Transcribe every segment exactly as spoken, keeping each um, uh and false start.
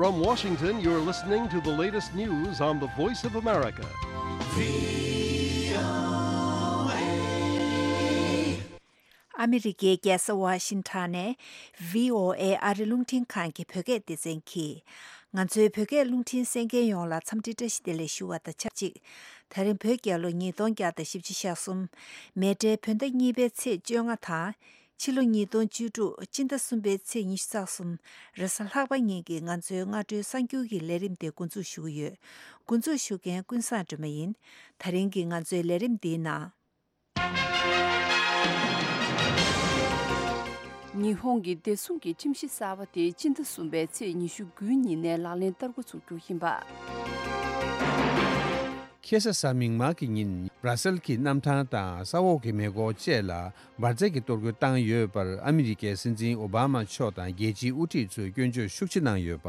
From Washington, you're listening to the latest news on the Voice of America. ཨ་མི་རི་ཀའི་རྒྱལ་ས་ཝ་ཤིང་ཊོན་ནས་བྷི་ཨོ་ཨེ་ཨ་རི་རླུང་འཕྲིན་ཁང་གི་བོད་སྐད་སྡེ་ཚན་གྱིས། ང་ཚོའི་བོད་སྐད་རླུང་འཕྲིན་གསན་མཁན་ཡོངས་ལ་འཚམས་འདྲི་བཀྲ་ཤིས་བདེ་ལེགས་ཞུ་བ་དང་ཆབས་ཅིག་ད་རིང་བོད་རྒྱལ་ལོ་ཉིས་སྟོང་བརྒྱ་དང་བཞི་བཅུ་ཞེ་གསུམ། མེ་སྤྲེལ་བོད་ཟླ་གཉིས་པའི་ཚེས་བཅོ་ལྔ་དང་། ཕྱི་ལོ་ཉིས་སྟོང་བཅུ་དྲུག་སྤྱི་ཟླ་གསུམ་པའི་ཚེས་ཉི་ཤུ་རྩ་གསུམ། རེས་གཟའ་ལྷག་པ་ཉིན་གྱི་ང་ཚོའི་སྔ་དྲོའི་གསར་འགྱུར་གྱི་ལས་རིམ་དེ་འགོ་འཛུགས་ཞུ་གི་ཡོད། འགོ་འཛུགས་ཞུ་མཁན་ཀུན་བཟང་སྒྲོལ་མ་ཡིན། ད་རིང་གི་ང་ཚོའི་ལས་རིམ་འདིའི་ནང་། ཉི་ཧོང་གི་བདེ་སྲུང་གི་ཁྲིམས་གཞི་གསར་པ་དེ་སྤྱི་ཟླ་གསུམ་པའི་ཚེས་ཉི་ཤུ་དགུའི་ཉིན་ནས་ལག་ལེན་བསྟར་འགོ་ཚུགས་རྒྱུ་ཡིན་པ། ཁ་སང་གཟའ་མིག་དམར་གྱི་ཉིན་སྦྲ་སེལ་གྱི་གནམ་ཐང་དང་ས་འོག་གི་མེ་འཁོར་བཅས་ལ་འབར་རྫས་ཀྱི་གཏོར་རྒོལ་བཏང་ཡོད་པར་ཨ་མི་རི་ཀའི་སྲིད་འཛིན་ཨོ་བྷ་མ་མཆོག་དང་རྒྱལ་སྤྱིའི་དབུ་ཁྲིད་ཚོས་སྐྱོན་བརྗོད་ཤུགས་ཆེ་གནང་ཡོད་པ།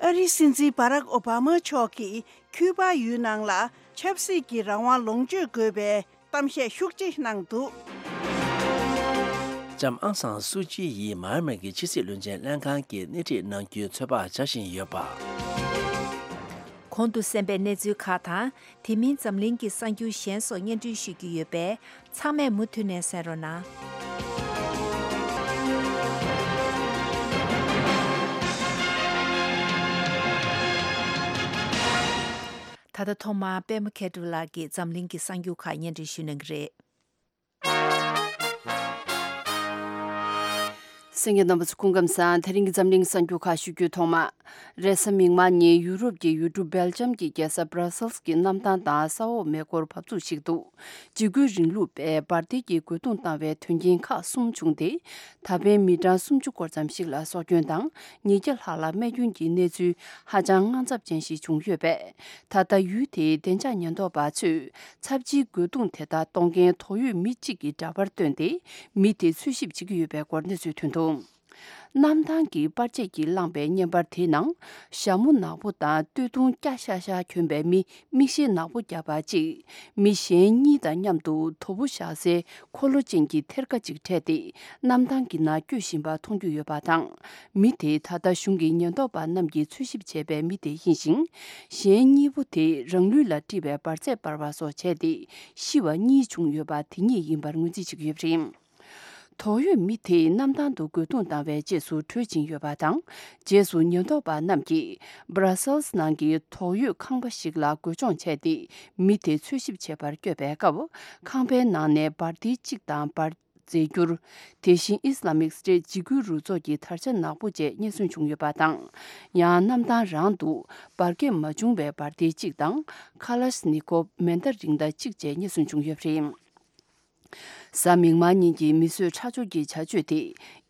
ཨ་རིའི་སྲིད་འཛིན་བྷ་རག་ཨོ་བྷ་མ་མཆོག་གིས་ཁྱུ་པ་ཡུལ་ནང་ལ་ཆབ་སྲིད་ཀྱི་རང་དབང་ལོངས་སྤྱོད་དགོས་པའི་གཏམ་བཤད་ཤུགས་ཆེ་གནང་འདུག། ལྕམ་ཨང་སང་སུའུ་ཅི་ཡིས་མཱ་ཡན་མར་གྱི་ཕྱི་སྲིད་བློན་ཆེན་ལྷན་ཁང་གི་སྣེ་ཁྲིད་གནང་རྒྱུའི་ཚོད་དཔག་བྱ་བཞིན་ཡོད་པ། གོང་དུ་གསན་པའི་གནས་ཚུལ་ཁག་དང་། དེ་མིན་འཛམ་གླིང་གི་གསར་འགྱུར་གཞན་སོགས་སྙན་སྒྲོན་ཞུ་རྒྱུ་ཡོད་པས། ཚང་མས་མུ་མཐུད་ནས་གསན་རོགས་གནང་། ད་ལྟ་ཐོག་མར་པད་མ་མཁས་གྲུབ་ལགས་ཀྱིས་འཛམ་གླིང་གི་གསར་འགྱུར་ཁག་སྙན་སྒྲོན་ཞུ་གནང་གི་རེད། གསན་མཁན་རྣམ་པ་ཚོ་སྐུ་ཁམས་བཟང་། དེ་རིང་གི་འཛམ་གླིང་གསར་འགྱུར་ཁག་ཞུ་རྒྱུའི་ཐོག་མ། རེས་གཟའ་མིག་དམར་ཉིན་ཡུ་རོབ་ཀྱི་ཡུལ་གྲུ་སྦེལ་ཇམ་གྱི་རྒྱལ་ས་སྦྲ་སེལ་གྱི་གནམ་ཐང་དང་ས་འོག་མེ་འཁོར་འབབ་ཚུགས་ཤིག་ཏུ། འཇིགས་སྐུལ་རིང་ལུགས་པས་འབར་མདེལ་གྱི་རྒོལ་རྡུང་བཏང་བའི་དོན་རྐྱེན་ཁག་གསུམ་བྱུང་སྟེ། ད་ཕན་མི་གྲངས་སུམ་ཅུ་སྐོར་ཙམ་ཞིག་ལ་སྲོག་སྐྱོན་དང་ཉིས་བརྒྱ་ལྷག་ལ་རྨས་སྐྱོན་གྱི་གནས་ཚུལ་ཧ་ཅང་དངངས་འཚབ་ཅན་ཞིག་བྱུང་ཡོད་པས། ད་ལྟ་ཡུལ་དེའི་བདེ་འཇགས་ཉེན་རྟོག་པ་ཚོས་ཚབས་ཆེའི་རྒོལ་རྡུང་དེ་དག་གཏོང་མཁན་དོགས་ཡོད་མི་གཅིག་གི་འདྲ་པར་བཏོན་ཏེ། མི་དེ་འཚོལ་ཞིབ་བྱེད་ཀྱི་ཡོད་པའི་སྐོར་གནས་ཚུལ་ཐོན་འདུག། གནམ་ཐང་གི་པར་ཆས་ཀྱིས་བསླངས་པའི་བརྙན་པར་དེའི་ནང་། ཞྭ་མོ་ནག་པོ་དང་སྟོད་ཐུང་སྐྱ་ཤ་ཤ་གྱོན་པའི་མི། མིག་ཤེལ་ནག་པོ་བརྒྱབ་པ་གཅིག། མི་གཞན་གཉིས་དང་མཉམ་དུ་དོ་པོ་བཞག་སའི་འཁོར་ལོ་ཅན་གྱི་ཐེར་ཀ་གཅིག་འཕྲད་དེ། གནམ་ཐང་གི་ནང་སྐྱོད་བཞིན་པ་མཐོང་རྒྱུ་ཡོད་པ་དང་། མི་དེ་ད་ལྟ་གཞུང་གི་ཉེན་རྟོག་པ་རྣམས་ཀྱིས་འཚོལ་ཞིབ་བྱས་པའི་མི་དེ་ཡིན་ཞིང་། གཞན་གཉིས་པོ་དེ་རང་ལུས་ལ་དཀྲིས་པའི་འབར་རྫས་སྤར་བ་སོགས་བྱས་ཏེ། ཤི་བ་གཉིས་བྱུང་ཡོད་པ་དེ་ཉིད་ཡིན་པར་ངོས་འཛིན་བྱེད་ཀྱི་ཡོད་པ་རེད། དོགས་ཡོད་མི་དེས་གནམ་ཐང་དུ་རྒོལ་རྡུང་བཏང་བའི་རྗེས་སུ་བྲོས་ཕྱིན་ཡོད་པ་དང་། རྗེས་སུ་ཉེན་རྟོག་པ་རྣམས་ཀྱིས་སྦྲ་སེལ་ནང་གི་དོགས་ཡོད་ཁང་པ་ཞིག་ལ་རྒོལ་མཆོང་བྱས་ཏེ། མི་དེ་འཚོལ་ཞིབ་བྱེད་པར་བསྐྱོད་པའི་སྐབས། ཁང་པའི་ནང་ནས་འབར་མདེལ་གཅིག་དང་འབར་རྫས་འགྱུར། དེ་བཞིན་ཨིས་ལ་མིག་སི་ཊེཊ་འཇིགས་སྐུལ་རུ་ཚོགས་ཀྱི་དར་ཆ་ནག་པོ་བཅས་རྙེད་སོན་བྱུང་ཡོད་པ་དང་། ཡང་གནམ་ཐང་རང་དུ་འབར་གས་མ་བྱུང་བའི་འབར་མདེལ་གཅིག་དང་། ཁ་ལཤ་ནི་ཀོབ་མེ་མདའ་རིགས་འདྲ་གཅིག་བཅས་རྙེད་སོན་བྱུང་ཡོད་པ་རེད། གཟའ་མིག་དམར་ཉིན་གྱི་མི་གསོད་ཁྲག་སྦྱོར་གྱི་བྱ་སྤྱོད་དེ།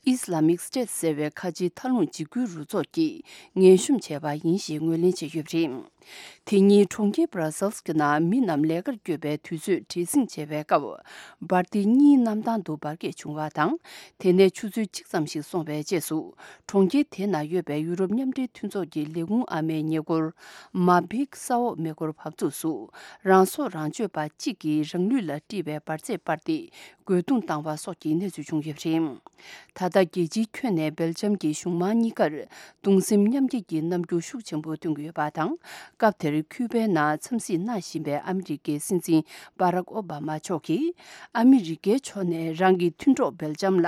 ཨིས་ལ་མིག་སི་ཊེཊ་ཟེར་བའི་ཁ་ཆེའི་མཐའ་ལྷུང་འཇིགས་སྐུལ་རུ་ཚོགས་ཀྱིས་ངན་ཤོམ་བྱས་པ་ཡིན་ཞེས་ངོས་ལེན་བྱས་ཡོད་པ་རེད། དེ་ཉིན་གྲོང་ཁྱེར་སྦྲ་སེལ་གྱི་ནང་མི་རྣམས་ལས་ཀར་བསྐྱོད་པའི་དུས་ཚོད་བྲེལ་ཟིང་བྱས་པའི་སྐབས། འབར་མདེལ་གཉིས་གནམ་ཐང་དུ་འབར་གས་བྱུང་བ་དང་། དེ་ནས་ཆུ་ཚོད་གཅིག་ཙམ་ཞིག་སོང་བའི་རྗེས་སུ། གྲོང་ཁྱེར་དེ་ན་ཡོད་པའི་ཡུ་རོབ་མཉམ་འབྲེལ་མཐུན་ཚོགས་ཀྱི་ལས་ཁུངས་ཨ་མའི་ཉེ་འཁོར། མ་བིག་ས་འོག་མེ་འཁོར་འབབ་ཚུགས་སུ། རང་སྲོག་རང་གཅོད་པ་གཅིག་གིས་རང་ལུས་ལ་དཀྲིས་པའི་འབར་རྫས་སྤར་ཏེ། རྒོལ་རྡུང་བཏང་བ་སོགས་ཀྱི་གནས་ཚུལ་བྱུང་ཡོད་པ་རེད། ད་ལྟ་རྒྱལ་སྤྱིའི་ཁྱོན་ནས་སྦེལ་ཇམ་གྱི་གཞུང་མང་གཉིས་ཀར་གདུང་སེམས་མཉམ་སྐྱེད་ཀྱི་རྣམ་འགྱུར་ཤུགས་ཆེན་པོ་སྟོན་གྱི་ཡོད་པ་དང་། སྐབས་དེར་ཁྱུ་པའི་ནང་འཚམས་གཟིགས་གནང་བཞིན་པའི་ཨ་མི་རི་ཀའི་སྲིད་འཛིན་བྷ་རག་ཨོ་བྷ་མ་མཆོག་གིས། ཨ་མི་རི་ཀའི་ཕྱོགས་ནས་རང་གི་མཐུན་གྲོགས་སྦེལ་ཇམ་ལ་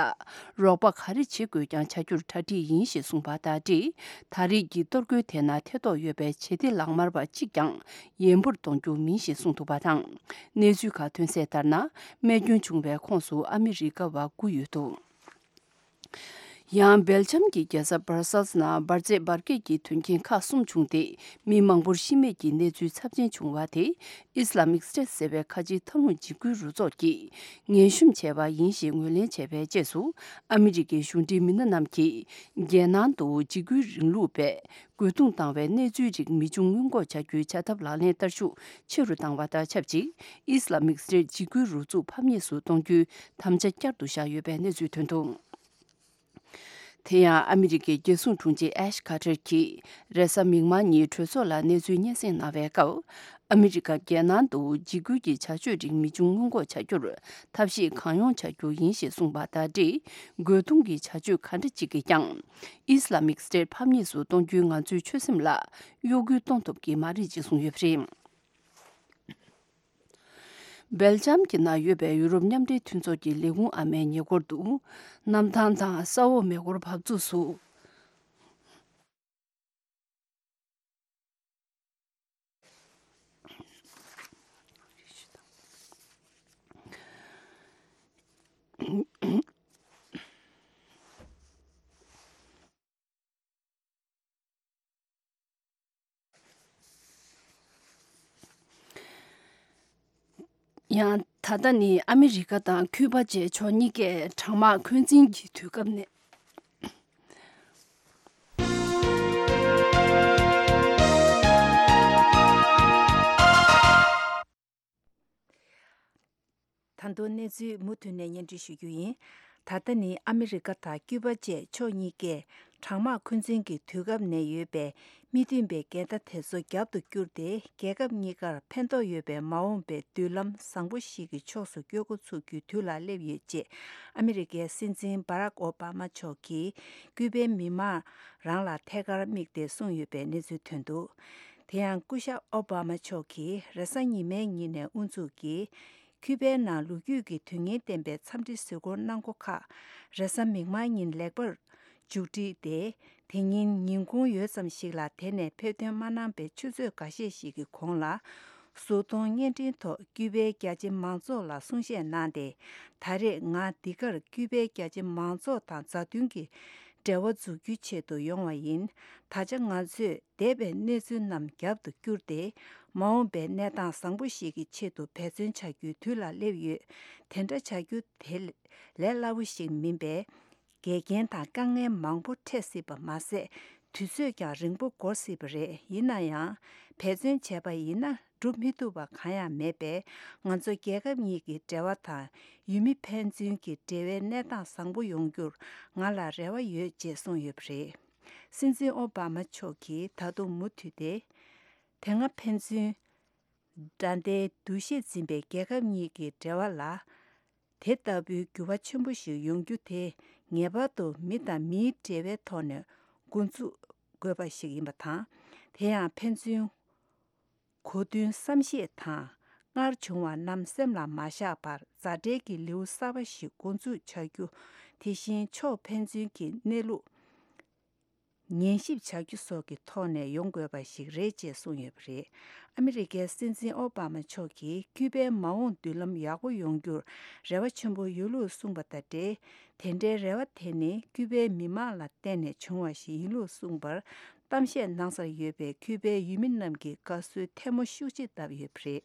རོགས་པ་ག་རེ་བྱེད་དགོས་ཀྱང་བྱ་རྒྱུར་གྲ་སྒྲིག་ཡིན་ཞེས་གསུངས་པ་དང་འབྲེལ། ད་རེས་ཀྱི་གཏོར་རྒོལ་དེ་ན་ཐེ་གཏོགས་ཡོད་པའི་བྱེད་གཏེ་ལག་དམར་བ་གཅིག་ཀྱང་ཡན་པོར་གཏོང་རྒྱུ་མིན་ཞེས་གསུངས་འདུག་པ་དང་། གནས་ཚུལ་ཁག་ཐོན་གསལ་ལྟར་ན། རྨས་སྐྱོན་བྱུང་བའི་ཁོངས་སུ་ཨ་མི་རི་ཀ་བ་དགུ་ཡོད་འདུག། ཡང་སྦེལ་ཇམ་གྱི་རྒྱལ་ས་སྦར་སེལ་ནང་འབར་རྫས་འབར་གས་ཀྱི་དོན་རྐྱེན་ཁག་གསུམ་བྱུང་སྟེ། མི་མང་པོར་ཤི་རྨས་ཀྱི་གནས་ཚུལ་ཚབས་ཆེན་བྱུང་བ་དེ། ཨིས་ལ་མིག་སི་ཊེཊ་ཟེར་བའི་ཁ་ཆེའི་མཐའ་ལྷུང་འཇིགས་སྐུལ་རུ་ཚོགས་ཀྱིས་ངན་ཤོམ་བྱས་པ་ཡིན་ཞེས་ངོས་ལེན་བྱས་པའི་རྗེས་སུ། ཨ་མི་རི་ཀའི་གཞུང་འབྲེལ་མི་སྣ་རྣམས་ཀྱིས། རྒྱལ་ནང་དུ་འཇིགས་སྐུལ་རིང་ལུགས་པས། རྒོལ་རྡུང་བཏང་བའི་གནས་ཚུལ་རིགས་མི་འབྱུང་སྔོན་འགོག་བྱ་རྒྱུའི་བྱ་ཐབས་ལག་ལེན་བསྟར་ཤུགས་ཆེ་རུ་བཏང་བ་དང་ཆབས་ཅིག། ཨིས་ལ་མིག་སི་ཊེཊ་འཇིགས་སྐུལ་རུ་ཚོགས་ཕམ་ཉེས་སུ་གཏོང་རྒྱུའི་དམ་བཅའ་བསྐྱར་དུ་བཞག་ཡོད་པའི་གནས་ཚུལ་ཐོན་འདུག། དེ་ཡང་ཨ་མི་རི་ཀའི་རྒྱལ་སྲུང་དྲུང་ཆེ་ཨེཤ་ཁ་ཏྲེར་གྱིས་རེས་གཟའ་མིག་དམར་ཉིན་གྲོས་ཚོགས་ལ་གནས་ཚུལ་སྙན་སེང་གནང་བའི་སྐབས། ཨ་མི་རི་ཀ་རྒྱལ་ནང་དུ་འཇིགས་སྐུལ་གྱི་བྱ་སྤྱོད་རིགས་མི་འབྱུང་སྔོན་འགོག་བྱ་རྒྱུར་ཐབས་ཤེས་གང་ཡོང་བྱ་རྒྱུ་ཡིན་ཞེས་གསུངས་པ་དང་འབྲེལ། རྒོལ་རྡུང་གི་བྱ་སྤྱོད་ག་འདྲ་ཅིག་གིས་ཀྱང་ཨི་སི་ལ་མིག་སི་ཊེཊ་ཕམ་ཉེས་སུ་གཏོང་རྒྱུའི་ང་ཚོའི་ཆོད་སེམས་ལ་གཡོ་འགུལ་གཏོང་ཐུབ་ཀྱི་མ་རེད་ཅེས་གསུངས་ཡོད་པ་རེད། སྦེལ་ཇམ་གྱི་ནང་ཡོད་པའི་ཡུ་རོབ་མཉམ་འབྲེལ་མཐུན་ཚོགས་ཀྱི་ལས་ཁུངས་ཨ་མའི་ཉེ་འཁོར་དུ་གནམ་ཐང་དང་ས་འོག་མེ་འཁོར་བབས་ཚུགས་སུ། ཡང་ད་ལྟ་ནི་ཨ་མི་རི་ཀ་དང་ཁུ་པ་བཅས་ཕྱོགས་གཉིས་ཀས་གྲང་དམག་འཁོན་འཛིན་གྱི་དུས་སྐབས་ནས། ད་དུང་གནས་ཚུལ་མུ་མཐུད་ནས་སྙན་སྒྲོན་ཞུ་རྒྱུ་ཡིན། ད་ལྟ་ནི་ཨ་མི་རི་ཀ་དང་ཀུ་པ་བཅས་ཕྱོགས་གཉིས་ཀས་གྲང་དམག་འཁོན་འཛིན་གྱི་དུས་སྐབས་ནས་ཡོད་པའི་མི་མཐུན་པའི་འགལ་ཟླ་དེ་ཚོ་རྒྱབ་ཏུ་བསྐྱུར་ཏེ། རྒྱལ་ཁབ་གཉིས་ཀར་ཕན་ཐོགས་ཡོད་པའི་མ་འོངས་པའི་མདུན་ལམ་བཟང་པོ་ཞིག་གི་ཕྱོགས་སུ་བསྐྱོད་འགོ་ཚུགས་རྒྱུའི་དུས་ལ་སླེབས་ཡོད་ཅེས་ཨ་མི་རི་ཀའི་སྲིད་འཛིན་བྷ་རག་ཨོ་བྷ་མ་མཆོག་གིས་ཀུ་པའི་མི་མང་རང་ལ་ཐད་ཀར་དམིགས་ཏེ་གསུངས་ཡོད་པའི་གནས་ཚུལ་ཐོན་འདུག་དེ་ཡང་སྐུ་ཞབས་ཨོ་བྷ་མ་མཆོག་གིས་རེས་གཟའ་ཉི་མའི་ཉིན་ནས་དབུ་འཛུགས་ཀྱིས། ཁུ་པའི་ནང་ལོ་རྒྱུས་ཀྱི་དོན་སྙིང་ལྡན་པའི་འཚམས་འདྲི་གཟིགས་སྐོར་གནང་སྒོ་ཁག་རེས་གཟའ་མིག་དམར་ཉིན་ལེགས་པར་མཇུག་བསྒྲིལ་ཏེ། དེ་ཉིན་ཉིན་གུང་ཡོལ་ཙམ་ཞིག་ལ་དེ་ནས་ཕེབས་ཐོན་མ་གནང་པའི་ཆུ་ཚོད་འགའ་ཤས་ཤིག་གི་གོང་ལ། གཟུགས་མཐོང་བརྙན་འཕྲིན་ཐོག་ཀུ་པའི་རྒྱ་ཆེ་མང་ཚོགས་ལ་གསུང་བཤད་གནང་སྟེ། ད་རེས་ང་འདི་གར་ཀུ་པའི་རྒྱ་ཆེ་མང་ཚོགས་དང་མཛའ་མཐུན་གྱི་འབྲེལ་བ་འཛུགས་རྒྱུའི་ཆེད་དུ་ཡོང་བ་ཡིན། ད་ཆ་ང་ཚོས་འདས་པའི་གནས་ཚུལ་རྣམས་རྒྱབ་ཏུ་བསྐྱུར་ཏེ། མ་འོངས་པའི་གནས་སྟངས་བཟང་པོ་ཞིག་གི་ཆེད་དུ་འབད་བརྩོན་བྱ་རྒྱུའི་དུས་ལ་སླེབས་ཡོད། དེ་འདྲ་བྱ་རྒྱུ་དེ་ལས་སླ་བོ་ཞིག་མིན་པས། འགལ་རྐྱེན་དང་དཀའ་ངལ་མང་པོ་འཕྲད་སྲིད་པ་མ་ཟད། དུས་ཚོད་ཀྱང་རིང་པོ་འགོར་སྲིད་པ་རེད། ཡིན་ན་ཡང་། འབད་བརྩོན་བྱས་པ་ཡིན་ན་འགྲུབ་མི་ཐུབ་པ་གང་ཡང་མེད་པས། ང་ཚོ་རྒྱལ་ཁབ་གཉིས་ཀྱི་འབྲེལ་བ་དང་ཡུལ་མི་ཕན་ཚུན་གྱི་འབྲེལ་བའི་གནས་སྟངས་བཟང་པོ་ཡོང་རྒྱུར་ང་ལ་རེ་བ་ཡོད་ཅེས་གསུངས་ཡོད་པ་རེད། སྲིད་འཛིན་ཨོ་བྷ་མ་མཆོག་གིས་ད་དུང་མུ་མཐུད་དེ། དེ་སྔ་ཕན་ཚུན་དགྲ་ཟླའི་འདུ་ཤེས་འཛིན་པའི་རྒྱལ་ཁབ་གཉིས་ཀྱི་འབྲེལ་བ་ལ། དེ་ལྟ་བུའི་འགྱུར་བ་ཆེན་པོ་ཞིག་ཡོང་རྒྱུ་དེ་ངེས་པར་དུ་མི་དང་མིའི་འབྲེལ་བའི་ཐོག་ནས་འགོ་འཛུགས་དགོས་པ་ཞིག་ཡིན་པ་དང་། དེ་ཡང་ཕན་ཚུན་གོ་མཐུན་བསམ་ཤེས་དང་། སྔར་བྱུང་བ་རྣམས་སེམས་ལ་མ་བཞག་པར་མཛའ་འབྲེལ་གྱི་ལེའུ་གསར་པ་ཞིག་འགོ་འཛུགས་བྱ་རྒྱུ། དེ་བཞིན་ཕྱོགས་ཕན་ཚུན་གྱི་གནས་ལུགས་ཉན་ཞིབ་བྱ་རྒྱུ་སོགས་ཀྱི་ཐོག་ནས་ཡོང་དགོས་པ་ཞིག་རེད་ཅེས་གསུངས་ཡོད་པ་རེད། ཨ་མི་རི་ཀའི་སྲིད་འཛིན་ཨོ་བྷ་མ་མཆོག་གིས་ཀུ་པའི་མ་འོངས་མདུན་ལམ་ཡག་པོ་ཡོང་རྒྱུར་རེ་བ་ཆེན་པོ་ཡོད་ལུགས་གསུངས་པ་དང་འབྲེལ། དེ་འདྲའི་རེ་བ་དེ་ནི་ཀུ་པའི་མི་མང་ལ་བརྟེན་ནས་བྱུང་བ་ཞིག་ཡིན་ལུགས་གསུངས་པར། གཏམ་བཤད་གནང་སར་ཡོད་པའི་ཀུ་པའི་ཡུལ་མི་རྣམས་ཀྱིས་དགའ་བསུའི་ཐལ་མོ་ཤུགས་ཆེ་བརྡབས་ཡོད་པ་རེད།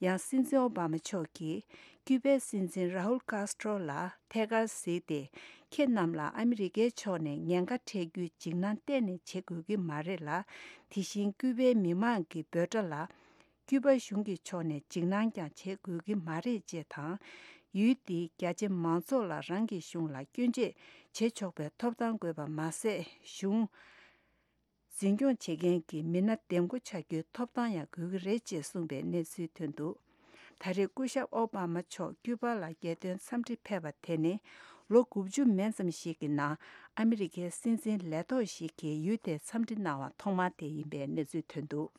ཡང་སྲིད་འཛིན་ཨོ་བྷ་མ་མཆོག་གིས་ཀུ་པའི་སྲིད་འཛིན་ར་ཧུལ་ཀཱས་ཏྲོ་ལ་ཐད་ཀར་གཟིགས་ཏེ། ཁྱེད་རྣམས་ལ་ཨ་མི་རི་ཀའི་ཕྱོགས་ནས་ཉེན་ཁ་འཕྲད་རྒྱུའི་འཇིགས་སྣང་གཏན་ནས་བྱེད་དགོས་ཀྱི་མ་རེད་ལ། དེ་བཞིན་ཀུ་པའི་མི་མང་གི་འབོད་སྒྲ་ལ། ཀུ་པ་གཞུང་གི་ཕྱོགས་ནས་འཇིགས་སྣང་ཀྱང་བྱེད་དགོས་ཀྱི་མ་རེད་ཅེས་དང་། ཡུལ་འདིའི་རྒྱ་ཆེ་མང་ཚོགས་ལ་རང་གི་གཞུང་ལ་སྐྱོན་བརྗོད་བྱེད་ཆོག་པའི་ཐོབ་ཐང་དགོས་པ་མ་ཟད། གཞུང་འཛིན་སྐྱོང་བྱེད་མཁན་གྱི་མི་སྣ་འདེམས་བསྐོ་བྱ་རྒྱུའི་ཐོབ་ཐང་ཡང་དགོས་ཀྱི་རེད་ཅེས་གསུངས་པའི་གནས་ཚུལ་ཐོན་འདུག་ད་རེས་སྐུ་ཞབས་ཨོ་བྷ་མ་མཆོག་ཀུ་པ་ལ་རྒྱལ་དོན་འཚམས་འདྲི་ཕེབས་པ་དེ་ནི་ལོ་དགུ་བཅུ་མན་ཙམ་ཞིག་གི་ནང་ཨ་མི་རི་ཀའི་སྲིད་འཛིན་ལས་ཐོག་ཞིག་གིས་ཡུལ་དེར་འཚམས་འདྲི་གནང་བ་ཐོག་མ་དེ་ཡིན་པའི་གནས་ཚུལ་ཐོན་འདུག་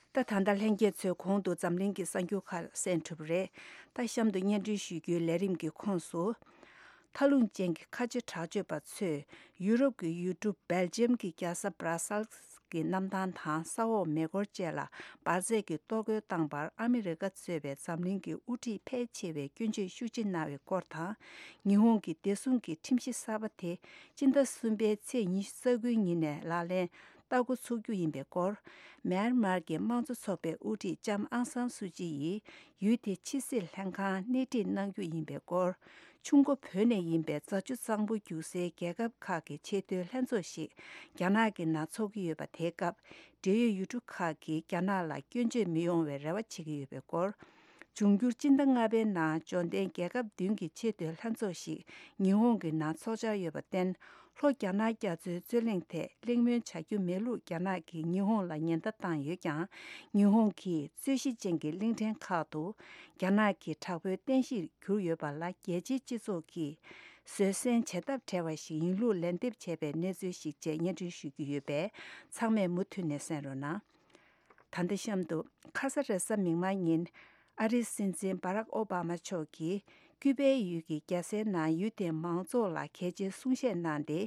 ད་ད་ལྟ་ལྷན་རྒྱས་ཚོས་གོང་དུ་འཛམ་གླིང་གི་གསར་འགྱུར་ཁག་གསན་གྲུབ་རེད། ད་གཤམ་དུ་སྙན་སྒྲོན་ཞུ་རྒྱུའི་ལས་རིམ་གྱི་ཁོངས་སུ། མཐའ་ལྷུང་ཅན་གྱི་ཁ་ཆེ་དྲག་སྤྱོད་པ་ཚོས་ཡུ་རོབ་ཀྱི་ཡུལ་གྲུ་སྦེལ་ཇམ་གྱི་རྒྱལ་ས་བྷ་ར་སལ་གྱི་གནམ་ཐང་དང་ས་འོག་མེ་འཁོར་བཅས་ལ་འབར་རྫས་ཀྱི་གཏོར་རྒོལ་བཏང་བར་ཨ་མི་རི་ཀ་གཙོས་པའི་འཛམ་གླིང་གི་དབུ་ཁྲིད་ཕལ་ཆེ་བས་སྐྱོན་བརྗོད་ཤུགས་ཆེ་གནང་བའི་སྐོར་དང་། ཉི་ཧོང་གི་བདེ་སྲུང་གི་ཁྲིམས་གཞི་གསར་པ་དེ་སྤྱི་ཟླ་གསུམ་པའི་ཚེས་ཉི་ཤུ་རྩ་དགུའི་ཉིན་ནས་ལག་ལེན་བསྟར་འགོ་ཚུགས་རྒྱུ་ཡིན་པའི་སྐོར། མེན་མར་གྱི་དམངས་གཙོ་ཚོགས་པའི་དབུ་ཁྲིད་ལྕམ་ཨང་སང་སུ་ཅི་ཡིས་ཡུལ་དེའི་ཕྱི་སྲིད་ལྷན་ཁང་སྣེ་ཁྲིད་གནང་རྒྱུ་ཡིན་པའི་སྐོར། ཆུ་འགོ་བོད་ནས་ཡིན་པའི་རྫ་ཆུ་གཙང་པོ་རྒྱུག་སའི་རྒྱལ་ཁབ་ཁག་གི་ཆེས་མཐོའི་ལྷན་ཚོགས་ཤིག་རྒྱ་ནག་གི་ནང་འཚོགས་ཀྱི་ཡོད་པ་དེའི་སྐབས། འབྲེལ་ཡོད་ཡུལ་གྲུ་ཁག་གིས་རྒྱ་ནག་ལ་སྐྱོན་བརྗོད་མི་ཡོང་བའི་རེ་བ་བྱེད་ཀྱི་ཡོད་པའི་སྐོར། འབྱུང་འགྱུར་སྤྱི་ཟླ་ལྔ་པའི་ནང་འབྱོར་ལྡན་རྒྱལ་ཁབ་བདུན་གྱི་ཆེས་མཐོའི་ལྷན་ཚོགས་ཤིག་ཉི་ཧོང་གི་ནང་འཚོགས་འཆར་ཡོད་པར་བརྟེན། ལྷོ་རྒྱ་ནག་རྒྱ་མཚོའི་རྩོད་གླེང་ཐད་གླེང་མོལ་བྱ་རྒྱུ་མེད་ལུགས་རྒྱ་ནག་གིས་ཉི་ཧོང་ལ་ཉེན་བརྡ་བཏང་ཡོད་ཀྱང་། ཉི་ཧོང་གིས་རྩོད་གཞི་ཅན་གྱི་གླིང་ཕྲན་ཁག་ཏུ་རྒྱ་ནག་གི་དྲག་པོའི་རྟེན་གཞིར་གྱུར་ཡོད་པ་ལ། རྒྱལ་སྤྱིའི་སྤྱི་ཚོགས་ཀྱིས་བཟོད་བསྲན་བྱེད་ཐབས་བྲལ་བ་ཞིག་ཡིན་ལུགས་ལན་འདེབས་བྱས་པའི་གནས་ཚུལ་ཞིག་བཅས་སྙན་སྒྲོན་ཞུ་རྒྱུ་ཡོད་པས། ཚང་མས་མུ་མཐུད་ནས་གསན་རོགས་གནང་། ད་ལྟ་གཤམ་དུ། ཁ་ས་རེས་གཟའ་མིག་དམར་ཉིན། ཨ་རིའི་སྲིད་འཛིན་བྷ་རག་ཨོ་བྷ་མ་མཆོག་གིས་ཀུའུ་པའི་ཡུལ་གྱི་རྒྱལ་སའི་ནང་ཡུལ་དེའི་མང་ཚོགས་ལ་གལ་ཆེའི་གསུང་བཤད་གནང་སྟེ།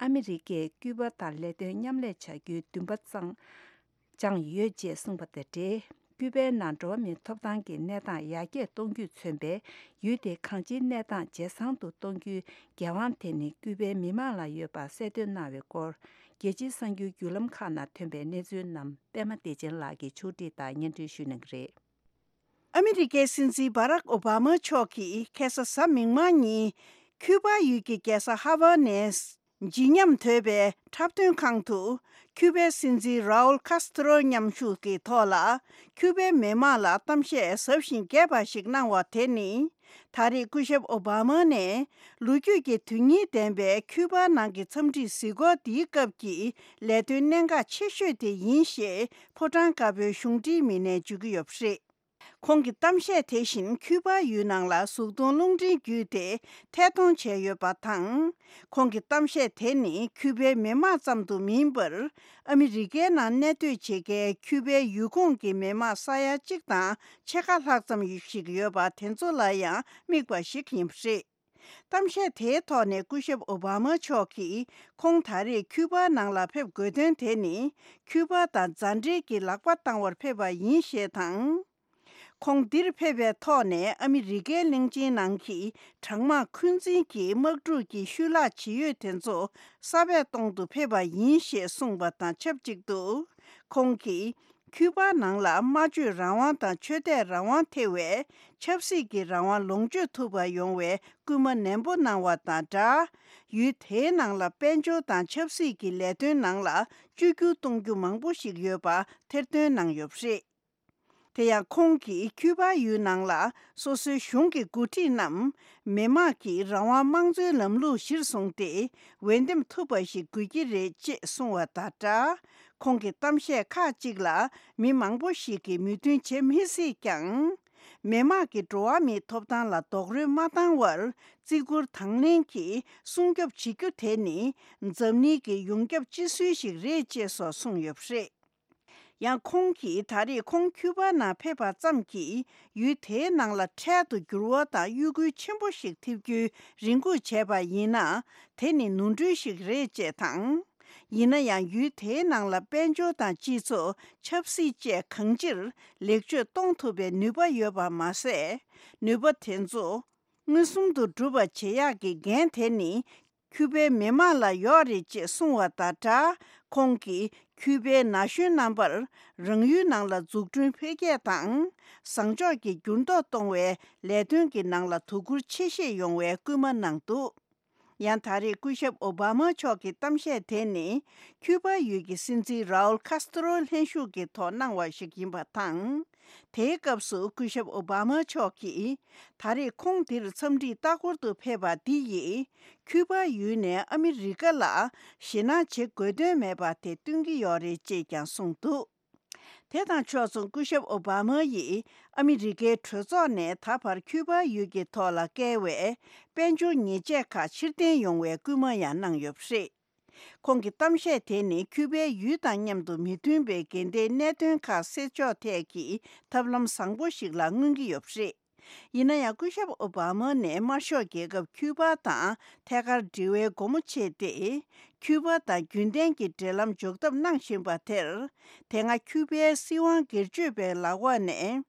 ཨ་མི་རི་ཀས་ཀུའུ་པ་དང་ལས་དོན་མཉམ་ལས་བྱ་རྒྱུའི་འདུན་པ་གཙང་། བཅངས་ཡོད་ཅེས་གསུངས་པ་དང་འབྲེལ། ཀུའུ་པའི་ནང་འགྲོ་བ་མིའི་ཐོབ་ཐང་གི་གནས་སྟངས་ཡར་རྒྱས་གཏོང་རྒྱུས་མཚོན་པའི་ཡུལ་དེའི་གང་ཅིའི་གནས་སྟངས་ཇེ་བཟང་དུ་གཏོང་རྒྱུའི་འགན་དབང་དེ་ནི་ཀུའུ་པའི་མི་མང་ལ་ཡོད་པ་གསལ་སྟོན་གནང་བའི་སྐོར། རྒྱལ་སྤྱིའི་གསར་འགྱུར་བརྒྱུད་ལམ་ཁག་ནང་ཐོན་པའི་གནས་ཚུལ་རྣམས་པད་མ་བདེ་ཆེན་ལགས་ཀྱིས་ཕྱོགས་སྒྲིག་དང་སྙན་སྒྲོན་ཞུ་གནང་གི་རེད། ཨ་མི་རི་ཀའི་སྲིད་འཛིན་བྷ་རག་ཨོ་བྷ་མ་མཆོག་གིས་ཁ་སང་གཟའ་མིག་དམར་ཉིན། ཁྱུ་པ་ཡུལ་གྱི་རྒྱལ་ས་ཧ་ཝ་ནས་ཇི་ཉམས་དོད་པའི་འཁྲབ་སྟོན་ཁང་དུ། ཁྱུ་པའི་སྲིད་འཛིན་རའུལ་ཁཱས་ཏྲོ་མཉམ་ཞུགས་ཀྱི་ཐོག་ལ། ཁྱུ་པའི་མི་དམངས་ལ་གཏམ་བཤད་ཟབ་ཞིང་རྒྱས་པ་ཞིག་གནང་བ་དེ་ནི། ད་རེས་སྐུ་ཞབས་ཨོ་བྷ་མ་ནས། ལོ་རྒྱུས་ཀྱི་དོན་སྙིང་ལྡན་པའི་ཁྱུ་པ་ནང་གི་འཚམས་འདྲིའི་གཟིགས་སྐོར་འདིའི་སྐབས་ཀྱི་ལས་དོན་གནད་འགག་ཆེ་ཤོས་དེ་ཡིན་ཞེས་ཕོ་བྲང་དཀར་པོའི་གཞུང་འབྲེལ་མི་སྣས་བརྗོད་ཀྱི་ཡོད་པ་རེད། ཁོང་གི་གཏམ་བཤད་དེ་བཞིན་ཁྱུ་པ་ཡུལ་ནང་ལ་གཟུགས་མཐོང་རླུང་འཕྲིན་བརྒྱུད་དེ་ཐད་གཏོང་བྱས་ཡོད་པ་དང་། ཁོང་གི་གཏམ་བཤད་དེ་ནི་ཁྱུ་པའི་མི་དམངས་ཙམ་དུ་མིན་པར། ཨ་མི་རི་ཀའི་ནང་གནས་སྡོད་བྱེད་མཁན་ཁྱུ་པའི་ཡུལ་ཁོངས་ཀྱི་མི་དམངས་ས་ཡ་གཅིག་དང་ཕྱེད་ཀ་ལྷག་ཙམ་ཞིག་ཡོད་པ་དེ་ཚོ་ལ་ཡང་དམིགས་པ་ཞིག་ཡིན་པ་རེད། གཏམ་བཤད་དེའི་ཐོག་ནས་སྐུ་ཞབས་ཨོ་བྷ་མ་མཆོག་གིས། ཁོང་ད་རེས་ཁྱུ་པ་ནང་ལ་ཕེབས་དགོས་དོན་དེ་ནི། ཁྱུ་པ་དང་མཛའ་འབྲེལ་གྱི་ལག་པ་བཏང་བར་ཕེབས་པ་ཡིན་ཞེས་དང་། ཁོང་འདིར་ཕེབས་པའི་ཐོག་ནས་ཨ་མི་རི་ཀའི་གླིང་ཆེན་ནང་གི་གྲང་དམག་འཁོན་འཛིན་གྱི་དམག་འཁྲུག་གི་ཤུལ་ལྷག་ཇི་ཡོད་དེ་ཚོ་གསར་པས་གཏོང་དུ་ཕེབས་པ་ཡིན་ཞེས་གསུངས་པ་དང་ཆབས་ཅིག་ཏུ། ཁོང་གིས། ཁྱུ་པ་ནང་ལ་སྨྲ་བརྗོད་རང་དབང་དང་ཆོས་དད་རང་དབང་ཐེ་བའི་ཆབ་སྲིད་ཀྱི་རང་དབང་ལོངས་སྤྱོད་ཐུབ་པ་ཡོང་བའི་སྐུལ་མ་ནན་པོ་གནང་བ་དང་སྦྲགས། ཡུལ་དེའི་ནང་ལ་དཔལ་འབྱོར་དང་ཆབ་སྲིད་ཀྱི་ལས་དོན་ནང་ལ་བཅོས་བསྒྱུར་གཏོང་རྒྱུ་མང་པོ་ཞིག་ཡོད་པ་ཐེར་འདོན་གནང་ཡོད་པ་རེད། དེ་ཡང་ཁོང་གིས་ཁྱུ་པ་ཡུལ་ནང་ལ་སོ་སོའི་གཞུང་གི་འགོ་ཁྲིད་རྣམས་མི་དམངས་ཀྱི་རང་དབང་དམངས་གཙོའི་ལམ་ལུགས་གཞིར་བཟུང་སྟེ་འོས་འདེམས་ཐུབ་པ་ཞིག་དགོས་ཀྱི་རེད་ཅེས་གསུངས་བ་དང་སྦྲགས། ཁོང་གི་གཏམ་བཤད་ཁག་ཅིག་ལ་མི་མང་པོ་ཞིག་གིས་མོས་མཐུན་བྱེད་མི་སྲིད་ཀྱང་། མི་དམངས་ཀྱི་འགྲོ་བ་མིའི་ཐོབ་ཐང་ལ་རྡོག་རོལ་མ་བཏང་བར་བརྩི་བཀུར་དང་ལེན་གྱིས་སྲུང་སྐྱོབ་བྱེད་རྒྱུ་དེ་ནི་འཛམ་གླིང་གི་ཡོངས་ཁྱབ་སྤྱི་སྲོལ་ཞིག་རེད་ཅེས་སོགས་གསུངས་ཡོད་པ་རེད། ཡང་ཁོང་གིས་ད་རེས་ཁོང་ཁྱུ་པ་ནང་ཕེབས་པ་ཙམ་གྱིས་ཡུལ་དེའི་ནང་ལ་འཕྲལ་དུ་འགྱུར་བ་དང་གཡོ་འགུལ་ཆེན་པོ་ཞིག་ཐེབས་རྒྱུའི་རེ་སྒུག་བྱས་པ་ཡིན་ན། དེ་ནི་ནོར་འཁྲུལ་ཞིག་རེད་ཅེས་དང་། ཡིན་ན་ཡང་ཡུལ་དེའི་ནང་ལ་དཔལ་འབྱོར་དང་སྤྱི་ཚོགས་ཆབ་སྲིད་བཅས་གང་ཅིར་ལེགས་བཅོས་གཏོང་ཐུབ་པའི་ནུས་པ་ཡོད་པ་མ་ཟད། ནུས་པ་དེ་ཚོ་མངོན་སུམ་དུ་འགྲུབ་པ་བྱེད་ཡག་གི་འགན་དེ་ནི། ཁྱུ་པའི་མི་དམངས་ལ་ཡོད་རེད་ཅེས་གསུངས་བ་དང་སྦྲགས། ཁོང་གིས་ཁྱུ་པའི་ན་གཞོན་རྣམ་པར་རང་ཡུལ་ནང་ལ་འཛུགས་སྐྲུན་འཕེལ་རྒྱས་དང་། བཟང་ཕྱོགས་ཀྱི་འགྱུར་ལྡོག་གཏོང་བའི་ལས་དོན་གྱི་ནང་ལ་དོ་ཁུར་ཆེ་བཞེས་ཡོང་བའི་སྐུལ་མ་གནང་འདུག་ཡང་ད་རེས་སྐུ་ཞབས་ཨོ་བྷ་མ་མཆོག་གི་གཏམ་བཤད་དེ་ནི། ཁྱུ་པ་ཡུལ་གྱི་སྲིད་འཛིན་རའུལ་ཁཱས་ཏྲོ་ལྷན་ཞུགས་ཀྱི་ཐོག་གནང་བ་ཞིག་ཡིན་པ་དང་། དེའི་སྐབས་སུ་སྐུ་ཞབས་ཨོ་བྷ་མ་མཆོག་གིས། ད་རེས་ཁོང་འདིར་འཚམས་འདྲིའི་ལྟ་སྐོར་དུ་ཕེབས་པ་འདི་ཡིས། ཁྱུ་པ་ཡུལ་ནས་ཨ་མི་རི་ཀ་ལ་ཞེད་སྣང་བྱེད་དགོས་དོན་མེད་པ་དེ་སྟོན་གྱི་ཡོད་རེད་ཅེས་ཀྱང་གསུངས་འདུག་དེ་དང་ཕྱོགས་མཚུངས་སྐུ་ཞབས་ཨོ་བྷ་མ་ཡིས་ཨ་མི་རི་ཀའི་གྲོས་ཚོགས་ནས་ད་བར་ཁྱུ་པ་ཡུལ་གྱི་ཐོག་ལ་བཀལ་བའི་དཔལ་འབྱོར་ཉེས་ཆད་ཁག་ཕྱིར་འཐེན་ཡོང་བའི་སྐུལ་མ་ཡང་གནང་ཡོད་པ་རེད། ཁོང་གི་གཏམ་བཤད་དེ་ནི་ཁྱུ་པའི་ཡུལ་དང་མཉམ་དུ་མི་མཐུན་པའི་འགལ་ཟླའི་གནད་དོན་ཁག་སེལ་ཕྱོགས་ཐད་ཀྱི་ཐབས་ལམ་བཟང་པོ་ཞིག་ལ་མངོན་གྱི་ཡོད་པ་རེད། ཡིན་ན་ཡང་སྐུ་ཞབས་ཨོ་བྷ་མ་ནས་དམར་ཤོག་རྒྱལ་ཁབ་ཁྱུ་པ་དང་ཐད་ཀར་འབྲེལ་བའི་སྒོ་མོ་ཕྱེས་ཏེ། ཁྱུ་པ་དང་རྒྱུན་ལྡན་གྱི་འབྲེལ་ལམ་འཇོག་ཐབས་གནང་བཞིན་པ་དེར། དེ་སྔ་ཁྱུ་པའི་སྲིད་དབང་སྒེར་གཅོད་པའི་ལག་འོག་ནས།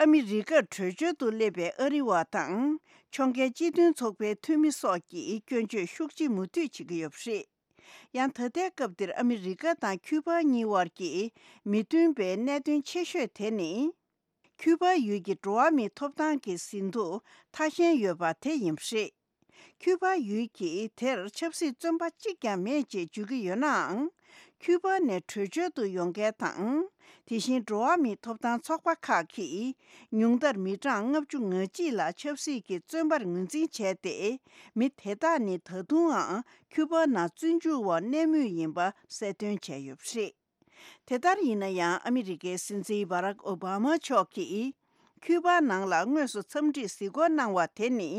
ཨ་མི་རི་ཀར་བྲོས་བྱོལ་དུ་སླེབས་པའི་ཨ་རི་བ་དང་། ཕྱོགས་འགལ་སྤྱི་མཐུན་ཚོགས་པའི་འཐུས་མི་སོགས་ཀྱིས་སྐྱོན་བརྗོད་ཤུགས་ཆེ་མུ་མཐུད་བྱེད་ཀྱི་ཡོད་པ་རེད། ཡང་ད་ལྟའི་སྐབས་འདིར་ཨ་མི་རི་ཀ་དང་ཁྱུ་པ་གཉིས་དབར་གྱི་མི་མཐུན་པའི་གནད་དོན་ཆེ་ཤོས་དེ་ནི། ཁྱུ་པ་ཡུལ་གྱི་འགྲོ་བ་མིའི་ཐོབ་ཐང་གི་ཟིན་ཐོ་མཐའ་ཞེན་ཡོད་པ་དེ་ཡིན་པ་རེད། ཁྱུ་པ་ཡུལ་གྱིས་དེར་ཆབ་སྲིད་བཙོན་པ་གཅིག་ཀྱང་མེད་ཅེས་བརྗོད་ཀྱི་ཡོད་ནའང་། ཁྱུ་པ་ནས་བྲོས་བྱོལ་དུ་ཡོང་མཁན་དང་། དེ་བཞིན་འགྲོ་བ་མིའི་ཐོབ་ཐང་ཚོགས་པ་ཁག་གིས་ཉུང་མཐར་མི་གྲངས་ལྔ་བཅུ་ང་གཅིག་ལ་ཆབ་སྲིད་ཀྱི་བཙོན་པར་ངོས་འཛིན་བྱས་ཏེ། མི་དེ་དག་ནི་ད་དུང་ཡང་ཁྱུ་པ་ནང་བཙོན་འཇུག་འོག་གནས་མུས་ཡིན་པ་གསལ་སྟོན་བྱས་ཡོད་པ་རེད། དེ་ལྟར་ཡིན་ན་ཡང་ཨ་མི་རི་ཀའི་སྲིད་འཛིན་བྷ་རག་ཨོ་བྷ་མ་མཆོག་གིས་ཁྱུ་པ་ནང་ལ་དངོས་སུ་འཚམས་འདྲིར་གཟིགས་སྐོར་གནང་བ་དེ་ནི་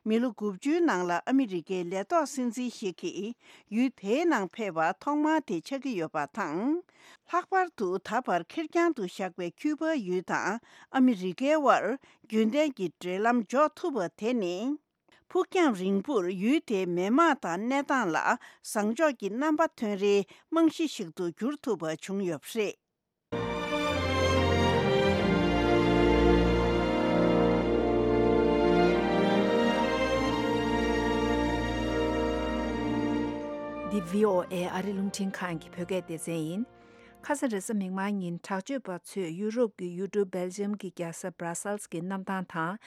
མི་ལོ་དགུ་བཅུའི་ནང་ལ་ཨ་མི་རི་ཀའི་ལས་ཐོག་སྲིད་འཛིན་ཞིག་གིས་ཡུལ་དེའི་ནང་ཕེབས་པ་ཐོག་མ་དེ་ཆགས་ཀྱི་ཡོད་པ་དང་། ལྷག་པར་དུ་ད་བར་ཁེར་རྐྱང་དུ་བཞག་པའི་ཁྱུ་པ་ཡུལ་དང་ཨ་མི་རི་ཀའི་དབར་རྒྱུན་ལྡན་གྱི་འབྲེལ་ལམ་འཇོག་ཐུབ་པ་དེ་ནི། ཕུགས་རྒྱང་རིང་པོར་ཡུལ་དེའི་མི་དམངས་དང་གནས་སྟངས་ལ་བཟང་ཕྱོགས་ཀྱི་རྣམ་པ་ཐོན་རེའི་རྨང་གཞི་ཞིག་ཏུ་འགྱུར་ཐུབ་པ་བྱུང་ཡོད་པ་རེད། འདི་བྷི་ཨོ་ཨེ་ཨ་རི་རླུང་འཕྲིན་ཁང་གི་བོད་སྐད་སྡེ་ཚན་ཡིན། ཁ་སང་རེས་གཟའ་མིག་དམར་ཉིན་དྲག་སྤྱོད་པ་ཚོས་ཡུ་རོབ་ཀྱི་ཡུལ་གྲུ་སྦེལ་ཇམ་གྱི་རྒྱལ་ས་སྦྲ་སལ་གྱི་གནམ་ཐང་དང་།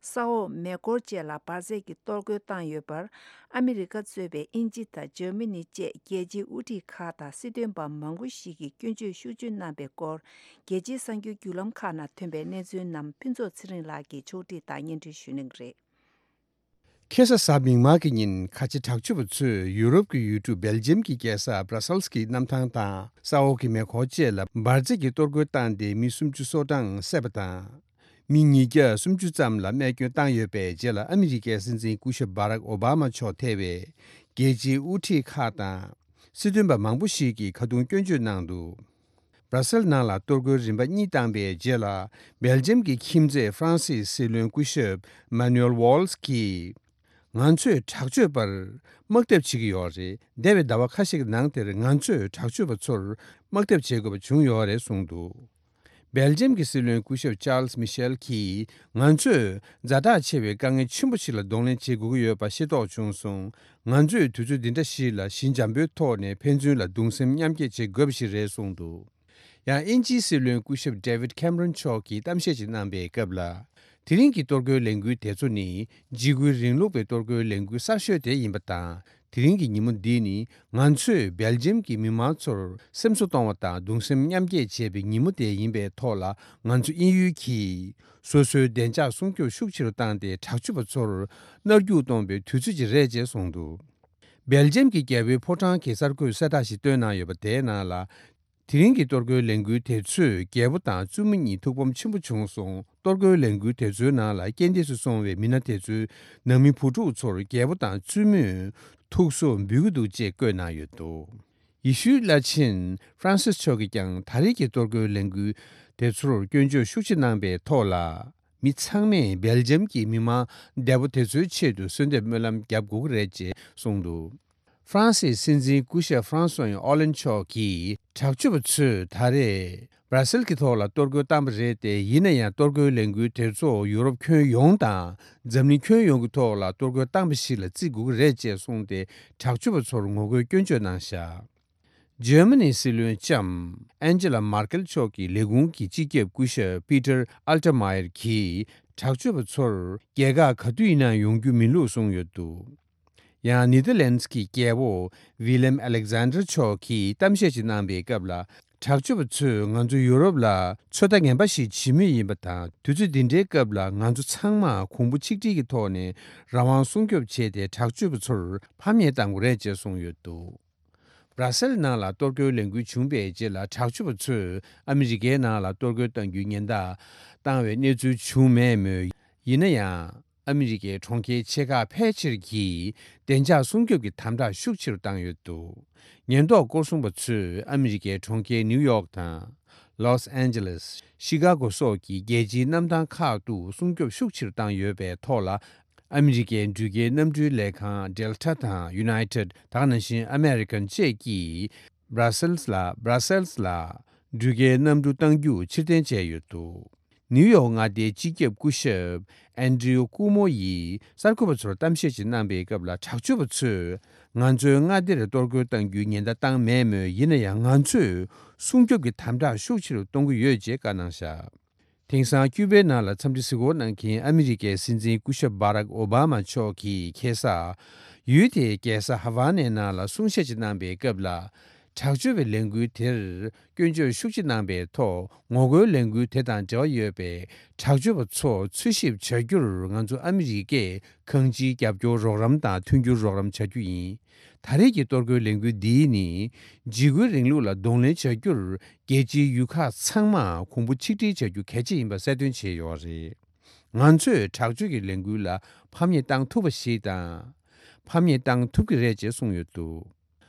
ས་འོག་མེ་འཁོར་བཅས་ལ་འབར་རྫས་ཀྱི་གཏོར་རྒོལ་བཏང་ཡོད་པར། ཨ་མི་རི་ཀ་གཙོས་པའི་དབྱིན་ཇི་དང་འཇར་མ་ནི་བཅས་རྒྱལ་སྤྱིའི་དབུ་ཁྲིད་ཁག་དང་སྲིད་དོན་པ་མང་པོ་ཞིག་གིས་སྐྱོན་བརྗོད་ཤུགས་ཆེ་གནང་པའི་སྐོར། རྒྱལ་སྤྱིའི་གསར་འགྱུར་བརྒྱུད་ལམ་ཁག་ནང་ཐོན་པའི་གནས་ཚུལ་རྣམས་ཕུན་ཚོགས་ཚེ་རིང་ལགས་ཀྱིས་ཕྱོགས་སྒྲིག་དང་སྙན་སྒྲོན་ཞུ་གནང་གི་རེད། ཁ་སང་གཟའ་མིག་དམར་གྱི་ཉིན་ཁ་ཆེ་དྲག་སྤྱོད་པ་ཚོས་ཡུ་རོབ་ཀྱི་ཡུལ་གྲུ་སྦེལ་ཇམ་གྱི་རྒྱལ་ས་སྦྲ་སལ་གྱི་གནམ་ཐང་དང་ས་འོག་གི་མེ་འཁོར་བཅས་ལ་འབར་རྫས་ཀྱི་གཏོར་རྒོལ་བཏང་སྟེ་མི་སུམ་ཅུ་སོ་གྲངས་བསད་པ་དང་། མི་ཉིས་བརྒྱ་སུམ་ཅུ་ཙམ་ལ་རྨས་སྐྱོན་བཏང་ཡོད་པའི་རྗེས་ལ་ཨ་མི་རི་ཀའི་སྲིད་འཛིན་སྐུ་ཞབས་བྷ་རག་ཨོ་བྷ་མ་མཆོག་ཐེ་བའི་རྒྱལ་སྤྱིའི་དབུ་ཁྲིད་ཁག་དང་། སྲིད་དོན་པ་མང་པོ་ཞིག་གིས་ཁ་རྡུང་སྐྱོན་བརྗོད་གནང་འདུག་སྦྲ་སེལ་ནང་ལ་གཏོར་རྒོལ་རིམ་པ་གཉིས་བཏང་པའི་རྗེས་ལ། སྦེལ་ཇམ་གྱི་ཁྱིམ་མཚེས་ཧྥ་རན་སིའི་སྲིད་བློན་སྐུ་ཞབས་མ་ནུ་ཨེལ་ཝོལ་སི་གིས། ང་ཚོས་དྲག་སྤྱོད་པར་དམག་འཐབ་བྱེད་ཀྱི་ཡོད་རེད། འདས་པའི་ཟླ་བ་ཁ་ཤས་ཀྱི་ནང་དེར་ང་ཚོས་དྲག་སྤྱོད་པ་ཚོར་དམག་འཐབ་བྱེད་དགོས་པ་བྱུང་ཡོད་རེད་གསུངས་འདུག་སྦེལ་ཇམ་གྱི་སྲིད་བློན་སྐུ་ཞབས་ཅཱལ་སི་མི་ཤེལ་གྱིས། ང་ཚོས་ཛ་དྲག་ཆེ་བའི་དཀའ་ངལ་ཆེན་པོ་ཞིག་ལ་གདོང་ལེན་བྱེད་དགོས་ཀྱི་ཡོད་པ་ཤེས་རྟོགས་བྱུང་སོང་། ང་ཚོས་དུས་ཚོད་འདི་འདྲ་ཞིག་ལ་ཞི་འཇམ་པོའི་ཐོག་ནས་ཕན་ཚུན་ལ་གདུང་སེམས་མཉམ་སྐྱེད་བྱེད་དགོས་པ་ཞིག་རེད་གསུངས་འདུག་ཡང་དབྱིན་ཇིའི་སྲིད་བློན་སྐུ་ཞབས་ཌེ་ཝིད་ཁེམ་རོན་མཆོག་གིས་གཏམ་བཤད་ཅིག་གནང་པའི་སྐབས་ལ། དེ་རིང་གི་གཏོར་རྒོལ་ལས་འགུལ་དེ་ཚོ་ནི་འཇིགས་སྐུལ་རིང་ལུགས་པའི་གཏོར་རྒོལ་ལས་འགུལ་གསར་ཤོས་དེ་ཡིན་པ་དང་། དེ་རིང་གི་ཉིན་མོ་འདི་ནི་ང་ཚོས་སྦེལ་ཇམ་གྱི་མི་མང་ཚོར་སེམས་གསོ་གཏོང་བ་དང་གདུང་སེམས་མཉམ་སྐྱེད་བྱེད་པའི་ཉིན་མོ་དེ་ཡིན་པའི་ཐོག་ལ། ང་ཚོ་དབྱིན་ཡུལ་གྱིས་སོ་སོའི་བདེ་འཇགས་སྲུང་སྐྱོབ་ཤུགས་ཆེ་རུ་བཏང་སྟེ་དྲག་སྤྱོད་པ་ཚོར་མནར་གཅོད་གཏོང་པའི་དུས་ཚོད་ཅིག་རེད་ཅེས་གསུངས་འདུག་སྦེལ་ཇམ་གྱི་རྒྱལ་པོའི་ཕོ་བྲང་གི་གསར་འགོད་གསལ་བསྒྲགས་ཤིག་བཏོན་གནང་ཡོད་པ་དེའི་ནང་ལ། དེ་རིང་གི་གཏོར་རྒོལ་ལས་འགུལ་དེ་ཚོས་རྒྱལ་པོ་དང་བཙུན་མོ་གཉིས་ཐུགས་ཕམ་ཆེན་པོ་བྱུང་སོང་། གཏོར་རྒོལ་ལས་འགུལ་དེ་ཚོའི་ནང་ལ་རྐྱེན་འདས་སུ་སོང་བའི་མི་སྣ་དེ་ཚོའི་ནང་མི་བུ་ཕྲུག་ཚོར་རྒྱལ་པོ་དང་བཙུན་མོས་ཐུགས་གསོ་འབུལ་གྱི་འདུག་ཅེས་བཀོད་གནང་ཡོད་འདུག་ཡེ་ཤུའི་བླ་ཆེན་ཧྥ་རན་སིས་མཆོག་གིས་ཀྱང་ད་རེས་ཀྱི་གཏོར་རྒོལ་ལས་འགུལ་དེ་ཚོར་སྐྱོན་བརྗོད་ཤུགས་ཆེ་གནང་པའི་ཐོག་ལ། མི་ཚང་མས་སྦེལ་ཇམ་གྱི་མི་མང་འདས་པོ་དེ་ཚོའི་ཆེད་དུ་གསོལ་འདེབས་སྨོན་ལམ་རྒྱབ་དགོས་ཀྱི་རེད་ཅེས་གསུངས་འདུག་ཧྥ་རན་སིའི་སྲིད་འཛིན་སྐུ་ཞབས་ཧྥ་རན་སུ་ཨོ་ལན་མཆོག་གིས་དྲག་སྤྱོད་པ་ཚོས་ད་རེས་སྦྲ་སེལ་གྱི་ཐོག་ལ་གཏོར་རྒོལ་བཏང་པ་རེད་དེ། ཡིན་ན་ཡང་གཏོར་རྒོལ་ལས་འགུལ་དེ་ཚོ་ཡུ་རོབ་ཁྱོན་ཡོངས་དང་འཛམ་གླིང་ཁྱོན་ཡོངས་ཀྱི་ཐོག་ལ་གཏོར་རྒོལ་བཏང་པ་ཞིག་ལ་བརྩི་དགོས་ཀྱི་རེད་ཅེས་གསུངས་ཏེ། དྲག་སྤྱོད་པ་ཚོར་ངོ་རྒོལ་སྐྱོན་བརྗོད་གནང་བཞག་འཇར་མ་ནིའི་སྲིད་བློན་ལྕམ་ཨན་ཇེ་ལ་མར་ཀེལ་མཆོག་གི་ལས་ཁུངས་ཀྱི་སྤྱི་ཁྱབ་སྐུ་ཞབས་པི་ཏར་ཨལ་ཏེར་མ་ཡེར་གྱིས་དྲག་སྤྱོད་པ་ཚོར་རྒྱལ་ཁག་ག་དུས་ཡིན་ན་ཡོང་རྒྱུ་མིན་ལུགས་གསུངས་ཡོད་འདུག་ཡང་ནེ་དར་ལན་སི་གི་རྒྱལ་པོ་ཝི་ལེམ་ཨ་ལེག་ཛན་ཌར་མཆོག་གིས་གཏམ་བཤད་ཅིག་གནང་པའི་སྐབས་ལ། དྲག་སྤྱོད་པ་ཚོས་ང་ཚོ་ཡུ་རོབ་ལ་ཚོད་ལྟ་ངན་པ་ཞིག་བྱེད་མུས་ཡིན་པ་དང་། དུས་ཚོད་འདི་འདྲའི་སྐབས་ལ་ང་ཚོ་ཚང་མ་གོང་བུ་ཆིག་སྒྲིལ་གྱི་ཐོག་ནས་རང་དབང་སྲུང་སྐྱོབ་བྱས་ཏེ། དྲག་སྤྱོད་པ་ཚོར་ཕམ་ཉེས་གཏང་དགོས་རེད་ཅེས་གསུངས་ཡོད་འདུག་སྦྲ་སེལ་ནང་ལ་གཏོར་རྒོལ་ལས་འགུལ་བྱུང་བའི་རྗེས་ལ། དྲག་སྤྱོད་པ་ཚོས་ཨ་མི་རི་ཀའི་ནང་ལ་གཏོར་རྒོལ་གཏང་རྒྱུའི་ཉེན་བརྡ་བཏང་བའི་གནས་ཚུལ་བྱུང་མེད་མོད། ཡིན་ན་ཡང་། ཨ་མི་རི་ཀའི་གྲོང་ཁྱེར་ཆེ་ཁག་ཕལ་ཆེར་གྱིས་བདེ་འཇགས་སྲུང་སྐྱོབ་ཀྱི་དམ་དྲག་ཤུགས་ཆེ་རུ་བཏང་ཡོད་འདུག་ཉེན་རྟོག་སྐོར་སྲུང་པ་ཚོས་ཨ་མི་རི་ཀའི་གྲོང་ཁྱེར་ནིའུ་ཡོག་དང་། ལོས་ཨན་ཇེ་ལེས། ཤི་ཀ་གོ་སོགས་ཀྱི་རྒྱལ་སྤྱིའི་གནམ་ཐང་ཁག་ཏུ་སྲུང་སྐྱོབ་ཤུགས་ཆེ་རུ་བཏང་ཡོད་པའི་ཐོག་ལ། ཨ་མི་རི་ཀའི་འགྲུལ་སྐྱེལ་གནམ་གྲུའི་ལས་ཁང་ཌེལ་ཊ་དང་ཡུ་ནའི་ཊེཌ། ད་ག་ནང་བཞིན་ཨ་མེ་རི་ཀན་བཅས་ཀྱིས་སྦྲ་སེལ་ལ་སྦྲ་སེལ་ལ་འགྲུལ་སྐྱེལ་གནམ་གྲུ་གཏང་རྒྱུ་ཕྱིར་འཐེན་བྱས་ཡོད་འདུག་ནིའུ་ཡོག་མངའ་སྡེའི་སྤྱི་ཁྱབ་སྐུ་ཞབས་ཨན་ཌྲིའུ་ཀུ་མོ་ཡིས་གསར་འགོད་པ་ཚོར་གཏམ་བཤད་ཅིག་གནང་པའི་སྐབས་ལ། དྲག་སྤྱོད་པ་ཚོས་ང་ཚོའི་མངའ་སྡེར་གཏོར་རྒོལ་གཏང་རྒྱུའི་ཉེན་བརྡ་བཏང་མེད་མོད། ཡིན་ན་ཡང་ང་ཚོས་སྲུང་སྐྱོབ་ཀྱི་དམ་དྲག་ཤུགས་ཆེ་རུ་གཏོང་གི་ཡོད་ཅེས་བཀའ་གནང་བཞག་དེང་སང་ཀྱུ་པའི་ནང་ལ་འཚམས་འདྲི་གཟིགས་སྐོར་གནང་མཁན་ཨ་མི་རི་ཀའི་སྲིད་འཛིན་སྐུ་ཞབས་བྷ་རག་ཨོ་བྷ་མ་མཆོག་གིས་ཁ་སང་ཡུལ་དེའི་རྒྱལ་ས་ཧ་ཝ་ནའི་ནང་ལ་གསུང་བཤད་ཅིག་གནང་པའི་སྐབས་ལ། དྲག་སྤྱོད་པའི་ལས་འགུལ་དེར་སྐྱོན་བརྗོད་ཤུགས་ཆེ་གནང་པའི་ཐོག་ངོ་རྒོལ་ལས་འགུལ་དེ་དང་འབྲེལ་བ་ཡོད་པའི་དྲག་སྤྱོད་པ་ཚོ་འཚོལ་ཞིབ་བྱ་རྒྱུར་ང་ཚོ་ཨ་མི་རི་ཀས་གང་ཅིའི་རྒྱབ་སྐྱོར་རོགས་རམ་དང་མཐུན་འགྱུར་རོགས་རམ་བྱ་རྒྱུ་ཡིན། ད་རེས་ཀྱི་གཏོར་རྒོལ་ལས་འགུལ་འདིས་ནི་འཇིགས་སྐུལ་རིང་ལུགས་ལ་གདོང་ལེན་བྱ་རྒྱུར་རྒྱལ་སྤྱིའི་ཡུལ་ཁག་ཚང་མ་གོང་བུ་ཆིག་སྒྲིལ་བྱ་རྒྱུ་གལ་ཆེ་ཡིན་པ་གསལ་སྟོན་བྱས་ཡོད་རེད། ང་ཚོས་དྲག་སྤྱོད་ཀྱི་ལས་འགུལ་ལ་ཕམ་ཉེས་བཏང་ཐུབ་པ་ཞིག་དང་། ཕམ་ཉེས་བཏང་ཐུབ་ཀྱི་རེད་ཅེས་གསུངས་ཡོད་འདུག།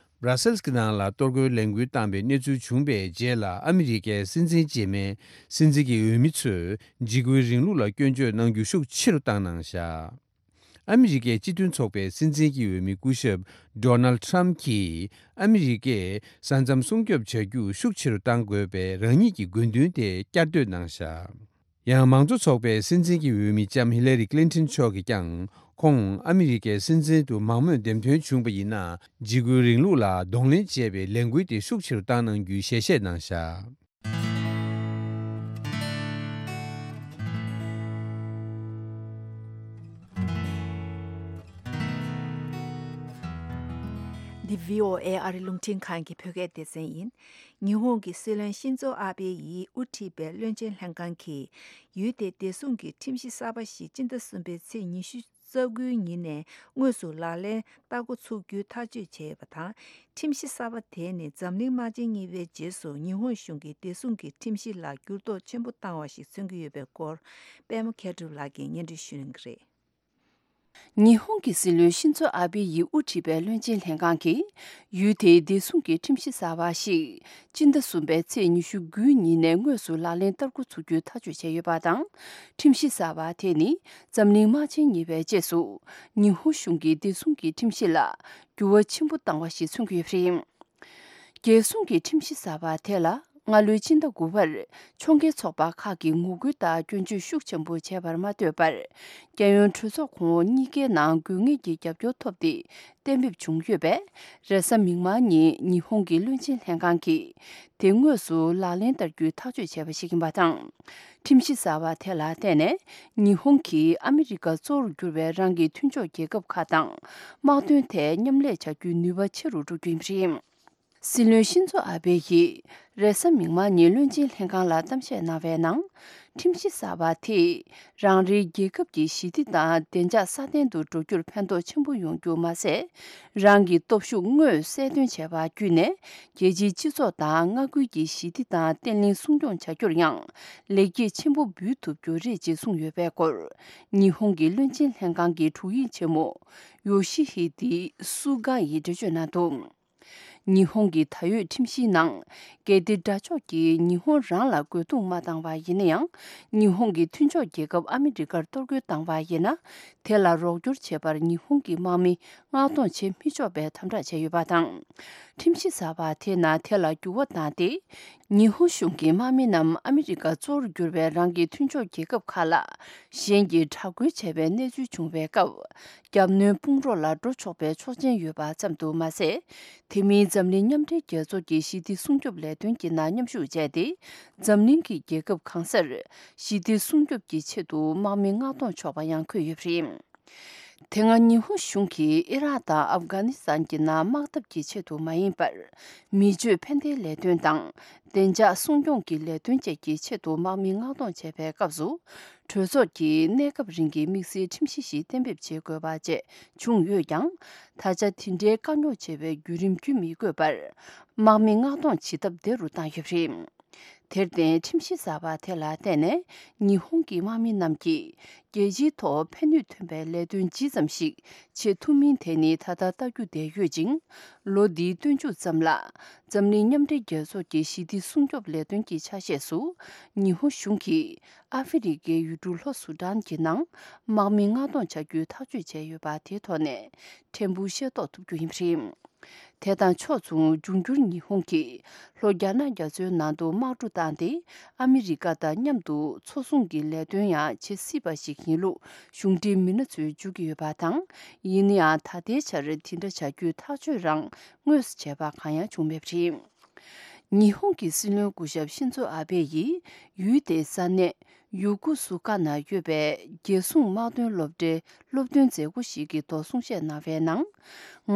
སྦྲ་སེལ་གྱི་ནང་ལ་གཏོར་རྒོལ་ལས་འགུལ་བཏང་པའི་གནས་ཚུལ་བྱུང་པའི་རྗེས་ལ་ཨ་མི་རི་ཀའི་སྲིད་འཛིན་རྗེས་མའི་སྲིད་འཛིན་གྱི་འོས་མི་ཚོས་འཇིགས་སྐུལ་རིང་ལུགས་ལ་སྐྱོན་བརྗོད་གནང་རྒྱུ་ཤུགས་ཆེ་རུ་བཏང་གནང་བཞག། ཨ་མི་རི་ཀའི་སྤྱི་མཐུན་ཚོགས་པའི་སྲིད་འཛིན་གྱི་འོས་མི་སྐུ་ཞབས་ཌོ་ནལ་ཊམ་གྱིས་ཨ་མི་རི་ཀས་ས་མཚམས་སྲུང་སྐྱོབ་བྱ་རྒྱུ་ཤུགས་ཆེ་རུ་གཏང་དགོས་པའི་རང་ཉིད་ཀྱི་དགོས་འདུན་དེ་བསྐྱར་ཟློས་གནང་བཞག། ཡང་མང་གཙོ་ཚོགས་པའི་སྲིད་འཛིན་གྱི་འོས་མི་ལྕམ་ཧི་ལ་རི་ཀླིན་ཊོན་མཆོག་གིས་ཀྱང་ཁོང་ཨ་མི་རི་ཀའི་སྲིད་འཛིན་དུ་མང་མོས་འདེམས་ཐོན་བྱུང་བ་ཡིན་ན་འཇིགས་སྐུལ་རིང་ལུགས་ལ་གདོང་ལེན་བྱེད་པའི་ལས་འགུལ་དེ་ཤུགས་ཆེ་རུ་བཏང་གནང་རྒྱུའི་ཞལ་བཞེས་གནང་བཞག། འདི་བྷི་ཨོ་ཨེ་ཨ་རི་རླུང་འཕྲིན་ཁང་གི་བོད་སྐད་སྡེ་ཚན་ཡིན། ཉི་ཧོང་གི་སྲིད་བློན་ཤིན་ཛོ་ཨ་བྷེ་ཡིས་དབུ་ཁྲིད་པའི་བློན་ཆེན་ལྷན་ཁང་གིས་ཡུལ་དེའི་བདེ་སྲུང་གི་ཁྲིམས་གཞི་གསར་པ་ཞིག་སྤྱི་ཟླ་གསུམ་པའི་ཚེས་ཉི་ཤུ་རྩ་དགུའི་ཉིན་ནས་དངོས་སུ་ལག་ལེན་བསྟར་འགོ་ཚུགས་རྒྱུའི་ཐག་གཅོད་བྱས་ཡོད་པ་དང་། ཁྲིམས་གཞི་གསར་པ་དེ་ནི་འཛམ་གླིང་དམག་ཆེན་གཉིས་པའི་རྗེས་སུ་ཉི་ཧོང་གཞུང་གིས་བདེ་སྲུང་གི་ཁྲིམས་གཞི་ལ་འགྱུར་ལྡོག་ཆེན་པོ་བཏང་བ་ཞིག་མཚོན་གྱི་ཡོད་པའི་སྐོར། པད་མ་མཁས་གྲུབ་ལགས་ཀྱིས་སྙན་སྒྲོན་ཞུ་གནང་གི་རེད། ཉི་ཧོང་གི་སྲིད་བློན་ཤིན་ཛོ་ཨ་བྷེ་ཡིས་དབུ་ཁྲིད་པའི་བློན་ཆེན་ལྷན་ཁང་གིས་ཡུལ་དེའི་བདེ་སྲུང་གི་ཁྲིམས་གཞི་གསར་པ་ཞིག་སྤྱི་ཟླ་གསུམ་པའི་ཚེས་ཉི་ཤུ་དགུའི་ཉིན་ནས་དངོས་སུ་ལག་ལེན་བསྟར་འགོ་ཚུགས་རྒྱུའི་ཐག་གཅོད་བྱས་ཡོད་པ་དང་། ཁྲིམས་གཞི་གསར་པ་དེ་ནི་འཛམ་གླིང་དམག་ཆེན་གཉིས་པའི་རྗེས་སུ་ཉི་ཧོང་གཞུང་གིས་བདེ་སྲུང་གི་ཁྲིམས་གཞི་ལ་འགྱུར་བ་ཆེན་པོ་བཏང་བ་ཞིག་མཚོན་གྱི་ཡོད་པ་རེད། རྒྱལ་སྲུང་གི་ཁྲིམས་གཞི་གསར་པ་དེ་ལ་སྔ་ལོའི་སྤྱི་ཟླ་དགུ་པར་ཕྱོགས་འགལ་ཚོགས་པ་ཁག་གིས་ངོ་རྒོལ་དང་སྐྱོན་བརྗོད་ཤུགས་ཆེན་པོ་བྱས་པར་མ་ལྟོས་པར། རྒྱལ་ཡོངས་གྲོས་ཚོགས་གོང་འོག་གཉིས་ཀའི་ནང་དགོས་ངེས་ཀྱི་རྒྱབ་སྐྱོར་ཐོབ་སྟེ་གཏན་འབེབས་བྱུང་ཡོད་པས། རེས་གཟའ་མིག་དམར་ཉིན་ཉི་ཧོང་གི་བློན་ཆེན་ལྷན་ཁང་གིས་དེ་དངོས་སུ་ལག་ལེན་བསྟར་རྒྱུའི་ཐག་གཅོད་བྱས་པ་ཞིག་ཡིན་པ་དང་། ཁྲིམས་གཞི་གསར་པ་དེ་ལ་བརྟེན་ནས་ཉི་ཧོང་གིས་ཨ་མི་རི་ཀ་གཙོ་བོར་གྱུར་པའི་རང་གི་མཐུན་ཕྱོགས་རྒྱལ་ཁབ་ཁག་དང་དམག་དོན་ཐད་མཉམ་ལས་བྱ་རྒྱུའི་ནུས་པ་ཆེ་རུ་འགྲོ་རྒྱུ་ཡིན་པ་རེད། སྲིད་བློན་ཤིན་ཛོ་ཨ་བྷེ་ཡིས་རེས་གཟའ་མིག་དམར་ཉིན་བློན་ཆེན་ལྷན་ཁང་ལ་གཏམ་བཤད་གནང་བའི་ནང་། ཁྲིམས་གཞི་གསར་པ་དེས་རང་རེའི་རྒྱལ་ཁབ་ཀྱི་ཞི་བདེ་དང་བདེ་འཇགས་སྲ་བརྟན་དུ་འགྲོ་རྒྱུར་ཕན་ཐོགས་ཆེན་པོ་ཡོང་རྒྱུ་མ་ཟད། རང་གི་སྟོབས་ཤུགས་དངོས་གསལ་སྟོན་བྱས་པ་བརྒྱུད་ནས་རྒྱལ་སྤྱིའི་སྤྱི་ཚོགས་དང་མངའ་ཁུལ་གྱི་ཞི་བདེ་དང་བརྟན་ལྷིང་སྲུང་སྐྱོང་བྱ་རྒྱུར་ཡང་ལེགས་སྐྱེས་ཆེན་པོ་འབུལ་ཐུབ་རྒྱུ་རེད་ཅེས་གསུངས་ཡོད་པའི་སྐོར། ཉི་ཧོང་གི་བློན་ཆེན་ལྷན་ཁང་གི་དྲུང་ཡིག་ཆེན་མོ་ཡོ་ཤི་ཧི་དི་སུ་ག་ཡིས་འགྲེལ་བརྗོད་གནང་འདུག། ཉི་ཧོང་གི་ད་ཡོད་ཁྲིམས་གཞིའི་ནང་། གལ་ཏེ་དགྲ་ཕྱོགས་ཀྱིས་ཉི་ཧོང་རང་ལ་རྒོལ་རྡུང་མ་བཏང་བ་ཡིན་ན་ཡང་། ཉི་ཧོང་གི་མཐུན་ཕྱོགས་རྒྱལ་ཁབ་ཨ་མི་རི་ཀར་གཏོར་རྒོལ་བཏང་བ་ཡིན་ན། དེ་ལ་རོགས་སྐྱོར་བྱེད་པར་ཉི་ཧོང་གི་དམག་མི་མངགས་གཏོང་བྱེད་མི་ཆོག་པའི་དམ་དྲག་བྱས་ཡོད་པ་དང་། ཁྲིམས་གཞི་གསར་པ་དེ་ནང་དེ་ལ་འགྱུར་བ་བཏང་སྟེ། ཉི་ཧོང་གཞུང་གི་དམག་མི་རྣམས་ཨ་མི་རི་ཀ་གཙོ་བོར་གྱུར་པའི་རང་གི་མཐུན་ཕྱོགས་རྒྱལ་ཁབ་ཁག་ལ་གཞན་གྱིས་དྲག་རྒོལ་བྱས་པའི་གནས་ཚུལ་བྱུང་བའི་སྐབས། རྒྱབ་གནོན་དཔུང་རོགས་ལ་འགྲོ་ཆོག་པའི་ཆོག་མཆན་ཡོད་པ་ཙམ་དུ་མ་ཟད། དེ་མིན་འཛམ་གླིང་མཉམ་འབྲེལ་རྒྱལ་ཚོགས་ཀྱི་ཞི་བདེ་སྲུང་སྐྱོབ་ལས་དོན་གྱི་ནང་མཉམ་ཞུགས་བྱས་ཏེ། འཛམ་གླིང་གི་རྒྱལ་ཁབ་གང་སར་ཞི་བདེ་སྲུང་སྐྱོབ་ཀྱི་ཆེད་དུ་དམག་མི་མངགས་གཏོང་ཆོག་པ་ཡང་འཁོད་ཡོད་པ་རེད། དེ་སྔ་ཉི་ཧོང་གཞུང་གིས་ཨི་རག་དང་ཨབ་གྷ་ནི་སི་ཐན་གྱི་ནང་དམག་འཐབ་ཀྱི་ཆེད་དུ་མ་ཡིན་པར། མི་སྤྱོད་ཕན་བདེའི་ལས་དོན་དང་། བདེ་འཇགས་སྲུང་སྐྱོང་གི་ལས་དོན་བཅས་ཀྱི་ཆེད་དུ་དམག་མི་མངགས་གཏོང་བྱས་པའི་སྐབས་སུ། གྲོས་ཚོགས་ཀྱིས་གནས་སྐབས་རིང་གི་དམིགས་བསལ་ཁྲིམས་གཞི་ཞིག་གཏན་འབེབས་བྱེད་དགོས་པ་བཅས་བྱུང་ཡོད་ཀྱང་། ད་ཆ་དེ་འདྲའི་དཀའ་རྙོག་ཆེ་བའི་བརྒྱུད་རིམ་བརྒྱུད་མི་དགོས་པར། དམག་མི་མངགས་གཏོང་བྱེད་ཐབས་བདེ་རུ་བཏང་ཡོད་པ་རེད། དེར་བརྟེན། ཁྲིམས་གཞི་གསར་པ་དེ་ལ་བརྟེན་ནས། ཉི་ཧོང་གི་དམག་མི་རྣམས་ཀྱིས། རྒྱལ་སྤྱིའི་ཐོག་ཕན་ནུས་ཐོན་པའི་ལས་དོན་ཇི་ཙམ་ཞིག་བྱེད་ཐུབ་མིན་དེ་ནི་ད་ལྟ་ལྟ་རྒྱུ་བསྡད་ཡོད་ཅིང་། ལོ་འདིའི་སྟོན་མཇུག་ཙམ་ལ། འཛམ་གླིང་མཉམ་འབྲེལ་རྒྱལ་ཚོགས་ཀྱི་ཞི་བདེ་སྲུང་སྐྱོབ་ལས་དོན་གྱི་ཆ་ཤས་སུ། ཉི་ཧོང་གཞུང་གིས། ཨ་ཧྥེ་རི་ཁའི་ཡུལ་གྲུ་ལྷོ་སུ་ཌན་གྱི་ནང་། དམག་མི་མངགས་གཏོང་བྱ་རྒྱུའི་ཐག་གཅོད་བྱས་ཡོད་པ་དེའི་ཐོག་ནས། ཕྲན་བུ་ཤེས་རྟོགས་ཐུབ་རྒྱུ་ཡིན་པ་རེད། དེ་དང་ཕྱོགས་མཚུངས། འབྱུང་འགྱུར་ཉི་ཧོང་གིས་ལྷོ་རྒྱ་ནག་རྒྱ་མཚོའི་ནང་དུ་དམག་གྲུ་བཏང་སྟེ། ཨ་མི་རི་ཀ་དང་མཉམ་དུ་མཚོ་སྲུང་གི་ལས་དོན་ཡང་བྱེད་སྲིད་པ་ཞིག་ཡིན་ལུགས་གཞུང་འབྲེལ་མི་སྣ་ཚོས་བརྗོད་ཀྱི་ཡོད་པ་དང་། ཡིན་ན་ཡང་། ད་ལྟའི་ཆར་དེ་འདྲ་བྱ་རྒྱུའི་ཐག་གཅོད་རང་དངོས་སུ་བྱས་པ་གང་ཡང་བྱུང་མེད་པ་རེད། ཉི་ཧོང་གི་སྲིད་བློན་སྐུ་ཞབས་ཤིན་ཛོ་ཨ་བྷེ་ཡིས་ཡུལ་དེའི་ས་གནས་ཡུ་ཀུ་སུ་ཀ་ན་ཡོད་པའི་རྒྱལ་སྲུང་དམག་དོན་སློབ་གྲྭའི་སློབ་སྟོན་མཛད་སྒོ་ཞིག་གི་ཐོག་གསུང་བཤད་གནང་བའི་ནང་།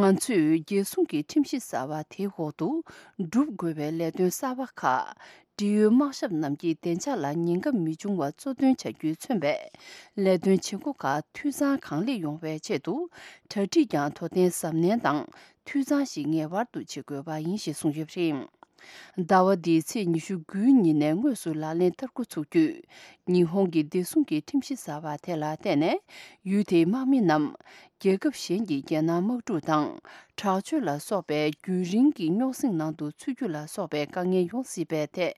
ང་ཚོས་རྒྱལ་སྲུང་གི་ཁྲིམས་གཞི་གསར་བ་དེའི་འོག་ཏུ་སྒྲུབ་དགོས་པའི་ལས་དོན་གསར་བ་ཁག་ཀྲི་ཡོའི་དམག་ཞབས་རྣམས་ཀྱིས་བདེ་འཇགས་ལ་ཉེན་ཁ་མི་འབྱུང་བ་གཙོ་འདོན་བྱ་རྒྱུས་མཚོན་པའི་ལས་དོན་བྱེད་སྒོ་ཁག་འཐུས་ཚང་གང་ལེགས་ཡོང་བའི་ཆེད་དུ། གྲ་སྒྲིག་ཀྱང་དོ་དན་གཟབ་ནན་དང་འཐུས་ཚང་ཞིག་ངེས་པར་དུ་བྱེད་དགོས་པ་ཡིན་ཞེས་གསུངས་ཡོད་པ་རེད། ཟླ་བ་འདིའི་ཚེས་ཉི་ཤུ་དགུའི་ཉིན་ནས་དངོས་སུ་ལག་ལེན་བསྟར་འགོ་ཚུགས་དུས། ཉི་ཧོང་གི་བདེ་སྲུང་གི་ཁྲིམས་གཞི་གསར་བ་དེ་ལ་བརྟེན་ནས། ཡུལ་དེའི་དམག་མི་རྣམས། རྒྱལ་ཁབ་གཞན་གྱི་རྒྱལ་ནང་དམག་འཁྲུག་དང་། དྲག་སྤྱོད་ལ་སོགས་པའི་རྒྱུན་རིང་གི་རྙོག་ཟིང་ནང་དུ་ཚུད་རྒྱུ་ལ་སོགས་པའི་དཀའ་ངལ་ཡོང་སྲིད་པའི་ཐད།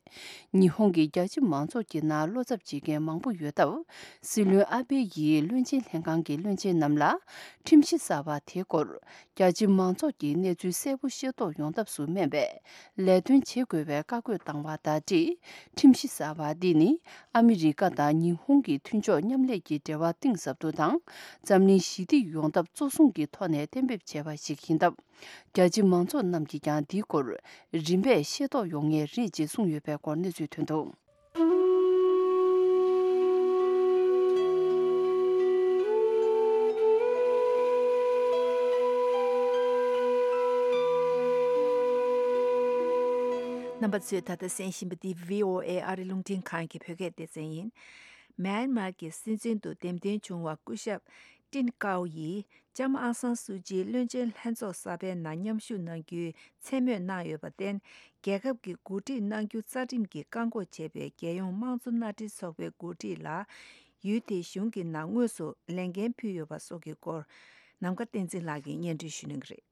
ཉི་ཧོང་གི་རྒྱ་ཆེ་མང་ཚོགས་ཀྱི་ནང་བློ་འཚབ་བྱེད་མཁན་མང་པོ་ཡོད་སྟབས། སྲིད་བློན་ཨ་བྷེ་ཡིས་བློན་ཆེན་ལྷན་ཁང་གི་བློན་ཆེན་རྣམས་ལ། ཁྲིམས་གཞི་གསར་བ་དེའི་སྐོར། རྒྱ་ཆེ་མང་ཚོགས་ཀྱིས་གནས་ཚུལ་གསལ་པོ་ཤེས་རྟོགས་ཡོང་ཐབས་སུ་སྨན་པའི་ལས་དོན་བྱེད་དགོས་པའི་བཀའ་བཀོད་བཏང་བ་དང་འབྲེལ། ཁྲིམས་གཞི་གསར་བ་འདི་ནི་ཨ་མི་རི་ཀ་དང་ཉི་ཧོང་གི་མཐུན་ཕྱོགས་མཉམ་ལས་ཀྱི་འབྲེལ་བ་གཏིང་ཟབ་ཏུ་དང་། འཛམ་གླིང་ཞི་བདེ་ཡོང་ཐབས་གཙོ་བཟུང་གི་ཐོག་ནས་གཏན་འབེབས་བྱས་པ་ཞིག་ཡིན་སྟབས། རྒྱ་ཆེ་མང་ཚོགས་རྣམས་ཀྱིས་ཀྱང་འདིའི་སྐོར་རིམ་པས་ཤེས་རྟོགས་ཡོང་ངེས་རེད་ཅེས་གསུངས་ཡོད་པའི་སྐོར་གནས་ཚུལ་ཐོན་འདུག་རྣམ་པ་ཚོས་ད་ལྟ་གསན་བཞིན་པ་འདི་བྷི་ཨོ་ཨེ་ཨ་རི་རླུང་འཕྲིན་ཁང་གི་བོད་སྐད་སྡེ་ཚན་ཡིན། མཱན་མཱར་གྱི་སྲིད་འཛིན་དུ་འདེམས་ཐོན་བྱུང་བ་སྐུ་ཞབས་ཀྲིན་ཀའོ་ཡིས་ལྕམ་ཨང་སང་སུའུ་ཅིའི་བློན་ཆེན་ལྷན་ཚོགས་གསར་པའི་ནང་མཉམ་ཞུགས་གནང་རྒྱུའི་མཚན་སྨོས་གནང་ཡོད་པར་བརྟེན། རྒྱལ་ཁབ་ཀྱི་འགོ་ཁྲིད་གནང་རྒྱུ་རྩ་ཁྲིམས་ཀྱིས་བཀག་འགོག་བྱས་པའི་རྒྱལ་ཡོངས་དམངས་གཙོ་མནའ་འབྲེལ་ཚོགས་པའི་འགོ་ཁྲིད་ལ། ཡུལ་དེའི་གཞུང་གི་ནང་དངོས་སུ་ལས་འགན་ཕུལ་ཡོད་པ་སོགས་ཀྱི་སྐོར། ནམ་མཁའ་བསྟན་འཛིན་ལགས་ཀྱིས་སྙན་སྒྲོན་ཞུ་གནང་གི་རེད།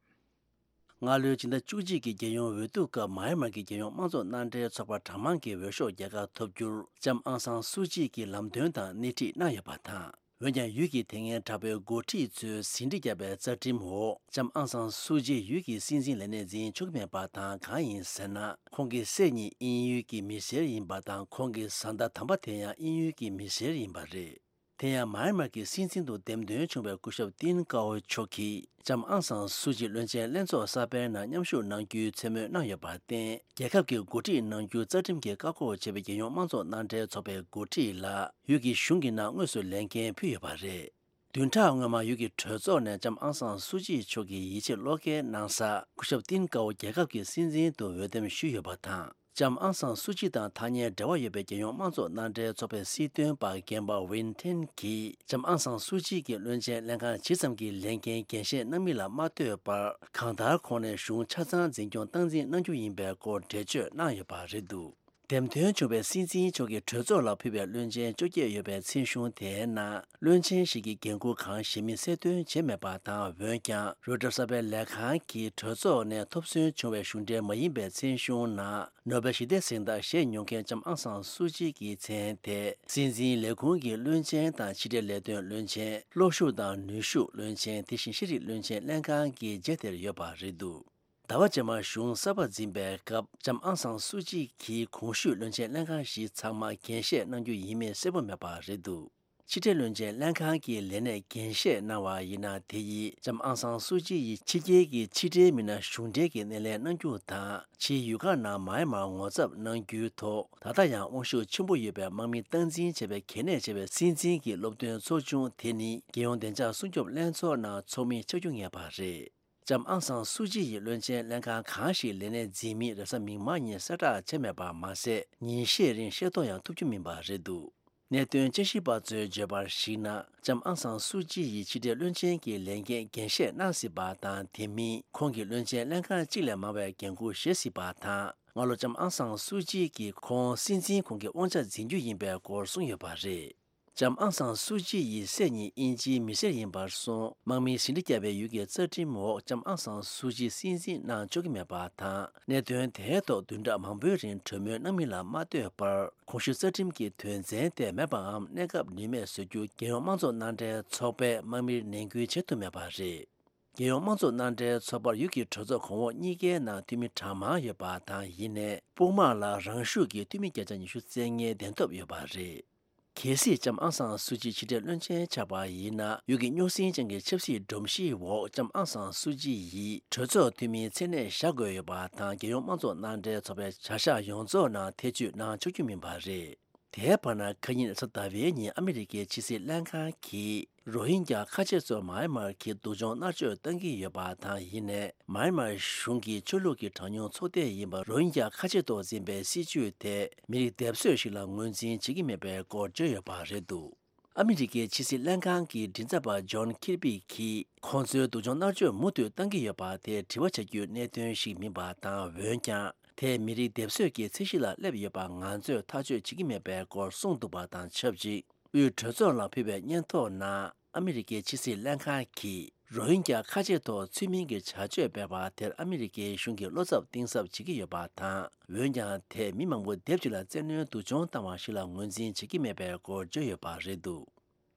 སྔ་ལོའི་སྤྱི་ཟླ་བཅུ་གཅིག་གི་རྒྱལ་ཡོངས་འོས་བསྡུ་སྐབས་མཱ་ཡན་མར་གྱི་རྒྱལ་ཡོངས་དམངས་གཙོ་མནའ་འབྲེལ་ཚོགས་པ་གྲངས་མང་གི་འོས་ཤོག་རྒྱལ་ཁ་ཐོབ་རྒྱུར་ལྕམ་ཨང་སང་སུའུ་ཅི་གིས་ལམ་སྟོན་དང་སྣེ་ཁྲིད་གནང་ཡོད་པ་དང་། འོན་ཀྱང་ཡུལ་གྱི་དེ་སྔའི་དྲག་པོའི་འགོ་ཁྲིད་ཚོས་ཟིན་བྲིས་བརྒྱབ་པའི་རྩ་ཁྲིམས་འོག་ལྕམ་ཨང་སང་སུའུ་ཅི་ཡུལ་གྱི་སྲིད་འཛིན་ལས་གནས་འཛིན་ཆོག་གི་མེད་པ་དང་། གང་ཡིན་ཟེར་ན། ཁོང་གི་སྲས་གཉིས་དབྱིན་ཡུལ་གྱི་མི་སེར་ཡིན་པ་དང་། ཁོང་གི་བཟའ་ཟླ་དམ་པ་དེ་ཡང་དབྱིན་ཡུལ་གྱི་མི་སེར་ཡིན་པ་རེད། དེ་ཡང་མཱ་ཡན་མར་གྱི་སྲིད་འཛིན་དུ་འདེམས་ཐོན་བྱུང་བའི་སྐུ་ཞབས་ཏིན་ཀའོ་མཆོག་གིས་ལྕམ་ཨང་སང་སུའུ་ཅི་བློན་ཆེན་ལྷན་ཚོགས་གསར་པའི་ནང་མཉམ་ཞུགས་གནང་རྒྱུའི་མཚན་སྨོས་གནང་ཡོད་པར་བརྟེན། རྒྱལ་ཁབ་ཀྱི་འགོ་ཁྲིད་གནང་རྒྱུ་རྩ་ཁྲིམས་ཀྱིས་བཀག་འགོག་བྱས་པའི་རྒྱལ་ཡོངས་དམངས་གཙོ་མནའ་འབྲེལ་ཚོགས་པའི་འགོ་ཁྲིད་ལ་ཡུལ་གྱི་གཞུང་གི་ནང་དངོས་སུ་ལས་འགན་ཕུལ་ཡོད་པ་རེད། བདུན་ཕྲག་སྔོན་མ་ཡུལ་གྱི་གྲོས་ཚོགས་ནས་ལྕམ་ཨང་སང་སུའུ་ཅི་མཆོག་གི་ཡིད་ཆེས་བློ་འགེལ་གནང་ས། སྐུ་ཞབས་ཏིན་ཀའོ་རྒྱལ་ཁབ་ཀྱི་སྲིད་འཛིན་དུ་འོས་འདེམས་ཞུས་ཡོད་པ་དང་། ལྕམ་ཨང་སང་སུའུ་ཅི་དང་ཐག་ཉེའི་འབྲེལ་བ་ཡོད་པའི་རྒྱལ་ཡོངས་དམངས་གཙོ་མནའ་འབྲེལ་ཚོགས་པའི་སྲིད་དོན་པ་རྒན་པ་ཝིན་ཐེན་གྱིས་ལྕམ་ཨང་སང་སུའུ་ཅི་གིས་བློན་ཆེན་ལྷན་ཁང་ཇི་ཙམ་གྱི་ལས་འགན་འགན་བཞེས་གནང་མིན་ལ་མ་ལྟོས་པར། གང་ལྟར་ཁོང་ནས་གཞུང་ཆ་ཚང་འཛིན་སྐྱོང་སྟངས་འཛིན་གནང་རྒྱུ་ཡིན་པའི་སྐོར་འགྲེལ་བརྗོད་གནང་ཡོད་པ་རེད་འདུག་འདེམས་ཐོན་བྱུང་བའི་སྲིད་འཛིན་མཆོག་གིས་གྲོས་ཚོགས་ལ་ཕུལ་བའི་བློན་ཆེན་བཅོ་བརྒྱད་ཡོད་པའི་མཚན་གཞུང་དེའི་ནང་། བློན་ཆེན་ཞིག་གིས་འགན་འཁུར་གང་བཞེས་མིན་གསལ་སྟོན་བྱས་མེད་པ་དང་། འོན་ཀྱང་། རོའི་ཊར་གསར་པའི་ལས་ཁང་གིས་གྲོས་ཚོགས་ནས་ཐོབ་སོན་བྱུང་བའི་གཞུང་འབྲེལ་མ་ཡིན་པའི་མཚན་གཞུང་ནང་། ནོ་བེལ་ཞི་བདེ་གཟེངས་རྟགས་བཞེས་མྱོང་མཁན་ལྕམ་ཨང་སང་སུའུ་ཅི་གི་མཚན་དེ། སྲིད་འཛིན་ལས་ཁུངས་ཀྱི་བློན་ཆེན་དང་། ཕྱི་འབྲེལ་ལས་དོན་བློན་ཆེན། གློག་ཤུགས་དང་ནུས་ཤུགས་བློན་ཆེན། དེ་བཞིན་ཤེས་རིག་བློན་ཆེན་ལྷན་ཁང་གི་རྗེས་དེར་ཡོད་པ་རེད་འདུག་ཟླ་བ་རྗེས་མར་གཞུང་གསར་པ་འཛིན་པའི་སྐབས། ལྕམ་ཨང་སང་སུའུ་ཅི་གིས་གོང་ཞུས་བློན་ཆེན་ལྷན་ཁང་བཞི་ཚང་མ་འགན་བཞེས་གནང་རྒྱུ་ཡིན་མིན་གསལ་པོ་མེད་པ་རེད་འདུག་ཕྱི་འབྲེལ་བློན་ཆེན་ལྷན་ཁང་གི་ལས་གནས་འགན་བཞེས་གནང་བ་ཡིན་ན། དེ་ཡིས་ལྕམ་ཨང་སང་སུའུ་ཅི་ཡིས་ཕྱི་རྒྱལ་གྱི་ཕྱི་འབྲེལ་མི་སྣ་གཞུང་འབྲེལ་གྱི་སྣེ་ལེན་གནང་རྒྱུ་དང་། ཕྱིའི་ཡུལ་ཁག་ནང་མཱ་ཡན་མར་ངོ་ཚབ་གནང་རྒྱུའི་ཐོག་ད་ལྟ་ཡང་དབང་ཤུགས་ཆེན་པོ་ཡོད་པའི་དམག་མི་སྟངས་འཛིན་བྱེད་པའི་གལ་གནད་ཆེ་བའི་སྲིད་འཛིན་གྱི་སློབ་སྟོན་ཚོགས་ཆུང་དེ་ནི། རྒྱལ་ཡོངས་བདེ་འཇགས་སྲུང་སྐྱོབ་ལྷན་ཚོགས་ནང་ཚོགས་མི་ཆགས་རྒྱུ་ངེས་པ་རེད། ལྕམ་ཨང་སང་སུའུ་ཅི་ཡིས་བློན་ཆེན་ལྷན་ཁང་གང་ཞིག་ལས་གནས་འཛིན་མིན་རེས་གཟའ་མིག་དམར་ཉིན་གསལ་བསྒྲགས་བྱས་མེད་པ་མ་ཟད། ཉིན་ཤས་རིང་ཤེས་རྟོགས་ཡང་ཐུབ་རྒྱུ་མིན་པ་རེད་འདུག་གནད་དོན་དཔྱད་ཞིབ་པ་ཚོས་བརྗོད་པར་གཞིགས་ན། ལྕམ་ཨང་སང་སུའུ་ཅི་ཡིས་ཕྱི་འབྲེལ་བློན་ཆེན་གྱི་ལས་འགན་འགན་བཞེས་གནང་སྲིད་པ་དང་། དེ་མིན་ཁོང་གིས་བློན་ཆེན་ལྷན་ཁང་གཅིག་ལས་མང་བའི་འགན་འཁུར་བཞེས་སྲིད་པ་དང་། སྔ་ལོ་ལྕམ་ཨང་སང་སུའུ་ཅི་གིས་ཁོང་སྲིད་འཛིན་ཁོངས་ཀྱི་དབང་ཆ་འཛིན་རྒྱུ་ཡིན་པའི་སྐོར་གསུངས་ཡོད་པ་རེད། ལྕམ་ཨང་སང་སུའུ་ཅི་ཡི་སྲས་གཉིས་དབྱིན་ཇིའི་མི་སེར་ཡིན་པར་སོང་། དམག་མིའི་ཟིན་བྲིས་བརྒྱབ་པའི་ཡུལ་གྱི་རྩ་ཁྲིམས་འོག་ལྕམ་ཨང་སང་སུའུ་ཅི་སྲིད་འཛིན་གནང་ཆོག་གི་མེད་པ་དང་། གནད་དོན་དེའི་ཐོག་བདུན་ཕྲག་མང་པོའི་རིང་གྲོས་མོལ་གནང་མིན་ལ་མ་ལྟོས་པར། གོང་ཞུས་རྩ་ཁྲིམས་ཀྱི་དོན་ཚན་དེ་མེད་པའམ་གནས་སྐབས་ནུས་མེད་བཟོ་རྒྱུ་རྒྱལ་ཡོངས་དམངས་གཙོ་མནའ་འབྲེལ་ཚོགས་པས་དམག་མིར་ནན་སྐུལ་བྱེད་ཐུབ་མེད་པ་རེད། རྒྱལ་ཡོངས་དམངས་གཙོ་མནའ་འབྲེལ་ཚོགས་པར་ཡུལ་གྱི་གྲོས་ཚོགས་གོང་འོག་གཉིས་ཀའི་ནང་འཐུས་མི་གྲངས་མང་ཡོད་པ་དང་། ཡིན་ནའི་དཔུང་དམག་ལ་རང་ཤུགས་ཀྱིས་འཐུས་མི་བརྒྱ་ཆ་ཉི་ཤུ་རྩ་ལྔའི་གདན་ཐོབ་ཡོད་པ་རེད། གལ་སྲིད་ལྕམ་ཨང་སང་སུ་ཅི་ཕྱི་འབྲེལ་བློན་ཆེན་ཆགས་པ་ཡིན་ན། ཡུལ་གྱི་རྙོག་ཟིང་ཅན་གྱི་ཆབ་སྲིད་སྒྲོམ་གཞིའི་འོག་ལྕམ་ཨང་སང་སུ་ཅི་ཡིས་གྲོས་ཚོགས་འཐུས་མིའི་མཚན་གནས་བཞག་དགོས་ཡོད་པ་དང་། རྒྱལ་ཡོངས་དམངས་གཙོ་མནའ་འབྲེལ་ཚོགས་པའི་བྱ་གཞག་ཡོངས་རྫོགས་ནང་ཐེ་བྱུས་གནང་ཆོག་རྒྱུ་མིན་པ་རེད། དེའི་བར་ན་ཁ་ཉིན་རེས་གཟའ་ཟླ་བའི་ཉིན་ཨ་མི་རི་ཀའི་ཕྱི་སྲིད་ལྷན་ཁང་གིས་རོ་ཧིན་རྒྱ་ཁ་ཆེ་གཙོས་མཱ་ཡན་མར་གྱི་སྡུག་སྦྱོང་མནར་གཅོད་བཏང་གི་ཡོད་པ་དང་། ཡིན་ནའི་མཱ་ཡན་མར་གཞུང་གིས་ཆོས་ལུགས་ཀྱི་གྲངས་ཉུང་ཚོགས་སྡེ་ཡིན་པ་རོ་ཧིན་རྒྱ་ཁ་ཆེ་ཐོག་འཛིན་པའི་སྲིད་བྱུས་དེ་མི་རིགས་སྡེབ་གསོད་ཞིག་ལ་ངོས་འཛིན་བྱེད་ཀྱི་མེད་པའི་སྐོར་བརྗོད་ཡོད་པ་རེད་འདུག་ཨ་མི་རི་ཀའི་ཕྱི་སྲིད་ལྷན་ཁང་གི་མགྲིན་ཚབ་པ་ཇོན་ཁིར་པི་གིས། ཁོང་ཚོའི་སྡུག་སྦྱོང་མནར་གཅོད་མུ་མཐུད་བཏང་གི་ཡོད་པ་དེ་དྲི་བ་བྱ་རྒྱུའི་གནད་དོན་ཞིག་མིན་པ་དང་། འོན་ཀྱང་དེ་མི་རིགས་སྡེབ་གསོད་ཀྱི་ཚད་གཞི་ལ་སླེབས་ཡོད་པ་ང་ཚོས་ཐག་གཅོད་བྱེད་ཀྱི་མེད་པའི་སྐོར་གསུངས་འདུག་པ་དང་ཆབས་ཅིག་དབུས་གྲོས་ཚོགས་ལ་ཕུལ་བའི་སྙན་ཐོ་ནང་ཨ་མི་རི་ཀའི་ཕྱི་སྲིད་ལྷན་ཁང་གིས་རོ་ཧིན་རྒྱ་ཁ་ཆེ་ཐོག་ཚུལ་མིན་གྱི་བྱ་སྤྱོད་སྤེལ་བ་དེར་ཨ་མི་རི་ཀའི་གཞུང་གིས་བློ་འཚབ་གཏིང་ཟབ་བྱེད་ཀྱི་ཡོད་པ་དང་། འོན་ཀྱང་དེས་མི་མང་པོ་སྡེབ་གཅིག་ལ་བཙན་གནོན་སྡུག་སྦྱོང་བཏང་བ་ཞིག་ལ་ངོས་འཛིན་བྱེད་ཀྱི་མེད་པའི་སྐོར་བརྗོད་ཡོད་པ་རེད་འདུག་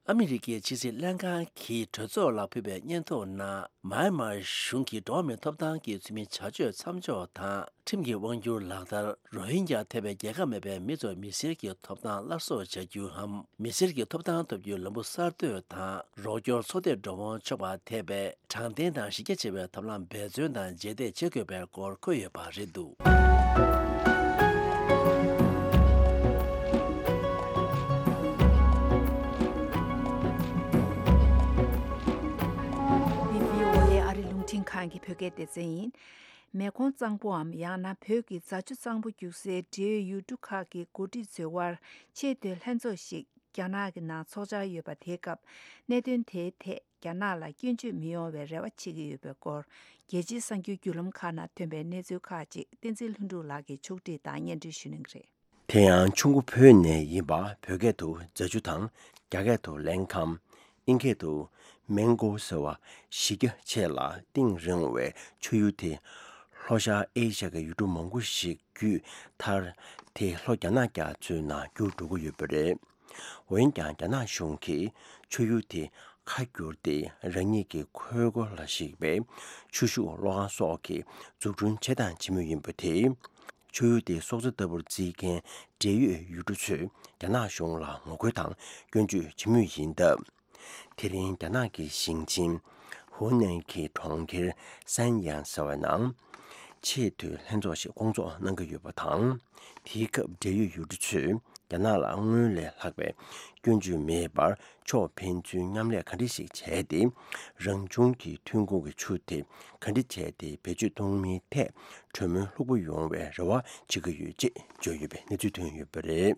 ཨ་མི་རི་ཀའི་ཕྱི་སྲིད་ལྷན་ཁང་གིས་གྲོས་ཚོགས་ལ་ཕུལ་བའི་སྙན་ཐོ་ནང་། མཱ་ཡན་མར་གཞུང་གིས་འགྲོ་བ་མིའི་ཐོབ་ཐང་གི་ཚུལ་མིན་བྱ་སྤྱོད་མཚམས་འཇོག་དང་། ཁྲིམས་ཀྱི་དབང་སྒྱུར་ལག་བསྟར། རོ་ཧིན་རྒྱ་ཐེ་བའི་རྒྱལ་ཁབ་མེད་པའི་མི་ཚོར་མི་སེར་གྱི་ཐོབ་ཐང་སླར་གསོ་བྱ་རྒྱུའམ། མི་སེར་གྱི་ཐོབ་ཐང་ཐོབ་རྒྱུའི་ལམ་བུ་གསར་གཏོད་དང་། རོགས་སྐྱོར་ཚོགས་སྡེར་འགྲོ་འོང་ཆོག་པ་ཐེ་བའི་དྲང་བདེན་དང་གཞི་རྒྱ་ཆེ་བའི་ཐབས་ལམ་འབད་བརྩོན་དང་རྗེས་འདེད་བྱེད་དགོས་པའི་སྐོར་འཁོད་ཡོད་པ་རེད་འདུག་འདི་བྷི་ཨོ་ཨེ་ཨ་རི་རླུང་འཕྲིན་ཁང་གི་བོད་སྐད་སྡེ་ཚན་ཡིན། མེ་འཁོར་གཙང་པོའམ་ཡང་ན་བོད་ཀྱི་རྫ་ཆུ་གཙང་པོ་རྒྱུག་སའི་འབྲེལ་ཡོད་ཡུལ་གྲུ་ཁག་གི་འགོ་ཁྲིད་ཚོའི་དབར་ཆེས་མཐོའི་ལྷན་ཚོགས་ཤིག་རྒྱ་ནག་གི་ནང་ཚོགས་འཆར་ཡོད་པ་དེའི་སྐབས། གནད་དོན་དེའི་ཐད་རྒྱ་ནག་ལ་སྐྱོན་བརྗོད་མི་ཡོང་བའི་རེ་བ་བྱེད་ཀྱི་ཡོད་པའི་སྐོར། རྒྱལ་སྤྱིའི་གསར་འགྱུར་བརྒྱུད་ལམ་ཁག་ནང་ཐོན་པའི་གནས་ཚུལ་ཁག་ཅིག་བསྟན་འཛིན་ལྷུན་གྲུབ་ལགས་ཀྱིས་ཕྱོགས་སྒྲིག་དང་སྙན་སྒྲོན་ཞུ་གནང་གི་རེད། དེ་ཡང་ཆུ་འགོ་བོད་ནས་ཡིན་པ། བོད་སྐད་དུ་རྫ་ཆུ་དང་། རྒྱ་སྐད་དུ་ལན་ཁམ། དབྱིན་སྐད་དུ་མེང་གོ་ཟེར་བ་གཞི་རྒྱ་ཆེ་ལ་གཏིང་རིང་བའི་ཆུ་ཡུར་དེ། ལྷོ་ཤར་ཨེ་ཤ་ཡའི་ཡུལ་གྲུ་མང་པོ་ཞིག་བརྒྱུད། མཐར་དེ་ལྷོ་རྒྱ་ནག་རྒྱ་མཚོའི་ནང་འགྱུར་འགྲོ་གི་ཡོད་པ་རེད། འོན་ཀྱང་རྒྱ་ནག་གཞུང་གིས་ཆུ་ཡུར་དེ་ཁ་བསྒྱུར་ཏེ། རང་ཉིད་ཀྱི་ཁུལ་སྐོར་ལ་གཞིགས་པའི་ཆུ་ཤུགས་གློག་ཁང་སོགས་ཀྱི་འཛུགས་སྐྲུན་བྱེད་དང་བྱེད་མུས་ཡིན་པ་དེས། ཆུ་ཡུར་དེའི་སྲོག་རྩ་ལྟ་བུར་བརྩི་མཁན་འབྲེལ་ཡོད་ཡུལ་གྲུ་ཚོས་རྒྱ་ནག་གཞུང་ལ་ངོ་རྒོལ་དང་སྐྱོན་བརྗོད་བྱེད་མུས་ཡིན་སྟབས། དེ་རིང་རྒྱ་ནག་གི་ཞིང་ཆེན་ཧུའུ་ནན་གྱི་གྲོང་ཁྱེར་སན་ཡང་ཟེར་བའི་ནང་། ཆེས་མཐོའི་ལྷན་ཚོགས་ཤིག་སྐོང་ཚོགས་གནང་གི་ཡོད་པ་དང་། དེའི་སྐབས་འབྲེལ་ཡོད་ཡུལ་གྲུ་ཚོས་རྒྱ་ནག་ལ་སྔོན་ལས་ལྷག་པའི་སྐྱོན་བརྗོད་མེད་པར། ཕྱོགས་ཕན་ཚུན་མཉམ་ལས་ག་འདྲ་ཞིག་བྱས་ཏེ། རང་བྱུང་གི་ཐོན་ཁུངས་ཀྱི་ཆུ་དེ་ག་འདྲ་བྱས་ཏེ་བེད་སྤྱོད་གཏོང་མིན་ཐད་གྲོས་མོལ་ལྷུག་པོ་ཡོང་བའི་རེ་བ་བྱེད་ཀྱི་ཡོད་ཅེས་བརྗོད་ཡོད་པའི་གནས་ཚུལ་ཐོན་ཡོད་པ་རེད།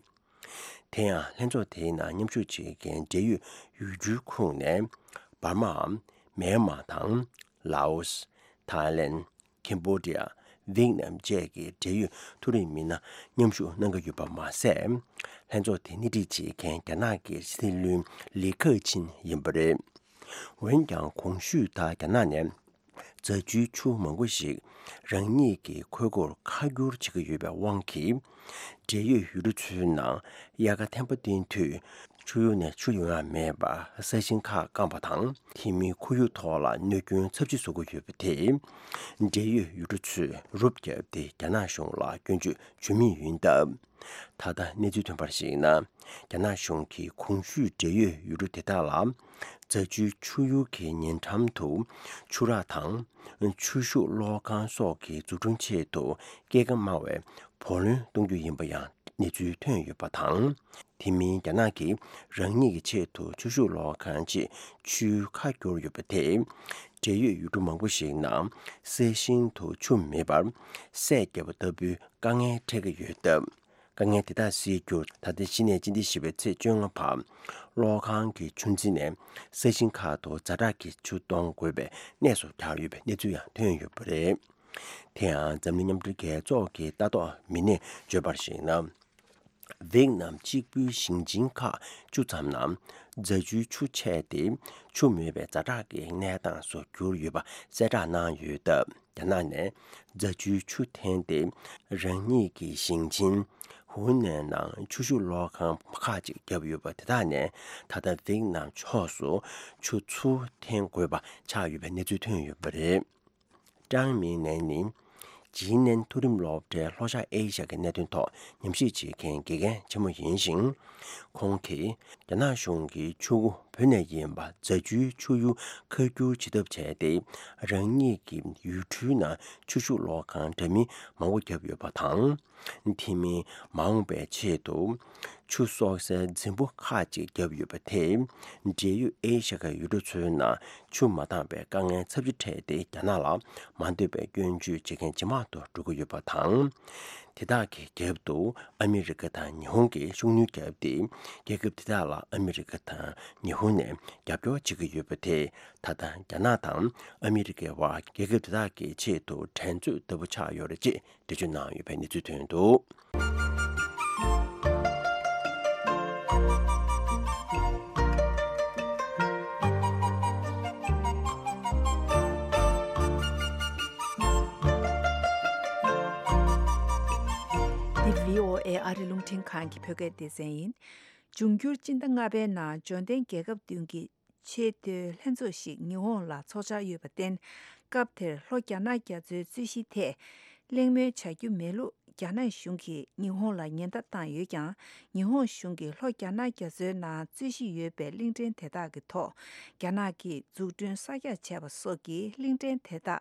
དེ་ཡང་ལྷན་ཚོགས་དེའི་ནང་མཉམ་ཞུགས་བྱེད་མཁན་འབྲེལ་ཡོད་ཡུལ་གྲུའི་ཁོངས་ནས། འབར་མའམ། མེན་མར་དང་། ལའོ་སི། ཐའི་ལེན། ཁེམ་བྷོ་ཌི་ཡ། ཝེད་ནམ་བཅས་ཀྱི་འབྲེལ་ཡོད་མཐོ་རིམ་མི་སྣ་མཉམ་ཞུགས་གནང་གི་ཡོད་པ་མ་ཟད། ལྷན་ཚོགས་དེ་སྣེ་ཁྲིད་བྱེད་མཁན་རྒྱ་ནག་གི་སྲིད་བློན་ལི་ཁེ་ཆིན་ཡིན་པ་རེད། འོན་ཀྱང་གོང་ཞུས་ལྟར་རྒྱ་ནག་ནས་རྫ་ཆུའི་ཆུ་མང་པོ་ཞིག་རང་ཉིད་ཀྱི་ཁུལ་སྐོར་ཁ་བསྒྱུར་བྱེད་ཀྱི་ཡོད་པའི་དབང་གིས། འབྲེལ་ཡོད་ཡུལ་གྲུ་ཚོའི་ནང་དབྱར་ཁ་ཐན་པ་བསྟན་དུས་ཆུ་ཡུར་ནས་ཆུ་ཡོང་ཡ་མེད་པར་ས་ཞིང་ཁག་སྐམ་པ་དང་། དེ་མིན་ཁོར་ཡུག་ཐོག་ལ་གནོད་སྐྱོན་ཚབས་ཆེ་བཟོ་གི་ཡོད་པ་དེས། འབྲེལ་ཡོད་ཡུལ་གྲུ་ཚོས་རུབ་བརྒྱབ་སྟེ་རྒྱ་ནག་གཞུང་ལ་སྐྱོན་བརྗོད་བྱེད་མུས་ཡིན་སྟབས། ད་ལྟ་གནས་ཚུལ་ཐོན་པར་གཞིགས་ན། རྒྱ་ནག་གཞུང་གིས་གོང་ཞུས་འབྲེལ་ཡོད་ཡུལ་གྲུ་དེ་དག་ལ། རྫ་ཆུའི་ཆུ་ཡུར་གྱི་ཉེ་འགྲམ་དུ་ཆུ་རགས་དང་། ཆུ་ཤུགས་གློག་ཁང་སོགས་ཀྱི་འཛུགས་སྐྲུན་ཆེད་དུ་སྐྱེད་ཀ་དམའ་བའི་བུ་ལོན་གཏོང་རྒྱུ་ཡིན་པ་ཡང་གནས་ཚུལ་ཐོན་ཡོད་པ་དང་། དེ་མིན་རྒྱ་ནག་གིས་རང་ཉིད་ཀྱི་ཆེད་དུ་ཆུ་ཤུགས་གློག་ཁང་ཅིག་ཆུའི་ཁ་བསྒྱུར་ཡོད་པ་དེས། འབྲེལ་ཡོད་ཡུལ་གྲུ་མང་པོ་ཞིག་ནང་ས་ཞིང་དུ་ཆུ་མེད་པར་སད་བརྒྱབ་པ་ལྟ་བུའི་དཀའ་ངལ་འཕྲད་ཀྱི་ཡོད་སྟབས། དཀའ་ངལ་དེ་དག་སེལ་རྒྱུར་ད་ལྟའི་གཞི་ནས་སྤྱི་ཟླ་བཞི་པའི་ཚེས་བཅོ་ལྔ་བར་གློག་ཁང་གི་ཆུ་འཛིན་ནས་ས་ཞིང་ཁག་ཏུ་ཛ་དྲག་གི་ཆུ་གཏོང་དགོས་པའི་གནས་སུ་གྱར་ཡོད་པའི་གནས་ཚུལ་ཡང་ཐོན་ཡོད་པ་རེད། དེ་ཡང་འཛམ་གླིང་མཉམ་འབྲེལ་རྒྱལ་ཚོགས་ཀྱི་ལྟ་རྟོག་མི་སྣས་བརྗོད་པར་གཞིགས་ན། ཝེད་ནམ་གཅིག་པུའི་ཞིང་ཆེན་ཁག་བཅུ་ཙམ་ནང་རྫ་ཆུའི་ཆུ་ཆད་དེ་ཆུ་མེད་པའི་ཛ་དྲག་གི་གནས་སྟངས་སུ་གྱུར་ཡོད་པ་གསལ་བསྒྲགས་གནང་ཡོད་སྟབས། རྒྱ་ནག་ནས་རྫ་ཆུའི་ཆུ་འཐེན་ཏེ་རང་ཉིད་ཀྱི་ཞིང་ཆེན་ཧུའུ་ནན་ནང་ཆུ་ཤུགས་གློག་ཁང་ཁག་ཅིག་བརྒྱབ་ཡོད་པ་དེ་དག་ནས་ད་ལྟ་ཝེད་ནམ་ཕྱོགས་སུ་ཆུ་ཚུར་འཐེན་དགོས་པ་ཆགས་ཡོད་པའི་གནས་ཚུལ་ཐོན་ཡོད་པ་རེད། ཀྲང་མིང་ནན་ནི་ ཇི་ནན་མཐོ་རིམ་སློབ་གྲྭའི་ལྷོ་ཤར་ཨེ་ཤ་ཡ་གི་གནད་དོན་ཐོག་ཉམས་ཞིབ་བྱེད་མཁན་དགེ་རྒན་ཆེན་མོ་ཡིན་ཞིང་། ཁོང་གིས་རྒྱ་ནག་གཞུང་གིས་ཆུ་བོ་བོད་ནས་ཡིན་པ་རྫ་ཆུའི་ཆུ་གཡུར་ཁ་བསྒྱུར་བྱེད་ཐབས་བྱས་ཏེ། རང་ཉིད་ཀྱི་ཡུལ་གྲུའི་ནང་ཆུ་ཤུགས་གློག་ཁང་འདྲ་མིན་མང་པོ་བརྒྱབ་ཡོད་པ་དང་། དེ་མིན་མ་འོངས་པའི་ཆེད་དུ་ཆུ་གསོག་སའི་རྫིང་བུ་ཁག་ཅིག་བརྒྱབ་ཡོད་པ་དེས། འབྲེལ་ཡོད་ཨེ་ཤ་ཡའི་ཡུལ་གྲུ་ཚོའི་ནང་ཆུ་མ་འདང་བའི་དཀའ་ངལ་ཚབས་ཆེ་འཕྲད་དེ། རྒྱ་ནག་ལ་མ་འདོད་པའི་སྐྱོན་བརྗོད་བྱེད་མཁན་ཇེ་མང་དུ་འགྲོ་གི་ཡོད་པ་དང་། དེ་དག་གི་རྒྱབ་ཏུ་ཨ་མི་རི་ཀ་དང་ཉི་ཧོང་གིས་ཤུགས་སྣོན་བརྒྱབ་སྟེ། རྒྱལ་ཁབ་དེ་དག་ལ་ཨ་མི་རི་ཀ་དང་ཉི་ཧོང་ནས་རྒྱབ་སྐྱོར་བྱེད་ཀྱི་ཡོད་པ་དེས། ད་ལྟ་རྒྱ་ནག་དང་ཨ་མི་རི་ཀའི་བར་རྒྱལ་ཁབ་དེ་དག་གི་ཆེད་དུ་འགྲན་རྩོད་ལྟ་བུ་ཆགས་ཡོད་རེད་ཅེས་འགྲེལ་བརྗོད་གནང་ཡོད་པའི་གནས་ཚུལ་ཐོན་འདུག། འདི་བྷི་ཨོ་ཨེ་ཨ་རི་རླུང་འཕྲིན་ཁང་གི་བོད་སྐད་སྡེ་ཚན་ཡིན། འབྱུང་འགྱུར་སྤྱི་ཟླ་ལྔ་པའི་ནང་འབྱོར་ལྡན་རྒྱལ་ཁབ་བདུན་གྱི་ཆེས་མཐོའི་ལྷན་ཚོགས་ཤིག་ཉི་ཧོང་ལ་ཚོགས་འཆར་ཡོད་པར་བརྟེན། སྐབས་དེར་ལྷོ་རྒྱ་ནག་རྒྱ་མཚོའི་རྩོད་གཞིའི་ཐད་གླེང་མོལ་བྱ་རྒྱུ་མེད་ལུགས་རྒྱ་ནག་གཞུང་གིས་ཉི་ཧོང་ལ་ཉེན་བརྡ་བཏང་ཡོད་ཀྱང་། ཉི་ཧོང་གཞུང་གིས་ལྷོ་རྒྱ་ནག་རྒྱ་མཚོའི་ནང་རྩོད་གཞི་ཡོད་པའི་གླིང་ཕྲན་དེ་དག་གི་ཐོག་རྒྱ་ནག་གིས་འཛུགས་སྐྲུན་གསར་རྒྱག་བྱས་པ་སོགས་ཀྱིས་གླིང་ཕྲན་དེ་དག་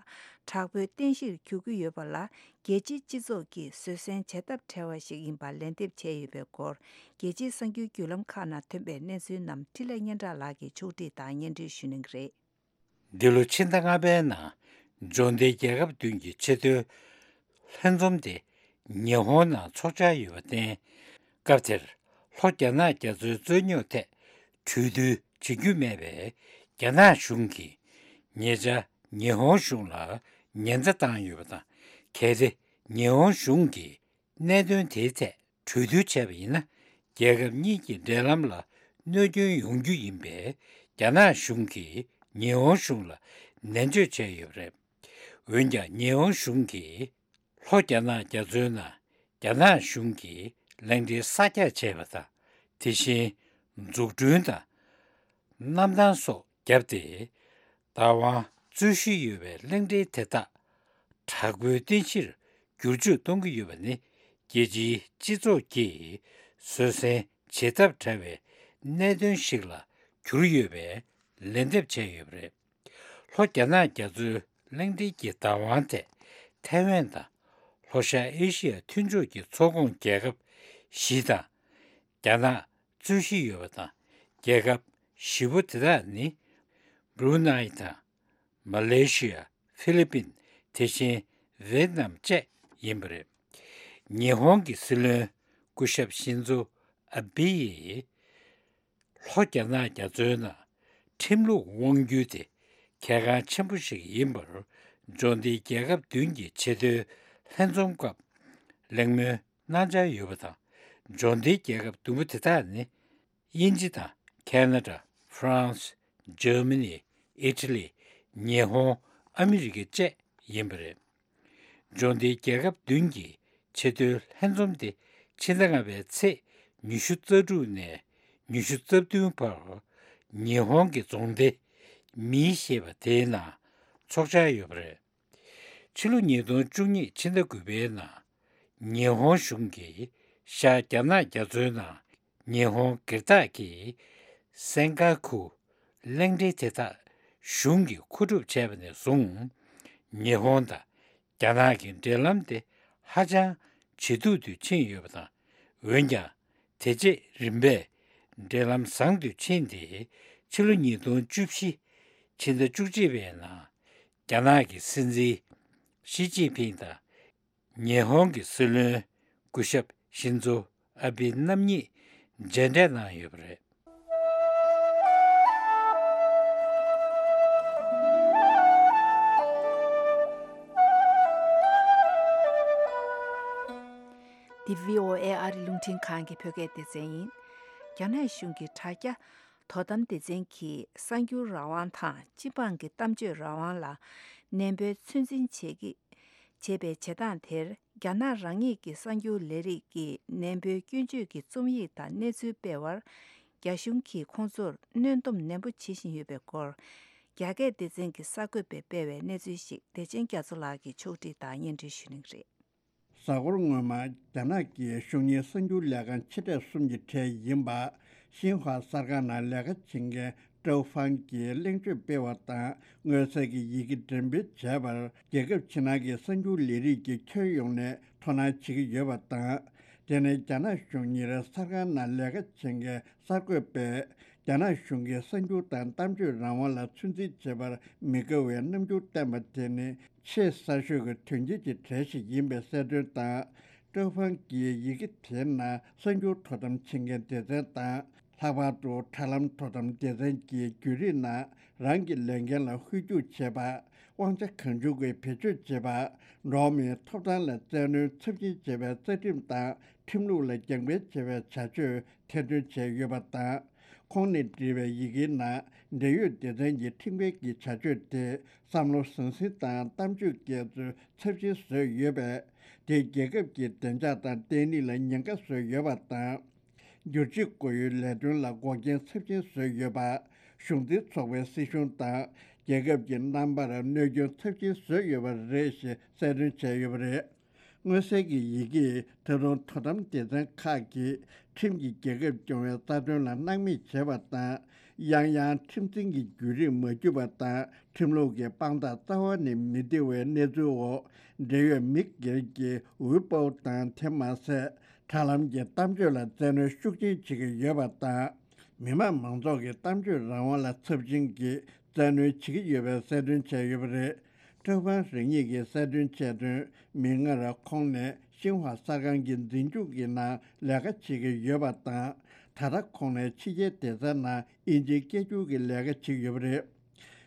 དྲག་པོའི་རྟེན་གཞིར་གྱུར་གྱི་ཡོད་པ་ལ། རྒྱལ་སྤྱིའི་སྤྱི་ཚོགས་ཀྱིས་བཟོད་བསྲན་བྱེད་ཐབས་བྲལ་བ་ཞིག་ཡིན་པར་ལན་འདེབས་བྱས་ཡོད་པའི་སྐོར། རྒྱལ་སྤྱིའི་གསར་འགྱུར་བརྒྱུད་ལམ་ཁག་ནང་ཐོན་པའི་གནས་ཚུལ་རྣམས་འཕྲིན་ལས་སྙན་གྲགས་ལགས་ཀྱིས་ཕྱོགས་བསྒྲིགས་དང་སྙན་སྒྲོན་ཞུ་གནང་གི་རེད། འདི་ལོ་ཕྱི་ཟླ་ལྔ་པའི་ནང་འབྱོར་ལྡན་རྒྱལ་ཁབ་བདུན་གྱི་ཆེས་མཐོའི་ལྷན་འཛོམས་དེ་ཉི་ཧོང་ནང་ཚོགས་འཆར་ཡོད་པར་བརྟེན། སྐབས་དེར་ལྷོ་རྒྱ་ནག་རྒྱ་མཚོའི་རྩོད་རྙོག་ཐད་གྲོས་བསྡུར་བྱེད་རྒྱུ་མེད་པས། རྒྱ་ནག་གཞུང་གིས་ཉེ་ཆར་ཉི་ཧོང་གཞུང་ལ་ཉེན་བརྡ་བཏང་ཡོད་པ་དང་། གལ་ཏེ་ཉི་ཧོང་གཞུང་གིས་གནད་དོན་དེའི་ཐད་གྲོས་བསྡུར་བྱས་པ་ཡིན་ན། རྒྱལ་ཁབ་གཉིས་ཀྱི་འབྲེལ་ལམ་ལ་གནོད་སྐྱོན་ཡོང་རྒྱུ་ཡིན་པས། རྒྱ་ནག་གཞུང་གིས་ཉི་ཧོང་གཞུང་ལ་ནན་བརྗོད་བྱས་ཡོད་པ་རེད། འོན་ཀྱང་ཉི་ཧོང་གཞུང་གིས་ལྷོ་རྒྱ་ནག་རྒྱ་མཚོའི་ནང་རྒྱ་ནག་གཞུང་གིས་གླིང་ཕྲན་གསར་རྒྱག་བྱས་པ་དང་། དེ་བཞིན་འཛུགས་སྐྲུན་དང་གནམ་ཐང་སོགས་བརྒྱབ་སྟེ། བདག་དབང་རྩོད་གཞི་ཡོད་པའི་གླིང་ཕྲན་དེ་དག་དྲག་པོའི་རྟེན་གཞིར་བསྒྱུར་བཅོས་གཏོང་གི་ཡོད་པ་ནི། རྒྱལ་སྤྱིའི་སྤྱི་ཚོགས་ཀྱིས་བཟོད་བསྲན་བྱེད་ཐབས་བྲལ་བའི་གནད་དོན་ཞིག་ལ་གྱུར་ཡོད་པའི་ལན་འདེབས་བྱས་ཡོད་པ་རེད། ལྷོ་རྒྱ་ནག་རྒྱ་མཚོའི་གླིང་ཕྲན་གྱི་བདག་དབང་ཐད་ཐའེ་ཝན་དང་ལྷོ་ཤར་ཨེ་ཤི་ཡ་མཐུན་ཕྱོགས་ཀྱི་ཚོགས་ཁོངས་རྒྱལ་ཁབ་བཞི་དང་། རྒྱ་ནག་རྩོད་གཞི་ཡོད་པ་དང་། རྒྱལ་ཁབ་བཞི་པོ་དེ་དག་ནི་སྦྲུ་ནའི་དང་། མ་ལེ་ཤི་ཡ། ཧྥི་ལི་པིན། དེ་བཞིན་ཝེད་ནམ་བཅས་ཡིན་པ་རེད། ཉི་ཧོང་གི་སྲིད་བློན་སྐུ་ཞབས་ཤིན་ཛོ་ཨ་བྷི་ཡིས། ལྷོ་རྒྱ་ནག་རྒྱ་མཚོའི་ནང་ཁྲིམས་ལུགས་དབང་སྒྱུར་དེ་གལ་འགངས་ཆེན་པོ་ཞིག་ཡིན་པར། འབྱོར་ལྡན་རྒྱལ་ཁབ་བདུན་གྱི་ཆེས་མཐོའི་ལྷན་འཛོམས་སྐབས་གླེང་མོལ་གནང་འཆར་ཡོད་པ་དང་། འབྱོར་ལྡན་རྒྱལ་ཁབ་བདུན་པོ་དེ་དག་ནི། དབྱིན་ཇི་དང་ཁེ་ན་ཌ། ཧྥ་རན་སི། འཇར་མ་ནི། ཨི་ཊ་ལི། ཉི་ཧོང་། ཨ་མི་རི་ཀ་བཅས་ཡིན་པ་རེད། འབྱོར་ལྡན་རྒྱལ་ཁབ་བདུན་གྱི་ཆེས་མཐོའི་ལྷན་འཛོམས་དེ་ཕྱི་ཟླ་ལྔ་པའི་ཚེས་ཉི་ཤུ་རྩ་དྲུག་ནས་ཉི་ཤུ་རྩ་བདུན་བར་ཉི་ཧོང་གི་རྫོང་སྡེ་མི་ཞེས་པ་དེའི་ནང་ཚོགས་འཆར་ཡོད་པ་རེད། ཕྱི་ལོ་ཉིས་སྟོང་བཅུ་གཉིས་ཕྱི་ཟླ་དགུ་པའི་ནང་ཉི་ཧོང་གཞུང་གིས་ཤར་རྒྱ་ནག་རྒྱ་མཚོའི་ནང་ཉི་ཧོང་སྒེར་བདག་གི་སེན་ཀ་ཁུ་གླིང་ཕྲན་དེ་དག་གཞུང་གིས་མཁོ་སྒྲུབ་བྱས་པ་ནས་བཟུང་། ཉི་ཧོང་དང་རྒྱ་ནག་གི་འབྲེལ་ལམ་དེ་ཧ་ཅང་ཇེ་སྡུག་ཏུ་ཕྱིན་ཡོད་པ་དང་། འོན་ཀྱང་དེ་རྗེས་རིམ་པས་འབྲེལ་ལམ་བཟང་དུ་ཕྱིན་ཏེ། ཕྱི་ལོ་ཉིས་སྟོང་བཅུ་བཞི་ཕྱི་ཟླ་བཅུ་གཅིག་པའི་ནང་རྒྱ་ནག་གི་སྲིད་འཛིན་ཞི་ཅིན་ཕིང་དང་། ཉི་ཧོང་གི་སྲིད་བློན་སྐུ་ཞབས་ཤིན་ཛོ་ཨ་བྷི་རྣམ་གཉིས་མཇལ་འཕྲད་གནང་ཡོད་པ་རེད། འདི་བྷི་ཨོ་ཨེ་ཨ་རི་རླུང་འཕྲིན་ཁང་གི་བོད་སྐད་སྡེ་ཚན་ཡིན། རྒྱ་ནག་གཞུང་གི་དྲ་རྒྱ་དོ་དམ་སྡེ་ཚན་གྱིས་གསར་འགྱུར་རང་དབང་དང་སྤྱི་འབངས་ཀྱི་གཏམ་བརྗོད་རང་དབང་ལ་ནན་པོའི་ཚོད་འཛིན་བྱེད་ཀྱི་བྱེད་པའི་བྱེད་སྟངས་དེར། རྒྱ་ནག་རང་ཉིད་ཀྱི་གསར་འགྱུར་ལས་རིགས་ཀྱིས་ནན་པོའི་སྐྱོན་བརྗོད་ཀྱི་རྩོམ་ཡིག་དང་གནས་ཚུལ་སྤེལ་བར། རྒྱ་གཞུང་གིས་ཁོང་ཚོར་གནོན་སྡོམ་ནན་པོ་བྱེད་བཞིན་ཡོད་པའི་སྐོར། རྒྱ་སྐད་སྡེ་ཚན་གྱི་གསར་འགོད་པས་སྤེལ་བའི་གནས་ཚུལ་ཞིག་བདེ་ཆེན་རྒྱ་མཚོ་ལགས་ཀྱིས་ཕྱོགས་སྒྲིག་དང་སྙན་སྒྲོན་ཞུ་གནང་གི་རེད། གཟའ་འཁོར་སྔོན་མ། རྒྱ་ནག་གི་གཞུང་གཉེར་གསར་འགྱུར་ལས་ཁང་ཆེ་གྲས་གསུམ་གྱི་གྲས་ཡིན་པ། ཤིན་ཧྭ་གསར་ཁང་ནང་ལས་ཀ་བྱེད་མཁན་ཀྲའུ་ཧྥང་གིས་གླེང་བརྗོད་སྤེལ་བ་དང་། མངོན་གསལ་གྱི་ཡི་གེ་འགྲེམས་སྤེལ་བྱས་པར། རྒྱལ་ཁབ་ཕྱི་ནང་གི་གསར་འགྱུར་ལས་རིགས་ཀྱི་ཁྱོན་ཡོངས་ནས་དོ་སྣང་བྱེད་ཀྱི་ཡོད་པ་དང་། དེ་ནི་རྒྱ་ནག་གཞུང་གཉེར་གསར་ཁང་ནང་ལས་ཀ་བྱེད་མཁན་གསར་འགོད་པས། རྒྱ་ནག་གཞུང་གིས་གསར་འགྱུར་དང་གཏམ་བརྗོད་རང་དབང་ལ་ཚོད་འཛིན་བྱེད་པར་མི་དགའ་བའི་རྣམ་འགྱུར་བསྟན་པ་དེ་ནི། ཆེས་གསར་ཤོས་ཀྱི་དོན་རྐྱེན་གྱི་གྲས་ཤིག་ཡིན་པའི་གསལ་སྟོན་དང་། ཀྲའུ་ཧྥང་གིས་ཡི་གེ་དེའི་ནང་གསར་འགྱུར་དོ་དམ་བྱེད་མཁན་སྡེ་ཚན་དང་། ལྷག་པར་དུ་དྲ་ལམ་དོ་དམ་སྡེ་ཚན་གྱི་བརྒྱུད་རིམ་ནང་རང་གི་ལས་འགན་ལ་ཧུར་རྒྱུག་བྱེད་པ། དབང་ཆ་གང་བྱུང་གིས་བེད་སྤྱོད་བྱེད་པ། འགྲོ་བ་མིའི་ཐོབ་ཐང་ལ་བཙན་གནོན་ཚབས་ཆེན་བྱེད་པའི་རྩ་ཁྲིམས་དང་ཁྲིམས་ལུགས་ལ་རྒྱབ་འགལ་བྱེད་པའི་བྱ་སྤྱོད་ཐེར་འདོན་བྱས་ཡོད་པ་དང་། ཁོང་ནས་བྲིས་པའི་ཡི་གེའི་ནང་འབྲེལ་ཡོད་སྡེ་ཚན་གྱི་ཁྲིམས་འགལ་གྱི་བྱ་སྤྱོད་དེ་བསམ་བློ་ཟང་ཟིང་དང་གཏམ་བརྗོད་སྐྱེལ་ཚུལ་ཚབས་ཆེན་བཟོས་ཡོད་པས། དེས་རྒྱལ་ཁབ་ཀྱི་བདེ་འཇགས་དང་བརྟན་ལྷིང་ལ་ཉེན་ཁ་བཟོས་ཡོད་པ་དང་། བསྒྱུར་བཅོས་སྒོ་དབྱེའི་ལས་དོན་ལ་འགོག་རྐྱེན་ཚབས་ཆེན་བཟོས་ཡོད་པ། གཞུང་འཛིན་ཚོགས་པའི་སྲིད་གཞུང་དང་རྒྱལ་ཁབ་ཀྱི་རྣམ་པར་གནོད་སྐྱོན་ཚབས་ཆེན་བཟོས་ཡོད་པ་རེད་ཞེས་གསལ་སྟོན་བྱས་ཡོད་པ་རེད། མངོན་གསལ་གྱི་ཡི་གེས་ད་དུང་དོ་དམ་སྡེ་ཚན་ཁག་གིས་ཁྲིམས་ཀྱིས་རྒྱལ་ཁབ་སྐྱོང་བའི་རྩ་དོན་ལ་སྣང་མེད་བྱས་པ་དང་། ཡང་ཡང་ཁྲིམས་འཛིན་གྱི་བརྒྱུད་རིམ་མ་བརྒྱུད་པ་དང་། ཁྲིམས་ལུགས་ཀྱི་དཔང་རྟགས་རྩ་བ་ནས་མི་བདེ་བའི་གནས་ཚུལ་འོག་འབྲེལ་ཡོད་མི་སྒེར་གྱི་ཝེ་པའོ་དང་། དེ་མ་ཟད། དྲ་ལམ་གྱི་གཏམ་བརྗོད་ལ་བཙན་གནོན་ཤུགས་ཆེན་བྱེད་ཀྱི་ཡོད་པ་དང་། མི་དམངས་མང་ཚོགས་ཀྱི་གཏམ་བརྗོད་རང་དབང་ལ་ཚབས་ཆེན་གྱིས་བཙན་གནོན་བྱེད་ཀྱི་ཡོད་པའི་གསལ་སྟོན་བྱས་ཡོད་པ་རེད། ཀྲའོ་ཧྥང་རང་ཉིད་ཀྱིས་གསལ་སྟོན་བྱས་དོན། མིག་སྔར་ཁོང་ནས་ཤིན་ཧྭ་གསར་ཁང་གི་འཛིན་སྐྱོང་གི་ནང་ལས་ཀ་བྱེད་ཀྱི་ཡོད་པ་དང་། ད་ལྟ་ཁོང་ནས་ཕྱི་རྒྱལ་སྡེ་ཚན་ནང་དབྱིན་ཇིའི་སྐད་སྒྱུར་གྱི་ལས་ཀ་བྱེད་ཀྱི་ཡོད་པ་རེད།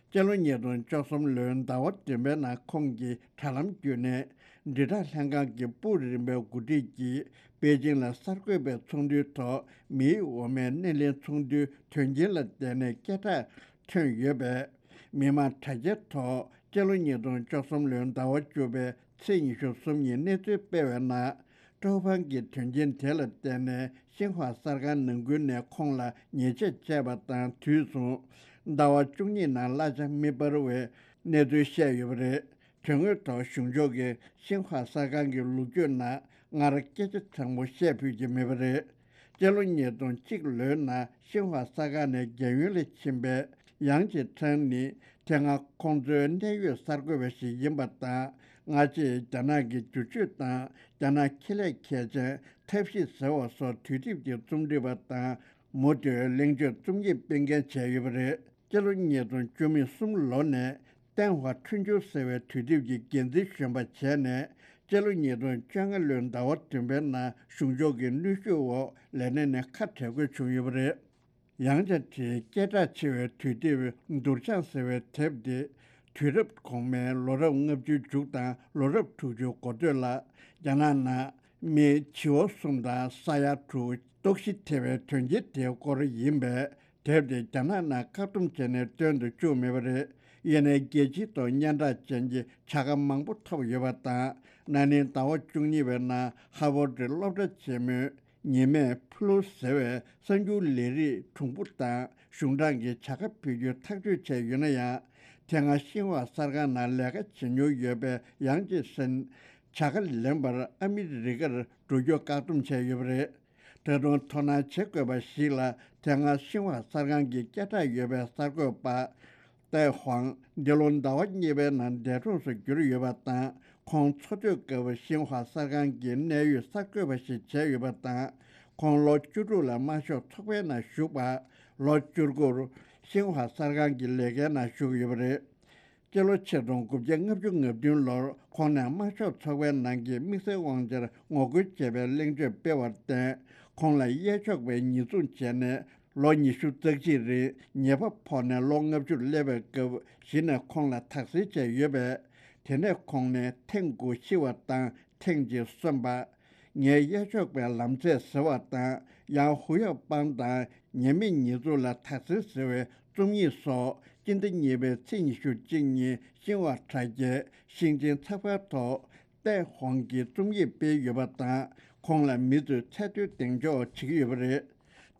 སྤྱི་ལོ་ཉིས་སྟོང་བཅུ་གསུམ་ལོའི་ཟླ་བ་བདུན་པའི་ནང་ཁོང་གིས་དྲ་ལམ་བརྒྱུད་ནས། དྲིལ་བསྒྲགས་ལྷན་ཁང་གི་པུའུ་རིམ་པའི་འགོ་ཁྲིད་ཀྱིས་པེ་ཅིང་ལ་གསར་འགོད་པའི་ཚོགས་འདུའི་ཐོག་མིའི་འོ་མའི་སྣེ་ལེན་ཚོགས་འདུའི་དོན་རྐྱེན་ལ་བརྟེན་ནས་སྐད་གྲགས་ཐོན་ཡོད་པས། མི་མང་དྲ་རྒྱའི་ཐོག་སྤྱི་ལོ་ཉིས་སྟོང་བཅུ་གསུམ་ལོའི་ཟླ་བ་བཅུ་པའི་ཚེས་ཉི་ཤུ་གསུམ་ཉིན་གནས་ཚུལ་སྤེལ་བའི་ནང་། ཀྲོའུ་ཧྥང་གིས་དོན་རྐྱེན་དེ་ལ་བརྟེན་ནས་ཤིན་ཧྭ་གསར་ཁང་ནང་ཁུལ་ནས་ཁོང་ལ་ཉེས་ཆད་བཅད་པ་དང་དུས་མཚུངས། ཟླ་བ་བཅུ་གཉིས་ནང་གླ་ཆ་མི་སྤར་བའི་གནས་ཚུལ་བཤད་ཡོད་པ་རེད། དོན་དངོས་ཐོག་གཞུང་ཕྱོགས་ཀྱིས་ཤིན་ཧྭ་གསར་ཁང་གི་ལོ་རྒྱུས་ནང་སྔར་སྐད་ཆ་དྲང་པོ་བཤད་ཕོད་ཀྱི་མེད་པ་རེད། སྤྱི་ལོ་ཉིས་སྟོང་གཅིག་ལོའི་ནང་ཤིན་ཧྭ་གསར་ཁང་ནས་རྒན་ཡོལ་ལ་ཕྱིན་པའི་ཡང་ཅེ་ཁྲང་ནི་དེ་སྔ་ཁོང་ཚོའི་གནད་ཡོད་གསར་འགོད་པ་ཞིག་ཡིན་པ་དང་། སྔ་རྗེས་རྒྱ་ནག་གི་བསྒྱུར་བཅོས་དང་རྒྱ་ནག་ཁེ་ལས་མཁས་ཅན་ཐབས་ཤེས་ཟེར་བ་སོགས་དུས་དེབ་ཀྱི་རྩོམ་སྒྲིག་པ་དང་མུ་མཐུད་གླེང་བརྗོད་རྩོམ་ཡིག་སྤེལ་མཁན་བྱས་ཡོད་པ་རེད། སྤྱི་ལོ་ཉིས་སྟོང་བཅུ་མེད་གསུམ་ལོ་ནས། ཏེན་ཧྭ་ཁྲུན་ཆུ་ཟེར་བའི་དུས་དེབ་ཀྱི་འགན་འཛིན་གཞོན་པ་བྱས་ནས། སྤྱི་ལོ་ཉིས་སྟོང་བཅོ་ལྔ་ལོའི་ཟླ་བ་བདུན་པའི་ནང་གཞུང་ཕྱོགས་ཀྱི་གནོན་ཤུགས་འོག་ལས་གནས་ནས་ཁ་བྲལ་དགོས་བྱུང་ཡོད་པ་རེད། ཡང་ཅེ་ཁྲིའི་སྐད་གྲགས་ཆེ་བའི་དུས་དེབ་འདུར་བྱང་ཟེར་བའི་དེབ་དེ། དུས་རབས་གོང་མའི་ལོ་རབས་ལྔ་བཅུའི་མཇུག་དང་ལོ་རབས་དྲུག་ཅུའི་འགོ་སྟོད་ལ། རྒྱ་ནག་ནང་མི་བྱིའུ་གསུམ་དང་ས་ཡ་དྲུག་ལྟོགས་ཤི་ཐེབས་པའི་དོན་རྐྱེན་དེའི་སྐོར་ཡིན་པས། དེབ་དེ་རྒྱ་ནག་ནང་བཀག་སྡོམ་བྱས་ནས་སྟོན་དུ་བཅུག་མེད་པ་རེད། ཡིན་ནའི་རྒྱལ་སྤྱིའི་ཐོག་སྙན་གྲགས་ཅན་གྱི་བྱ་དགའ་མང་པོ་ཐོབ་ཡོད་པ་དང་། ན་ནིང་ཟླ་བ་བཅུ་གཉིས་པའི་ནང་ཧ་ཝར་ཌི་སློབ་གྲྭ་ཆེན་མོའི་ཉི་མས་ཕུ་ལུ་ཟེར་བའི་གསར་འགྱུར་ལས་རིགས་གྲུང་པོ་དང་གཞུང་དྲང་གི་བྱ་དགའ་ཕུལ་རྒྱུའི་ཐག་གཅོད་བྱས་ཡོད་ན་ཡང་། དེ་སྔ་ཤིན་ཧྭ་གསར་ཁང་ནང་ལས་ཀ་བྱེད་མྱོང་ཡོད་པའི་ཡང་ཅེ་ཧྲིན། བྱ་དགའ་ལེན་པར་ཨ་མི་རི་ཀར་འགྲོ་རྒྱུ་བཀག་སྡོམ་བྱས་ཡོད་པ་རེད། ད་དུང་དོ་སྣང་བྱེད་དགོས་པ་ཞིག་ལ། དེ་སྔ་ཤིན་ཧྭ་གསར་ཁང་གི་སྐད་གྲགས་ཡོད་པའི་གསར་འགོད་པ་ཏའེ་ཧུང་འདི་ལོ་ཟླ་བ་གཉིས་པའི་ནང་འདས་གྲོངས་སུ་གྱུར་ཡོད་པ་དང་། ཁོང་འཚོ་དུས་སྐབས་ཤིན་ཧྭ་གསར་ཁང་གི་གནད་ཡོད་གསར་འགོད་པ་ཞིག་བྱས་ཡོད་པ་དང་། ཁོང་ལོ་བཅུ་དྲུག་ལ་དམར་ཤོག་ཚོགས་པའི་ནང་ཞུགས་པ། ལོ་བཅུ་དགུར་ཤིན་ཧྭ་གསར་ཁང་གི་ལས་ཀའི་ནང་ཞུགས་ཡོད་པ་རེད། སྤྱི་ལོ་ཆིག་སྟོང་དགུ་བརྒྱ་ལྔ་བཅུ་ང་བདུན་ལོར་ཁོང་ནས་དམར་ཤོག་ཚོགས་པའི་ནང་གི་དམིགས་བསལ་དབང་ཆར་ངོ་རྒོལ་བྱས་པའི་གླེང་བརྗོད་སྤེལ་བར་བརྟེན། ཁོང་ལ་གཡས་ཕྱོགས་པས་ཉེས་འཛུགས་བྱས་ནས་ལོ་ཉི་ཤུ་རྩ་གཅིག་རིང་ཉེས་པ་ཕོག་ནས་ལོ་ལྔ་བཅུར་སླེབས་པའི་སྐབས་གཞི་ནས་ཁོང་ལ་དག་སེལ་བྱས་ཡོད་པས། དེ་ནས་ཁོང་ནས་ཐེངས་དགུ་ཤི་བ་དང་ཐེངས་གཅིག་གསོན་པ། ངའི་གཡས་ཕྱོགས་པའི་ལམ་ཚད་ཟེར་བ་དང་། ཡང་ཧུ་ཡག་པང་དང་ཉེས་མེད་ཉེས་འཛུགས་ལ་དག་སེལ་ཟེར་བའི་རྩོམ་ཡིག་སོགས་སྤྱི་ཟླ་གཉིས་པའི་ཚེས་ཉི་ཤུ་གཅིག་ཉིན་ཤིན་ཧྭ་དྲ་རྒྱའི་ཤིང་ཆེན་ཚགས་པར་ཐོག་ཏའེ་ཧུང་གིས་རྩོམ་ཡིག་སྤེལ་ཡོད་པ་དང་། ཁོང་ལ་མི་ཚོས་ཚད་མཐོའི་གདེང་འཇོག་བྱེད་ཀྱི་ཡོད་པ་རེད།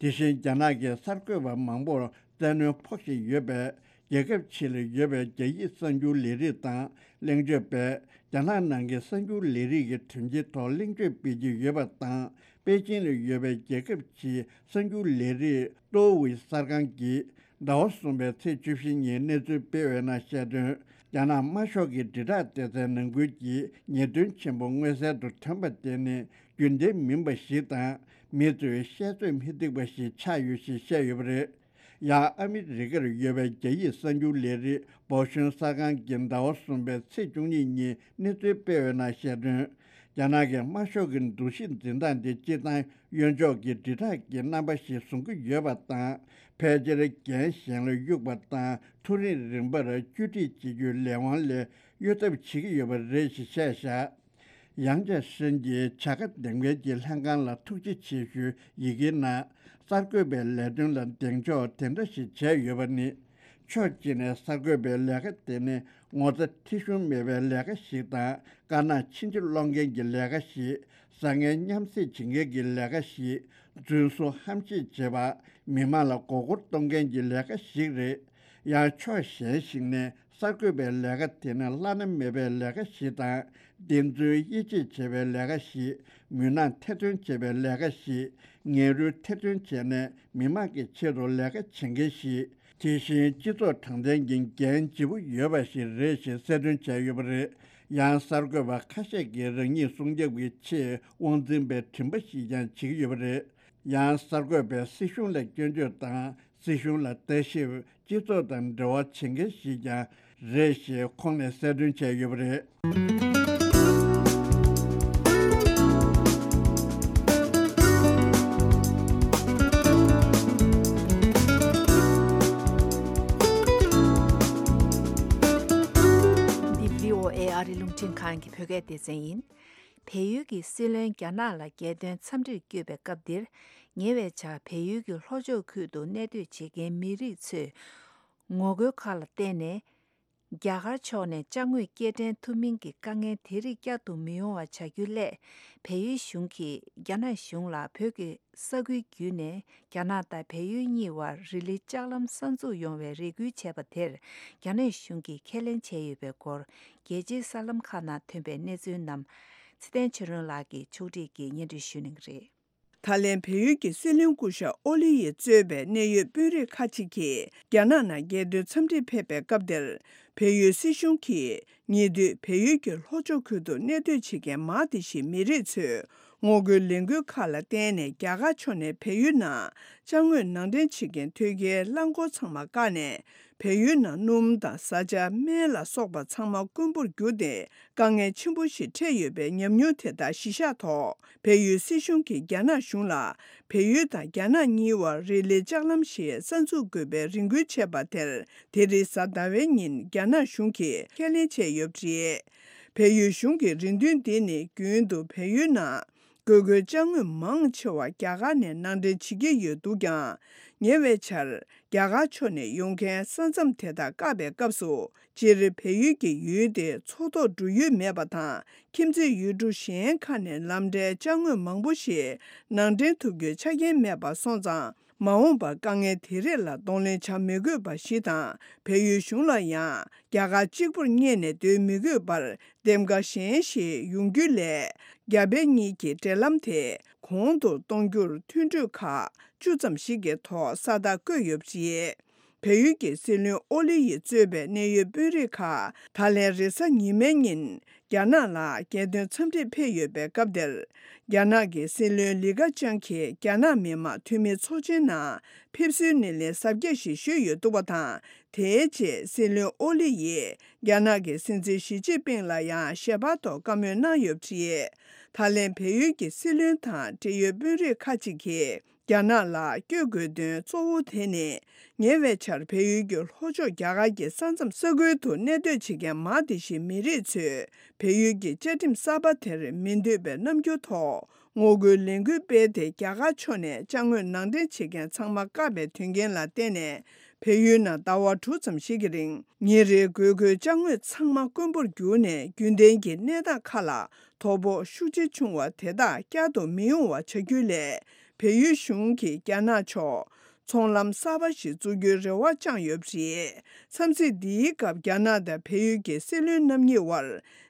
དེ་བཞིན་རྒྱ་ནག་གི་གསར་འགོད་པ་མང་པོར་བཙན་གནོན་ཕོག་བཞིན་ཡོད་པས། རྒྱལ་ཁབ་ཕྱི་ལ་ཡོད་པའི་རྒྱ་ཡིག་གསར་འགྱུར་ལས་རིགས་དང་གླེང་བརྗོད་པས། རྒྱ་ནག་ནང་གི་གསར་འགྱུར་ལས་རིགས་ཀྱི་དོན་རྐྱེན་ཐོག་གླེང་བརྗོད་སྤེལ་གྱི་ཡོད་པ་དང་། པེ་ཅིང་ལ་ཡོད་པའི་རྒྱལ་ཁབ་ཕྱིའི་གསར་འགྱུར་ལས་རིགས་ཏོའུ་ཝི་གསར་ཁང་གིས་ཟླ་བ་གསུམ་པའི་ཚེས་བཅུ་བཞི་ཉིན་གནས་ཚུལ་སྤེལ་བའི་ནང་བཤད་དོན། རྒྱ་ནག་དམར་ཤོག་གི་དྲིལ་བསྒྲགས་སྡེ་ཚན་ནང་ཁུལ་གྱི་ཉེས་དོན་ཆེན་པོ་མངོན་གསལ་དུ་ཐོན་པ་དེ་ནི་རྒྱུན་ལྡན་མིན་པ་ཞིག་དང་། མི་ཚོས་བཤད་ཚོད་མི་ཐིག་པ་ཞིག་ཆགས་ཡོད་ཞེས་བཤད་ཡོད་པ་རེད། ཡང་ཨ་མི་རི་ཀར་ཡོད་པའི་རྒྱ་ཡིག་གསར་འགྱུར་ལས་རིགས་བོ་ཤུན་གསར་ཁང་གིས་ཟླ་བ་གསུམ་པའི་ཚེས་བཅུ་གཉིས་ཉིན་གནས་ཚུལ་སྤེལ་བའི་ནང་བཤད་དོན། རྒྱ་ནག་གི་དམར་ཤོག་གི་འདུ་ཤེས་འཛིན་སྟངས་དེ་སྤྱིར་བཏང་གཡོན་ཕྱོགས་ཀྱི་དྲིལ་བསྒྲགས་ཀྱི་རྣམ་པ་ཞིག་བཟུང་གི་ཡོད་པ་དང་། ཕལ་ཆེར་འགན་གཞན་ལ་གཡུག་པ་དང་། མཐོ་རིམ་རིམ་པར་བཅོས་སྒྲིག་བྱེད་རྒྱུའི་ལས་དབང་ལས་གཡོལ་ཐབས་བྱེད་ཀྱི་ཡོད་པ་རེད་ཞེས་བཤད་བཞག་ཡང་ཅིན་ཧྲིན་གྱིས་བྱ་དགའ་འདེམས་མཁན་གྱི་ལྷན་ཁང་ལ་ཐུགས་རྗེ་ཆེ་ཞུའི་ཡི་གེའི་ནང་། གསར་འགོད་པའི་ལས་དོན་ལ་གདེང་འཇོག་དེ་འདྲ་ཞིག་བྱས་ཡོད་པ་ནི། ཕྱོགས་གཅིག་ནས་གསར་འགོད་པའི་ལས་ཀ་དེ་ནི་ངོ་ཚ་ཁྲེལ་གཞུང་མེད་པའི་ལས་ཀ་ཞིག་དང་། དཀར་ནག་ཕྱིན་ཅི་ལོག་མཁན་གྱི་ལས་ཀ་ཞིག་བཟང་ངན་མཉམ་བསྲེས་བྱེད་མཁན་གྱི་ལས་ཀ་ཞིག་རྫུན་བཟོ་ཧམ་བཤད་བྱེད་པ། མི་མང་ལ་མགོ་སྐོར་གཏོང་མཁན་གྱི་ལས་ཀ་ཞིག་རེད། ཡང་ཕྱོགས་གཞན་ཞིག་ནས་གསར་འགོད་པའི་ལས་ཀ་དེ་ནི་བླ་ན་མེད་པའི་ལས་ཀ་ཞིག་དང་། བདེན་རྫུན་དབྱེ་འབྱེད་བྱེད་པའི་ལས་ཀ་ཞིག་མུན་ནག་ཐེར་འདོན་བྱེད་པའི་ལས་ཀ་ཞིག་ངན་རུལ་ཐེར་འདོན་བྱས་ནས་མི་མང་གི་ཆེད་དུ་ལས་ཀ་བྱེད་མཁན་ཞིག་དེ་བཞིན་སྤྱི་ཚོགས་དྲང་བདེན་གྱི་འགན་ལྗིད་པོ་ཡོད་པ་ཞིག་རེད་ཞེས་གསལ་སྟོན་བྱས་ཡོད་པ་རེད། ཡང་གསར་འགོད་པ་ཁ་ཤས་ཀྱིས་རང་ཉིད་སྲུང་སྐྱོབ་ཀྱི་ཆེད་དབང་འཛིན་པའི་དྲན་པ་ཞིག་ཀྱང་བྱེད་ཀྱི་ཡོད་པ་རེད། ཡང་གསར་འགོད་པས་སྲིད་གཞུང་ལ་སྐྱོན་བརྗོད་དང་། སྲིད་གཞུང་ལ་ལྟ་ཞིབ། སྤྱི་ཚོགས་དང་འབྲེལ་བ་བྱེད་མཁན་ཞིག་ཀྱང་རེད་ཞེས་ཁོང་ནས་གསལ་སྟོན་བྱས་ཡོད་པ་རེད། འདི་བྷི་ཨོ་ཨེ་ཨ་རི་རླུང་འཕྲིན་ཁང་གི་བོད་སྐད་སྡེ་ཚན་ཡིན། བལ་ཡུལ་གྱི་སྲིད་བློན་རྒྱ་ནག་ལ་རྒྱལ་དོན་འཚམས་འདྲིར་བསྐྱོད་པའི་སྐབས་འདིར། ཉེ་བའི་ཆར་བལ་ཡུལ་གྱི་ལྷོ་ཕྱོགས་ཁུལ་དུ་གནས་སྡོད་བྱེད་མཁན་མི་རིགས་ཚོས་ངོ་རྒོལ་ཁག་ལ་བརྟེན་ནས། རྒྱ་གར་ཕྱོགས་ནས་ཅ་དངོས་སྐྱེལ་འདྲེན་ཐུབ་མིན་གྱི་དཀའ་ངལ་དེ་རིགས་བསྐྱར་དུ་མི་ཡོང་བ་བྱ་རྒྱུའི་སླད། བལ་ཡུལ་གཞུང་གིས་རྒྱ་ནག་གཞུང་ལ་བོད་ཀྱི་ས་ཁུལ་བརྒྱུད་ནས་རྒྱ་ནག་དང་བལ་ཡུལ་གཉིས་བར་རི་ལི་ལྕགས་ལམ་གསར་འཛུགས་ཡོང་བའི་རེ་སྐུལ་བྱས་པ་དེར་རྒྱ་ནག་གཞུང་གིས་ཁས་ལེན་བྱས་ཡོད་པའི་སྐོར། རྒྱལ་སྤྱིའི་གསར་ལམ་ཁག་ནང་ཐོན་པའི་གནས་ཚུལ་རྣམས་ཚེ་བརྟན་ཆོས་སྒྲོན་ལགས་ཀྱིས་ཕྱོགས་སྒྲིག་གིས་སྙན་སྒྲོན་ཞུ་གནང་གི་རེད། ད་ལན་བལ་ཡུལ་གྱི་སྲིད་བློན་སྐུ་ཞབས་ཨོ་ལི་ཡིས་གཙོས་པའི་གནད་ཡོད་དཔོན་རིགས་ཁག་ཅིག་གིས་རྒྱ་ནག་ནང་རྒྱལ་དོན་འཚམས་འདྲིར་ཕེབས་པའི་སྐབས་དེར། བལ་ཡུལ་སྲིད་གཞུང་གིས་ཉེ་དུས་བལ་ཡུལ་གྱི་ལྷོ་ཕྱོགས་ཁུལ་དུ་གནས་སྡོད་བྱེད་མཁན་མང་དེ་ཞིག་མི་རིགས་ཚོས་ངོ་རྒོལ་ལས་འགུལ་ཁག་ལ་བརྟེན་ནས། རྒྱ་གར་ཕྱོགས་ནས་བལ་ཡུལ་ནང་ཅ་དངོས་ནང་འདྲེན་བྱེད་མཁན་ཐོལ་རྒྱལ་རླངས་འཁོར་ཚང་མ་བཀག་ནས། བལ་ཡུལ་ནང་སྣུམ་དང་བཟའ་བཅའ། སྨན་ལ་སོགས་པ་ཚང་མ་དཀོན་པོར་གྱུར་ཏེ། དཀའ་ངལ་ཆེན་པོ་ཞིག་འཕྲད་ཡོད་པའི་ཉམས་མྱོང་དེ་དག་གཞི་བཞག་ཐོག་བལ་ཡུལ་སྲིད་གཞུང་གིས་རྒྱ་ནག་གཞུང་ལ། བལ་ཡུལ་དང་རྒྱ་ནག་གཉིས་བར་རི་ལི་ལྕགས་ལམ་ཞིག་གསར་འཛུགས་དགོས་པའི་རེ་སྐུལ་བྱས་པ་དེར། དེ་རིང་གཟའ་ཟླ་བའི་ཉིན་རྒྱ་ནག་གཞུང་གིས་ཁས་ལེན་བྱས་ཡོད་པ་རེད། བལ་ཡུལ་གཞུང་གི་རེ་འདུན་འདི་ནི་རྒྱུན་དུ་བལ་ཡུལ་ནང་། དགོས་མཁོའི་ཅ་དངོས་མང་ཆེ་བ་རྒྱ་གར་ནས་ནང་འདྲེན་བྱེད་ཀྱི་ཡོད་འདུག་ཀྱང་། ཉེ་བའི་ཆར་རྒྱ་གར་ཕྱོགས་ནས་ཡོང་མཁན་ས་མཚམས་དེ་དག་བཀག་པའི་སྐབས་སུ། སྤྱིར་བལ་ཡུལ་གྱི་ཡུལ་དེ་མཚོ་ཐོག་འགྲོ་ཡུལ་མེད་པ་དང་། ཁྱིམ་མཚེས་ཡུལ་གྲུ་གཞན་ཁག་ནས་ལམ་འདྲའི་ཅ་དངོས་མང་པོ་ཞིག་ནང་འདྲེན་ཐུབ་རྒྱུའི་ཆ་རྐྱེན་མེད་པ་སོང་ཙང་། མ་འོངས་པར་དཀའ་ངལ་དེ་རིགས་ལ་གདོང་ལེན་བྱ་མི་དགོས་པ་ཞིག་དང་། བལ་ཡུལ་གཞུང་ལ་ཡང་རྒྱ་གར་གཅིག་པུར་བསྙད་ནས་སྡོད་མི་དགོས་པར། འདེམས་ཀ་གཞན་ཞིག་ཡོང་རྒྱུ་ལས། རྒྱ་བལ་གཉིས་ཀྱི་འབྲེལ་ལམ་དེ་གོང་དུ་གཏོང་རྒྱུར་མཐུན་གྲོས་ཁག་བཅུ་ཙམ་ཞིག་གི་ཐོག་ས་རྟགས་བཀོད་ཡོད་པ་རེད། བལ་ཡུལ་གྱི་སྲིད་བློན་ཨོ་ལི་ཡིས་གཙོས་པའི་གནད་ཡོད་དཔོན་རིགས་ཁག་ད་ལན་རེས་གཟའ་ཉི་མའི་ཉིན་རྒྱ་ནག་ལ་རྒྱལ་དོན་འཚམས་འདྲིར་ཕེབས་ཡོད་པའི་སྐབས་དེར། རྒྱ་ནག་གི་སྲིད་བློན་ལི་ཁ་ཆང་གིས་རྒྱ་ནག་མི་དམངས་འཐུས་མི་ཚོགས་ཆེན་ནང་ཕེབས་བསུའི་སྣེ་ལེན་གཟབ་རྒྱས་ཤིག་ཞུས་ཡོད་འདུག་པ་དང་། དེའི་རྗེས་སྲིད་བློན་ཨོ་ལི་ཡིས་རྒྱ་ནག་གི་སྲིད་འཛིན་ཞི་ཅིན་ཕིང་ལ་ཡང་ཞལ་པར་ཐོག་བཀའ་མོལ་གནང་ཡོད་པ་རེད། ད་ལན་བལ་ཡུལ་གྱི་སྲིད་བློན་དང་འབྲེལ་ཡོད་དཔོན་རིགས་ཁག་ཅིག་གིས། རྒྱ་ནག་ལ་བསྐྱོད་དགོས་དོན་གཙོ་བོ་དེ་ནི། ཉེ་བའི་ཆར་བལ་ཡུལ་གྱི་ལྷོ་ཕྱོགས་རྒྱ་གར་གྱི་ས་མཚམས་ས་ཁུལ་དུ་གནས་སྡོད་བྱེད་མཁན་མང་དེ་ཞིག་མི་རིགས་ཚོས་བལ་ཡུལ་གྱི་བཅའ་ཁྲིམས་གསར་པ་དེར་མི་འདོད་པའི་རྣམ་འགྱུར་ཐོག་ངོ་རྒོལ་ལས་འགུལ་སྤེལ་ཏེ། རྒྱ་གར་ཕྱོགས་ནས་ཅ་དངོས་ནང་འདྲེན་བྱེད་མཁན་ཚང་མ་བཀག་པའི་དོན་རྐྱེན་ལ་བརྟེན་ནས། བལ་ཡུལ་ནང་ཟླ་བ་དྲུག་ཙམ་ཞིག་གི་རིང་། ཉིན་རེའི་དགོས་མཁོའི་ཅ་དངོས་ཚང་མ་དཀོན་པོར་གྱུར་ནས། རྒྱུན་ལྡན་གྱི་གནས་སྟངས་ཁག་ལ་དོ་ཕོག་ཤུགས་ཆེ་བྱུང་བ་དེ་དག་བསྐྱར་དུ་མི་ཡོང་བ་བྱ་རྒྱུ་ལས། བལ་ཡུལ་གཞུང་གིས་རྒྱ་ནག་ཕྱོགས། ཚོང་ལམ་གསར་པ་ཞིག་བཙུགས་རྒྱུའི་རེ་བ་བཅངས་ཡོད་པ་རེད། འཚམས་གཟིགས་འདིའི་སྐབས་རྒྱ་ནག་དང་བལ་ཡུལ་གྱི་སྲིད་བློན་རྣམ་གཉིས་དབར་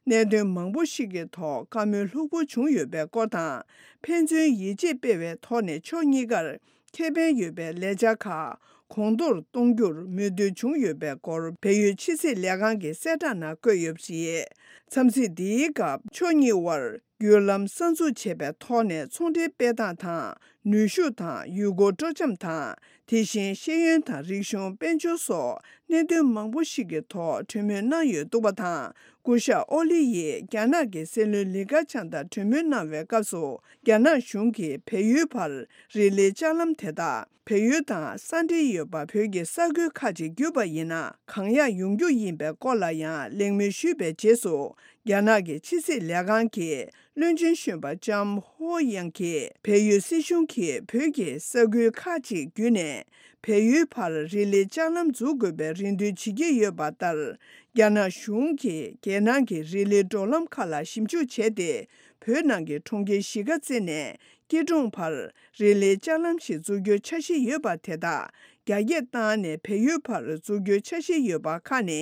གནད་དོན་མང་པོ་ཞིག་གི་ཐོག་བཀའ་མོལ་ལྷུག་པོ་བྱུང་ཡོད་པའི་སྐོར་དང་། ཕན་ཚུན་ཡིད་ཆེས་སྤེལ་བའི་ཐོག་ནས་ཕྱོགས་གཉིས་ཀར་ཁེ་ཕན་ཡོད་པའི་ལས་འཆར་ཁག་གོང་མཐོར་གཏོང་རྒྱུར་མོས་མཐུན་བྱུང་ཡོད་པའི་སྐོར་བལ་ཡུལ་ཕྱི་སྲིད་ལས་ཁང་གི་གསལ་བསྒྲགས་ནང་བཀོད་ཡོད་པ་རེད། འཚམས་གཟིགས་འདིའི་སྐབས་ཕྱོགས་གཉིས་དབར་བརྒྱུད་ལམ་གསར་འཛུགས་བྱས་པའི་ཐོག་ནས་ཚོང་འབྲེལ་སྤེལ་སྟངས་དང་། ནུས་ཤུགས་དང་ཡུལ་སྐོར་སྤྲོ་འཆམ་དང་། དེ་བཞིན་ཤེས་ཡོན་དང་རིག་གཞུང་། དཔལ་འབྱོར་སོགས་གནད་དོན་མང་པོ་ཞིག་གི་ཐོག་གྲོས་མོལ་གནང་ཡོད་འདུག་པ་དང་། སྐུ་ཞབས་ཨོ་ལི་ཡིས་རྒྱ་ནག་གི་སྲིད་བློན་ལི་ཁ་ཆང་དང་གྲོས་མོལ་གནང་བའི་སྐབས་སུ། རྒྱ་ནག་གཞུང་གིས་བལ་ཡུལ་བར་རི་ལི་ལྕགས་ལམ་དེ་དག་བལ་ཡུལ་དང་ས་འབྲེལ་ཡོད་པ་བོད་ཀྱི་ས་ཁུལ་ཁག་ཅིག་བརྒྱུད་པ་ཡིན་ན་གང་ཡག་ཡོང་རྒྱུ་ཡིན་པའི་སྐོར་ལ་ཡང་གླེང་མོལ་ཞུས་པའི་རྗེས་སུ། རྒྱ་ནག་གི་ཕྱི་སྲིད་ལས་ཁང་གི་བློན་ཆེན་གཞོན་པ་ལྕམ་ཧོ་ཡང་གིས་བལ་ཡུལ་སྲིད་གཞུང་གིས་བོད་ཀྱི་ས་ཁུལ་ཁག་ཅིག་བརྒྱུད་ནས་བལ་ཡུལ་བར་རི་ལི་ལྕགས་ལམ་འཛུགས་དགོས་པའི་རེ་འདུན་བྱེད་ཀྱི་ཡོད་པ་ལྟར། རྒྱ་ནག་གཞུང་གིས་རྒྱལ་ནང་གི་རི་ལི་འགྲོ་ལམ་ཁག་ལ་ཞིབ་འཇུག་བྱས་ཏེ། བོད་ནང་གི་གྲོང་ཁྱེར་གཞིས་ཀ་རྩེ་ནས་སྐྱིད་གྲོང་བར་རི་ལི་ལྕགས་ལམ་ཞིག་འཛུགས་རྒྱུའི་འཆར་གཞི་ཡོད་པ་དེ་དག་རྒྱ་སྐྱེད་བཏང་ནས་བལ་ཡུལ་བར་འཛུགས་རྒྱུའི་འཆར་གཞི་ཡོད་པ་ཁག་ནི།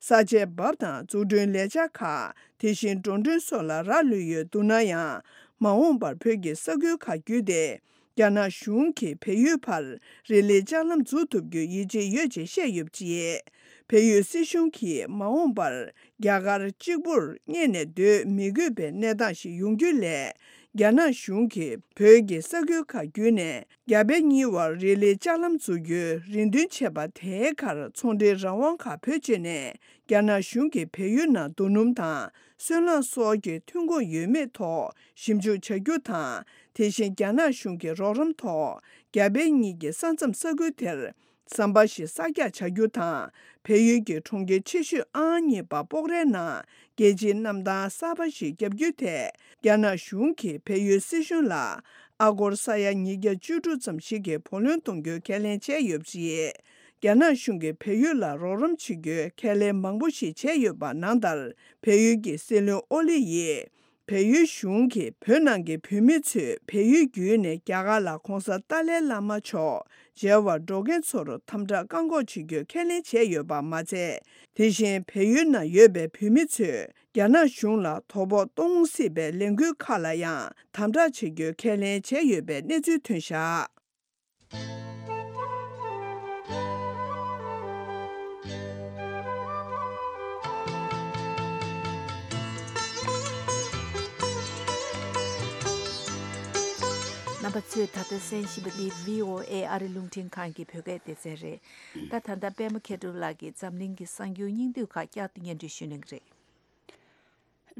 ས་ཆའི་འབབ་དང་འཛུགས་སྐྲུན་ལས་འཆར་ཁག་དེ་བཞིན་འགྲོ་གྲོན་སོགས་ལ་རག་ལུས་ཡོད་འདུག་ན་ཡང་། མ་འོངས་པར་བོད་ཀྱི་ས་ཁུལ་ཁག་བརྒྱུད་དེ། རྒྱ་ནག་གཞུང་གིས་བལ་ཡུལ་བར་རི་ལི་ལྕགས་ལམ་འཛུགས་ཐུབ་རྒྱུའི་ཡིད་ཆེས་ཡོད་ཅེས་བཤད་ཡོད་པ་རེད། བལ་ཡུལ་སྲིད་གཞུང་གིས་མ་འོངས་པར་རྒྱ་གར་གཅིག་པུར་གཉེར་ནས་སྡོད་མི་དགོས་པའི་གནས་སྟངས་ཤིག་ཡོང་རྒྱུ་ལས། རྒྱ་ནག་གཞུང་གིས་བོད་ཀྱི་ས་ཁུལ་ཁག་བརྒྱུད་ནས་རྒྱ་བལ་གཉིས་བར་རི་ལི་ལྕགས་ལམ་འཛུགས་རྒྱུའི་རེ་འདུན་བྱས་པ་དེའི་ཁར་ཚོང་འབྲེལ་རང་དབང་ཁག་བེད་སྤྱོད་ནས་རྒྱ་ནག་གཞུང་གིས་བལ་ཡུལ་ནང་རྡོ་སྣུམ་དང་སོལ་རླངས་སོགས་ཀྱི་ཐོན་ཁུངས་ཡོད་མེད་ཐོག་ཞིབ་འཇུག་བྱ་རྒྱུ་དང་། དེ་བཞིན་རྒྱ་ནག་གཞུང་གི་རོགས་རམ་ཐོག་རྒྱ་བལ་གཉིས་ཀྱི་ས་མཚམས་ས་ཁུལ་དེར་ཟམ་པ་ཞིག་གསར་རྒྱག་བྱ་རྒྱུ་དང་། བལ་ཡུལ་གྱི་གྲོང་ཁྱེར་ཆེ་ཤོས་ཨང་གཉིས་པ་སྤོག་རའི་ནང་རྒྱལ་སྤྱིའི་གནམ་ཐང་གསར་པ་ཞིག་བརྒྱབ་རྒྱུའི་ཐད་རྒྱ་ནག་གཞུང་གིས་བལ་ཡུལ་སྲིད་གཞུང་ལ་ཨ་སྒོར་ས་ཡ་ཉིས་བརྒྱ་བཅུ་དྲུག་ཙམ་ཞིག་གི་བུ་ལོན་གཏོང་རྒྱུའི་ཁས་ལེན་བྱས་ཡོད་པ་རེད། རྒྱ་ནག་གཞུང་གིས་བལ་ཡུལ་ལ་རོགས་རམ་བྱེད་རྒྱུའི་ཁས་ལེན་མང་པོ་ཞིག་བྱས་ཡོད་པ་ནང་ལྟར། བལ་ཡུལ་གྱི་སྲིད་བློན་ཨོ་ལི་ཡིས། བལ་ཡུལ་གཞུང་གིས་བོད་ནང་གི་བོད་མི་ཚོས་བལ་ཡུལ་བརྒྱུད་ནས་རྒྱ་གར་ལ་གོང་ས་ཏཱ་ལའི་བླ་མ་མཆོག་མཇལ་བར་འགྲོ་མཁན་ཚོར་དམ་དྲག་བཀག་འགོག་བྱེད་རྒྱུའི་ཁས་ལེན་བྱས་ཡོད་པ་མ་ཚད། དེ་བཞིན་བལ་ཡུལ་ནང་ཡོད་པའི་བོད་མི་ཚོས་རྒྱ་ནག་གཞུང་ལ་དོ་ཕོག་གཏོང་སྲིད་པའི་ལས་འགུལ་ཁག་ལ་ཡང་དམ་དྲག་བྱེད་རྒྱུའི་ཁས་ལེན་བྱས་ཡོད་པའི་གནས་ཚུལ་ཐོན་བཞག་རྣམ་པ་ཚོས་ད་ལྟ་གསན་བཞིན་པ་ནི་བྷི་ཨོ་ཨེ་ཨ་རི་རླུང་འཕྲིན་ཁང་གི་བོད་སྐད་སྡེ་ཚན་རེད། ད་ད་ལྟ་པད་མ་མཁས་གྲུབ་ལགས་ཀྱིས་འཛམ་གླིང་གི་གསར་འགྱུར་སྙིང་བསྡུས་ཁག་བསྐྱར་དུ་སྙན་སྒྲོན་ཞུ་གནང་གི་རེད།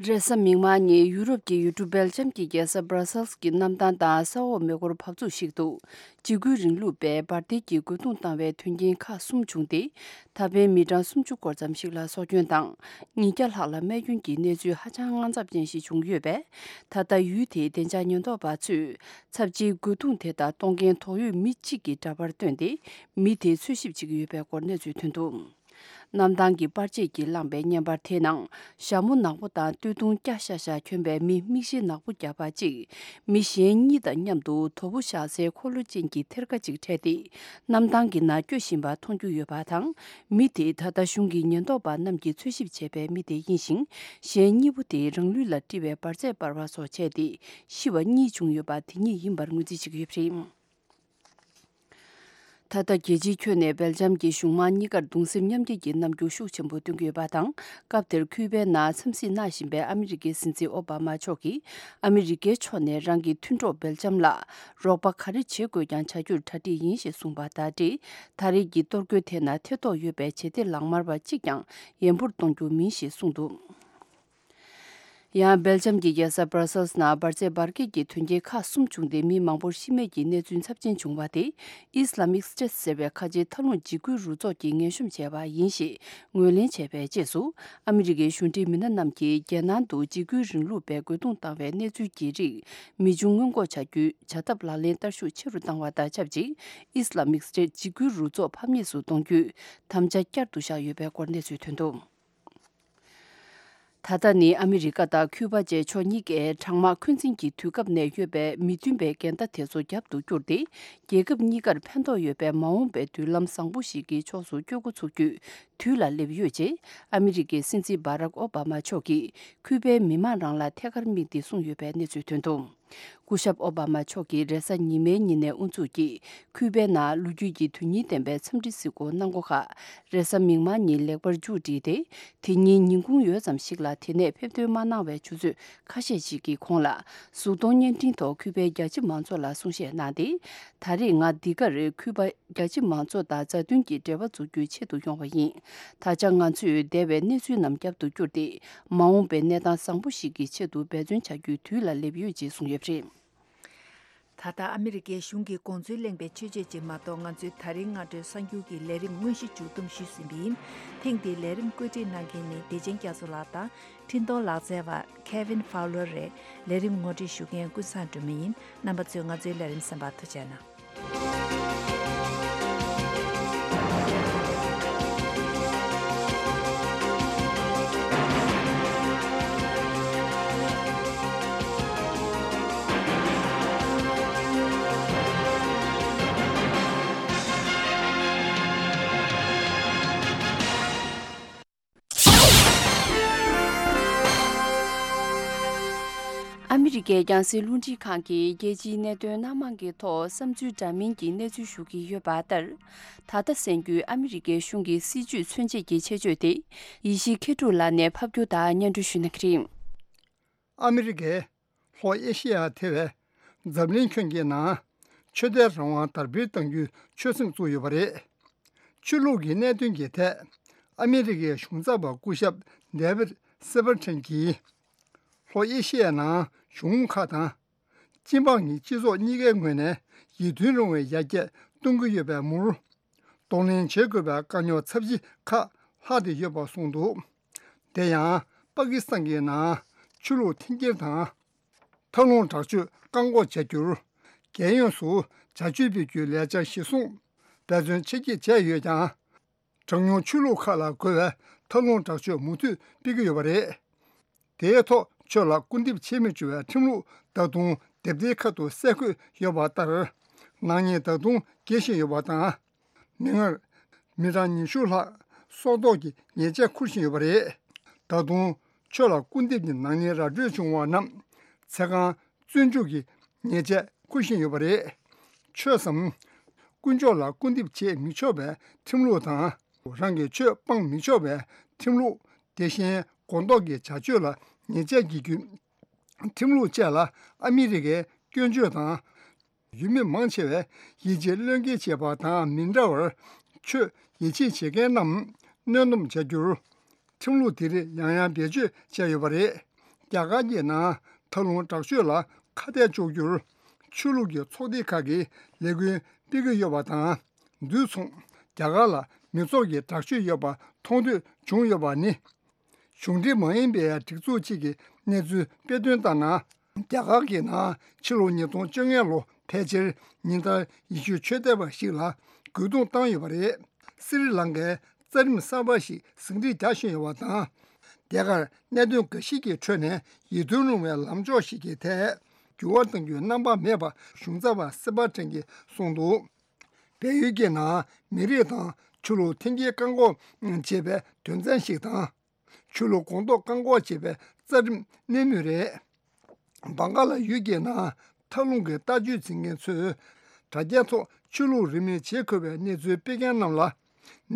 རེས་གཟའ་མིག་དམར་ཉིན་ཡུ་རོབ་ཀྱི་ཡུལ་གྲུ་སྦེལ་ཇམ་གྱི་རྒྱལ་ས་སྦྲ་སེལ་གྱི་གནམ་ཐང་དང་ས་འོག་མེ་འཁོར་བབས་ཚུགས་ཤིག་ཏུ། འཇིགས་སྐུལ་རིང་ལུགས་པས་འབར་མདེལ་གྱིས་རྒོལ་རྡུང་བཏང་བའི་དོན་རྐྱེན་ཁག་གསུམ་བྱུང་སྟེ། ད་ཕན་མི་གྲངས་སུམ་ཅུ་སྐོར་ཙམ་ཞིག་ལ་སྲོག་སྐྱོན་དང་། ཉིས་བརྒྱ་ལྷག་ལ་རྨས་སྐྱོན་གྱི་གནས་ཚུལ་ཧ་ཅང་དངངས་འཚབ་ཅན་ཞིག་བྱུང་ཡོད་པས། ད་ལྟ་ཡུལ་དེའི་བདེ་འཇགས་ཉེན་རྟོག་པ་ཚོས་ཚབས་ཆེའི་རྒོལ་རྡུང་དེ་དག་གཏོང་མཁན་དོགས་ཡོད་མི་གཅིག་གི་འདྲ་པར་བཏོན་ཏེ། མི་དེ་འཚོལ་ཞིབ་བྱེད་ཀྱི་ཡོད་པའི་སྐོར་གནས་ཚུལ་ཐོན་འདུག་གནམ་ཐང་གི་པར་ཆས་ཀྱིས་བླངས་པའི་བརྙན་པར་དེའི་ནང་། ཞྭ་མོ་ནག་པོ་དང་སྟོད་ཐུང་སྐྱ་ཤ་ཤ་གྱོན་པའི་མི་མིག་ཤེལ་ནག་པོ་བརྒྱབ་པ་གཅིག་མི་གཞན་གཉིས་དང་མཉམ་དུ་དོ་པོ་བཞག་སའི་འཁོར་ལོ་ཅན་གྱི་ཐེར་ཀ་གཅིག་འཕྲད་དེ། གནམ་ཐང་གི་ནང་སྐྱོད་བཞིན་པ་མཐོང་རྒྱུ་ཡོད་པ་དང་། མི་དེ་ད་ལྟ་གཞུང་གི་ཉེན་རྟོག་པ་རྣམས་ཀྱིས་འཚོལ་ཞིབ་བྱས་པའི་མི་དེ་ཡིན་ཞིང་། གཞན་གཉིས་པོ་དེ་རང་ལུས་ལ་དཀྲིས་པའི་འབར་རྫས་སྤར་བ་སོགས་བྱས་ཏེ། ཤི་བ་གཉིས་བྱུང་ཡོད་པ་དེ་ཉིད་ཡིན་པར་ངོས་འཛིན་བྱེད་ཀྱི་ཡོད་པ་རེད། ད་ལྟ་རྒྱལ་སྤྱིའི་ཁྱོན་ནས་སྦེལ་ཇམ་གྱི་གཞུང་དམངས་གཉིས་ཀར་གདུང་སེམས་མཉམ་སྐྱེད་ཀྱི་རྣམ་འགྱུར་ཤུགས་ཆེན་པོ་སྟོན་གྱི་ཡོད་པ་དང་། སྐབས་དེར་ཁུ་པའི་ནང་འཚམས་གཟིགས་གནང་བཞིན་པའི་ཨ་མི་རི་ཀའི་སྲིད་འཛིན་ཨོ་བྷ་མ་མཆོག་གིས། ཨ་མི་རི་ཀའི་ཕྱོགས་ནས་རང་གི་མཐུན་གྲོགས་སྦེལ་ཇམ་ལ་རོགས་པ་ག་རེ་བྱེད་དགོས་ཀྱང་བྱ་རྒྱུར་གྲ་སྒྲིག་ཡིན་ཞེས་གསུངས་པ་དང་འབྲེལ། ད་རེས་ཀྱི་གཏོར་རྒོལ་དེ་ནང་ཐེ་གཏོགས་ཡོད་པའི་བྱེད་གཏེ་ལག་དམར་བ་གཅིག་ཀྱང་ཡན་པོར་གཏོང་རྒྱུ་མིན་ཞེས་གསུངས་འདུག་ཡང་སྦེལ་ཇམ་གྱི་རྒྱལ་ས་སྦར་སེལ་ནང་འབར་རྫས་འབར་གས་ཀྱི་དོན་རྐྱེན་ཁག་གསུམ་བྱུང་སྟེ། མི་མང་པོར་ཤི་རྨས་ཀྱི་གནས་ཚུལ་ཚབས་ཆེན་བྱུང་བ་དེ། ཨིས་ལ་མིག་སི་ཊེ་ཊི་ཟེར་བའི་ཁ་ཆེའི་མཐའ་ལྷུང་འཇིགས་སྐུལ་རུ་ཚོགས་ཀྱིས་ངན་ཤོམ་བྱས་པ་ཡིན་ཞེས་ངོས་ལེན་བྱས་པའི་རྗེས་སུ། ཨ་མི་རི་ཀའི་གཞུང་འབྲེལ་མི་སྣ་རྣམས་ཀྱིས་རྒྱལ་ནང་དུ་འཇིགས་སྐུལ་རིང་ལུགས་པས་རྒོལ་རྡུང་བཏང་བའི་གནས་ཚུལ་གྱི་རིགས་མི་འབྱུང་སྔོན་འགོག་བྱ་རྒྱུའི་བྱ་ཐབས་ལག་ལེན་བསྟར་ཤུགས་ཆེ་རུ་བཏང་བ་དང་ཆབས་ཅིག་ཨིས་ལ་མིག་སི་ཊེ་ཊི་འཇིགས་སྐུལ་རུ་ཚོགས་ཕམ་ཉེས་སུ་གཏོང་རྒྱུའི་དམ་བཅའ་བསྐྱར་དུ་བཞག་ཡོད་པའི་སྐོར་གནས་ཚུལ་ཐོན་འདུག་ད་ ད་ལྟ་ནི་ཨ་མི་རི་ཀ་དང་ཁུ་པ་བཅས་ཕྱོགས་གཉིས་ཀས་གྲང་དམག་འཁོན་འཛིན་གྱི་དུས་སྐབས་ནས་ཡོད་པའི་མི་མཐུན་པའི་འགལ་ཟླ་དེ་ཚོ་རྒྱབ་ཏུ་བསྐྱུར་ཏེ། རྒྱལ་ཁབ་གཉིས་ཀར་ཕན་ཐོགས་ཡོད་པའི་མ་འོངས་པའི་མདུན་ལམ་བཟང་པོ་ཞིག་གི་ཕྱོགས་སུ་བསྐྱོད་འགོ་ཚུགས་རྒྱུའི་དུས་ལ་སླེབས་ཡོད་ཅེས་ཨ་མི་རི་ཀའི་སྲིད་འཛིན་བྷ་རག་ཨོ་བྷ་མ་མཆོག་གིས་ཁུ་པའི་མི་མང་རང་ལ་ཐད་ཀར་དམིགས་ཏེ་གསུངས་ཡོད་པའི་གནས་ཚུལ་ཐོན་འདུག། སྐུ་ཞབས་ཨོ་བྷ་མ་མཆོག་གིས་རེས་གཟའ་ཉི་མའི་ཉིན་ནས་དབུ་འཛུགས་ཀྱིས་ཁུ་པའི་ནང་ལོ་རྒྱུས་ཀྱི་དོན་སྙིང་ལྡན་པའི་འཚམས་འདྲི་གཟིགས་སྐོར་གནང་སྒོ་ཁག་རེས་གཟའ་མིག་དམར་ཉིན་ལེགས་པར་མཇུག་བསྒྲིལ་ཏེ། དེ་ཉིན་ཉིན་གུང་ཡོལ་ཙམ་ཞིག་ལ་དེ་ནས་ཕེབས་ཐོན་མ་གནང་བའི་ཆུ་ཚོད་ཁ་ཤས་ཤིག་གི་གོང་ལ་གཟུགས་མཐོང་བརྙན་འཕྲིན་ཐོག་ཁུ་པའི་རྒྱ་ཆེ་མང་ཚོགས་ལ་གསུང་བཤད་གནང་སྟེ། ད་རེས་ང་འདི་གར་ཁུ་པ་རྒྱ་ཆེ་མང་ཚོགས་དང་མཛའ་མཐུན་གྱི་འབྲེལ་བ་འཛུགས་རྒྱུའི་ཆེད་དུ་ཡོང་བ་ཡིན། ད་ཆ་ང་ཚོས་འདས་པའི་གནས་ཚུལ་རྣམས་རྒྱབ་ཏུ་བསྐྱུར་ཏེ། མ་འོངས་པའི་གནས་སྟངས་བཟང་པོ་ཞིག་གི་ཆེད་དུ་འབད་བརྩོན་བྱ་རྒྱུའི་དུས་ལ་སླེབས་ཡོད་ཅེས་གསུངས་ཡོད་པ་རེད། ད་ལྟ་ཨ་མི་རི་ཀའི་གཞུང་གིས་དགོངས་ཚུལ་གླེང་པའི་ཆོས་བརྒྱུད་ཅིག་མ་གཏོགས། ང་ཚོའི་ད་རིང་སྔ་དྲོའི་གསར་འགྱུར་གྱི་ལས་རིམ་དངོས་གཞི་མཇུག་བསྡོམས་ཞུས་ཟིན་པ་ཡིན། ཐེངས་འདིའི་ལས་རིམ་བཀོད་སྒྲིག་གནང་མཁན་ནི་བདེ་ཆེན་རྒྱ་མཚོ་ལགས་དང་། འཕྲིན་གཏོང་ལག་རྩལ་བ་Kevin Fowler་རེད། ལས་རིམ་ངོ་སྤྲོད་ཞུ་མཁན་ཀུན་བཟང་སྒྲོལ་མ་ཡིན། རྣམ་པ་ཚོས་ང་ཚོའི་ལས་རིམ་གསན་པར་ཐུགས་རྗེ་གནང་། ཨ་མི་རི་ཀའི་རྒྱང་སྲིང་རླུང་འཕྲིན་ཁང་གིས་རྒྱལ་སྤྱིའི་གནད་དོན་སྣ་མང་གི་ཐོག་བསམ་ཚུལ་འདྲ་མིན་གྱི་གནས་ཚུལ་ཞུ་གི་ཡོད་པ་ལྟར། ད་ལྟ་གསན་རྒྱུའི་ཨ་མི་རི་ཀའི་གཞུང་གི་སྲིད་ཇུས་མཚོན་བྱེད་ཀྱི་ཆེད་བརྗོད་དེ། ཡེ་ཤེས་མཁས་གྲུབ་ལགས་ནས་ཕབ་སྒྱུར་དང་སྙན་སྒྲོན་ཞུ་གནང་གི་རེད། ཨ་མི་རི་ཀས་ལྷོ་ཨེ་ཤེ་ཡ་ཐེ་བའི་འཛམ་གླིང་ཁྱོན་གྱི་ནང་ཆོས་དད་རང་དབང་དར་སྤེལ་གཏང་རྒྱུའི་ཆོད་སེམས་བཙུགས་ཡོད་པ་རེད། ཆོས་ལུགས་ཀྱི་གནད་དོན་གྱི་ཐད་ཨ་མི་རི་ཀའི་གཞུང་ཚབ་པ་སྐུ་ཞབས་David Shepard་གྱིས་ལྷོ་ཨེ་ཤེ་ཡའི་ནང་གཞུང་ཁག་དང་སྤྱི་འབངས་ཀྱི་སྤྱི་ཚོགས་གཉིས་ཀའི་ངོས་ནས་ཡིད་མཐུན་རུང་བའི་ཡར་རྒྱས་གཏོང་གི་ཡོད་པའི་མུར། གདོང་ལེན་བྱེད་དགོས་པའི་དཀའ་རྙོག་ཚབས་ཆེ་ཁག་ལྷག་བསྡད་ཡོད་པ་གསུངས་འདུག། དེ་ཡང་པ་ཀི་སི་ཐན་གྱི་ནང་ཆོས་ལུགས་འཐེན་འཁྱེར་དང་། མཐའ་ལྷུང་དྲག་སྤྱོད་བཀག་འགོག་བྱ་རྒྱུར། རྒྱལ་ཡོངས་སུ་བྱ་སྤྱོད་སྤེལ་རྒྱུའི་ལས་འཆར་གཞིར་བཟུང་འབད་བརྩོན་ཆེ་བསྐྱེད་བྱས་ཡོད་ཀྱང་། གྲངས་ཉུང་ཆོས་ལུགས་ཁག་ལ་རྒོལ་བའི་མཐའ་ལྷུང་དྲག་སྤྱོད་མུ་མཐུད་སྤེལ་གྱི་ཡོད་པ་རེད། དེའི་ཐོག་ཆོས་ལ་སྐུར་འདེབས་བྱེད་མི་བཅུག་པའི་ཁྲིམས་ལུགས་ད་དུང་དེབ་ཐེར་ཁ་ཐུག་གསལ་འཁོད་ཡོད་པ་ལྟར། ནག་ཉེས་ད་དུང་རྒྱས་བཞིན་ཡོད་པ་དང་། མིག་སྔར། མི་གྲངས་ཉི་ཤུ་ལྷག་སྲོག་ཐོག་གི་ཉེས་ཆད་འཁུར་བཞིན་ཡོད་པ་རེད། ད་དུང་ཆོས་ལ་སྐུར་འདེབས་ཀྱི་ནག་ཉེས་ར་སྤྲོད་བྱུང་བ་རྣམས་ཚེ་གང་བཙོན་འཇུག་གི་ཉེས་ཆད་འཁུར་བཞིན་ཡོད་པ་རེད། ཆོས་སམ། དཀོན་མཆོག་ལ་སྐུར་འདེབས་བྱེད་མི་ཆོག་པའི་ཁྲིམས་ལུགས་དང་། རང་གི་ཆོས་སྤང་མི་ཆོག་པའི་ཁྲིམས་ལུགས། དེ་བཞིན་སྒོང་རྡོག་གི་བྱ་སྤྱོད་ལ་ཉེས་ཆད་འགེལ་རྒྱུའི་ཁྲིམས་ལུགས་བཅས་ལ་ཨ་མི་རི་ཀའི་སྐྱོན་བརྗོད་དང་། ཡུལ་མི་མང་ཆེ་བས་ཡིད་ཆེས་བློས་འགེལ་བྱས་པ་དང་མི་འདྲ་བར། ཆོས་ཡིད་ཆེས་བྱེད་མཁན་རྣམས་གནོན་སྡོམ་བྱ་རྒྱུར། ཁྲིམས་ལུགས་དེ་རིགས་ཡང་ཡང་བེད་སྤྱོད་བྱས་ཡོད་པ་རེད། རྒྱ་གར་གྱི་ནང་མཐའ་ལྷུང་དྲག་སྤྱོད་ལ་ཁ་གཏད་གཅོག་རྒྱུར། ཆོས་ལུགས་ཀྱི་ཚོགས་སྡེ་ཁག་གིས་ལས་འགུལ་སྤེལ་གྱི་ཡོད་པ་དང་། དུས་མཚུངས་རྒྱ་གར་ལ་མི་ཚོགས་ཀྱི་དྲག་སྤྱོད་ཡོད་པ་མཐོང་ཐོས་བྱུང་ཡོད་པ་ནི། གཞུང་འབྲེལ་མ་ཡིན་པའི་སྒྲིག་འཛུགས་གཅིག་གིས་གནས་ཚུལ་སྤེལ་དོན་ལྟར་ན། རྒྱ་གར་གྱི་ནང་ཕྱི་ལོ་ཉིས་སྟོང་བཅོ་ལྔ་ལོ་ཕལ་ཆེར་ཉིན་ལྟར་ཡེ་ཤུ་ཆོས་དད་པ་ཞིག་ལ་རྒོལ་རྡུང་བཏང་ཡོད་པ་རེད། སི་རི་ལང་ཀའི་རྩ་ཁྲིམས་གསར་པ་ཞིག་ཟིན་བྲིས་རྒྱག་བཞིན་ཡོད་པ་དང་། རྒྱ་གར་གནད་དོན་འགའ་ཞིག་གི་ཁྲོད་ནས་ཡིད་རྟོན་རུང་བའི་ལངས་ཕྱོགས་ཤིག་གི་ཐད་འགྱུར་བ་གཏང་རྒྱུའི་རྣམ་པ་མེད་པ་གཞུང་ཚབ་པ་སི་པ་ཁྲེན་གྱིས་གསུངས་འདུག། བལ་ཡུལ་གྱི་ནང་མི་རིགས་དང་ཆོས་ལུགས་འཐེན་འཁྱེར་བཀག་འགོག་བྱེད་པའི་དོན་ཚན་ཞིག་དང་། ཆོས་ལུགས་སྒོང་རྡོག་བཀག་འགོག་བྱེད་པའི་རྩ་ཁྲིམས་གནས་མུས་རེད། བང་ག་ལ་ཡུལ་གྱི་ནང་མཐའ་ལྷུང་གི་ལྟ་སྤྱོད་འཛིན་མཁན་ཚོས་དྲ་རྒྱའི་ཐོག་ཆོས་ལུགས་རིས་མེད་བྱེད་དགོས་པའི་གནས་ཚུལ་སྤེལ་མཁན་རྣམས་ལ་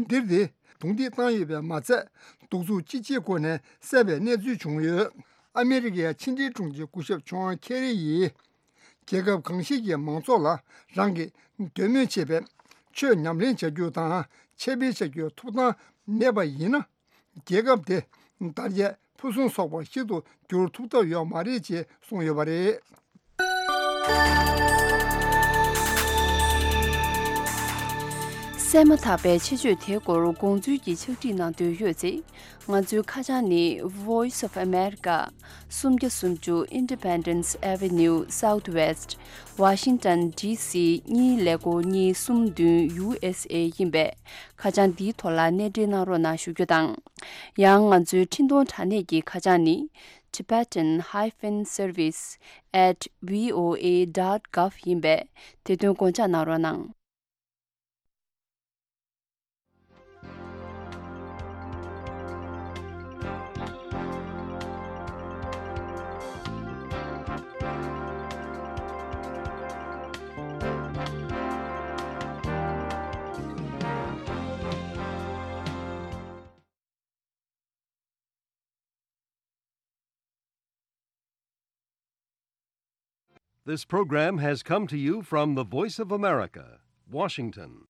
འདིར་དེ་རྡུང་རྡེག་བཏང་ཡོད་པས་མ་ཚད། གདུག་རྩུབ་ཅི་ཆེའི་སྒོ་ནས་བསད་པའི་གནས་ཚུལ་བྱུང་ཡོད། ཨ་མི་རི་ཀའི་ཕྱི་འབྲེལ་དྲུང་ཆེ་སྐུ་ཞབས་ཇོན་ཁེ་རི་ཡིས། རྒྱལ་ཁབ་གང་ཞིག་གི་མང་ཚོགས་ལ་རང་གིས་འདོད་མོས་བྱས་པའི་ཆོས་ཉམས་ལེན་བྱ་རྒྱུ་དང་ཆེད་སྤེལ་བྱ་རྒྱུའི་ཐོབ་ཐང་མེད་པ་ཡིན་ན། རྒྱལ་ཁབ་དེ་དར་རྒྱས་ཕུན་སུམ་ཚོགས་པ་ཞིག་ཏུ་འགྱུར་ཐུབ་ཐབས་ཡོད་མ་རེད་ཅེས་གསུངས་ཡོད་པ་རེད། བཙས་མ་ཐག་པའི་ཆེད་བརྗོད་དེའི་སྐོར་དགོངས་ཚུལ་གྱི་ཕྱག་བྲིས་གནང་འདོད་ཡོད་ཚེ། ང་ཚོའི་ཁ་བྱང་ནི། Voice of America། སུམ་བརྒྱ་སུམ་ཅུ་Independence Avenue Southwest། Washington D C གཉིས་ཀླད་ཀོར་གཉིས་གསུམ་བདུན་U S A ཡིན་པས། ཁ་བྱང་འདིའི་ཐོག་ལ་གནས་འབྲེལ་གནང་རོགས་གནང་ཞུ་རྒྱུ་དང་། ཡང་ང་ཚོའི་འཕྲིན་གཏོང་དྲ་གནས་ཀྱི་ཁ་བྱང་ནི། Tibetan hyphen service at V O A dot gov ཡིན་པས། དེ་དོན་དགོངས་འཇགས་གནང་རོགས་གནང་། This program has come to you from the Voice of America, Washington.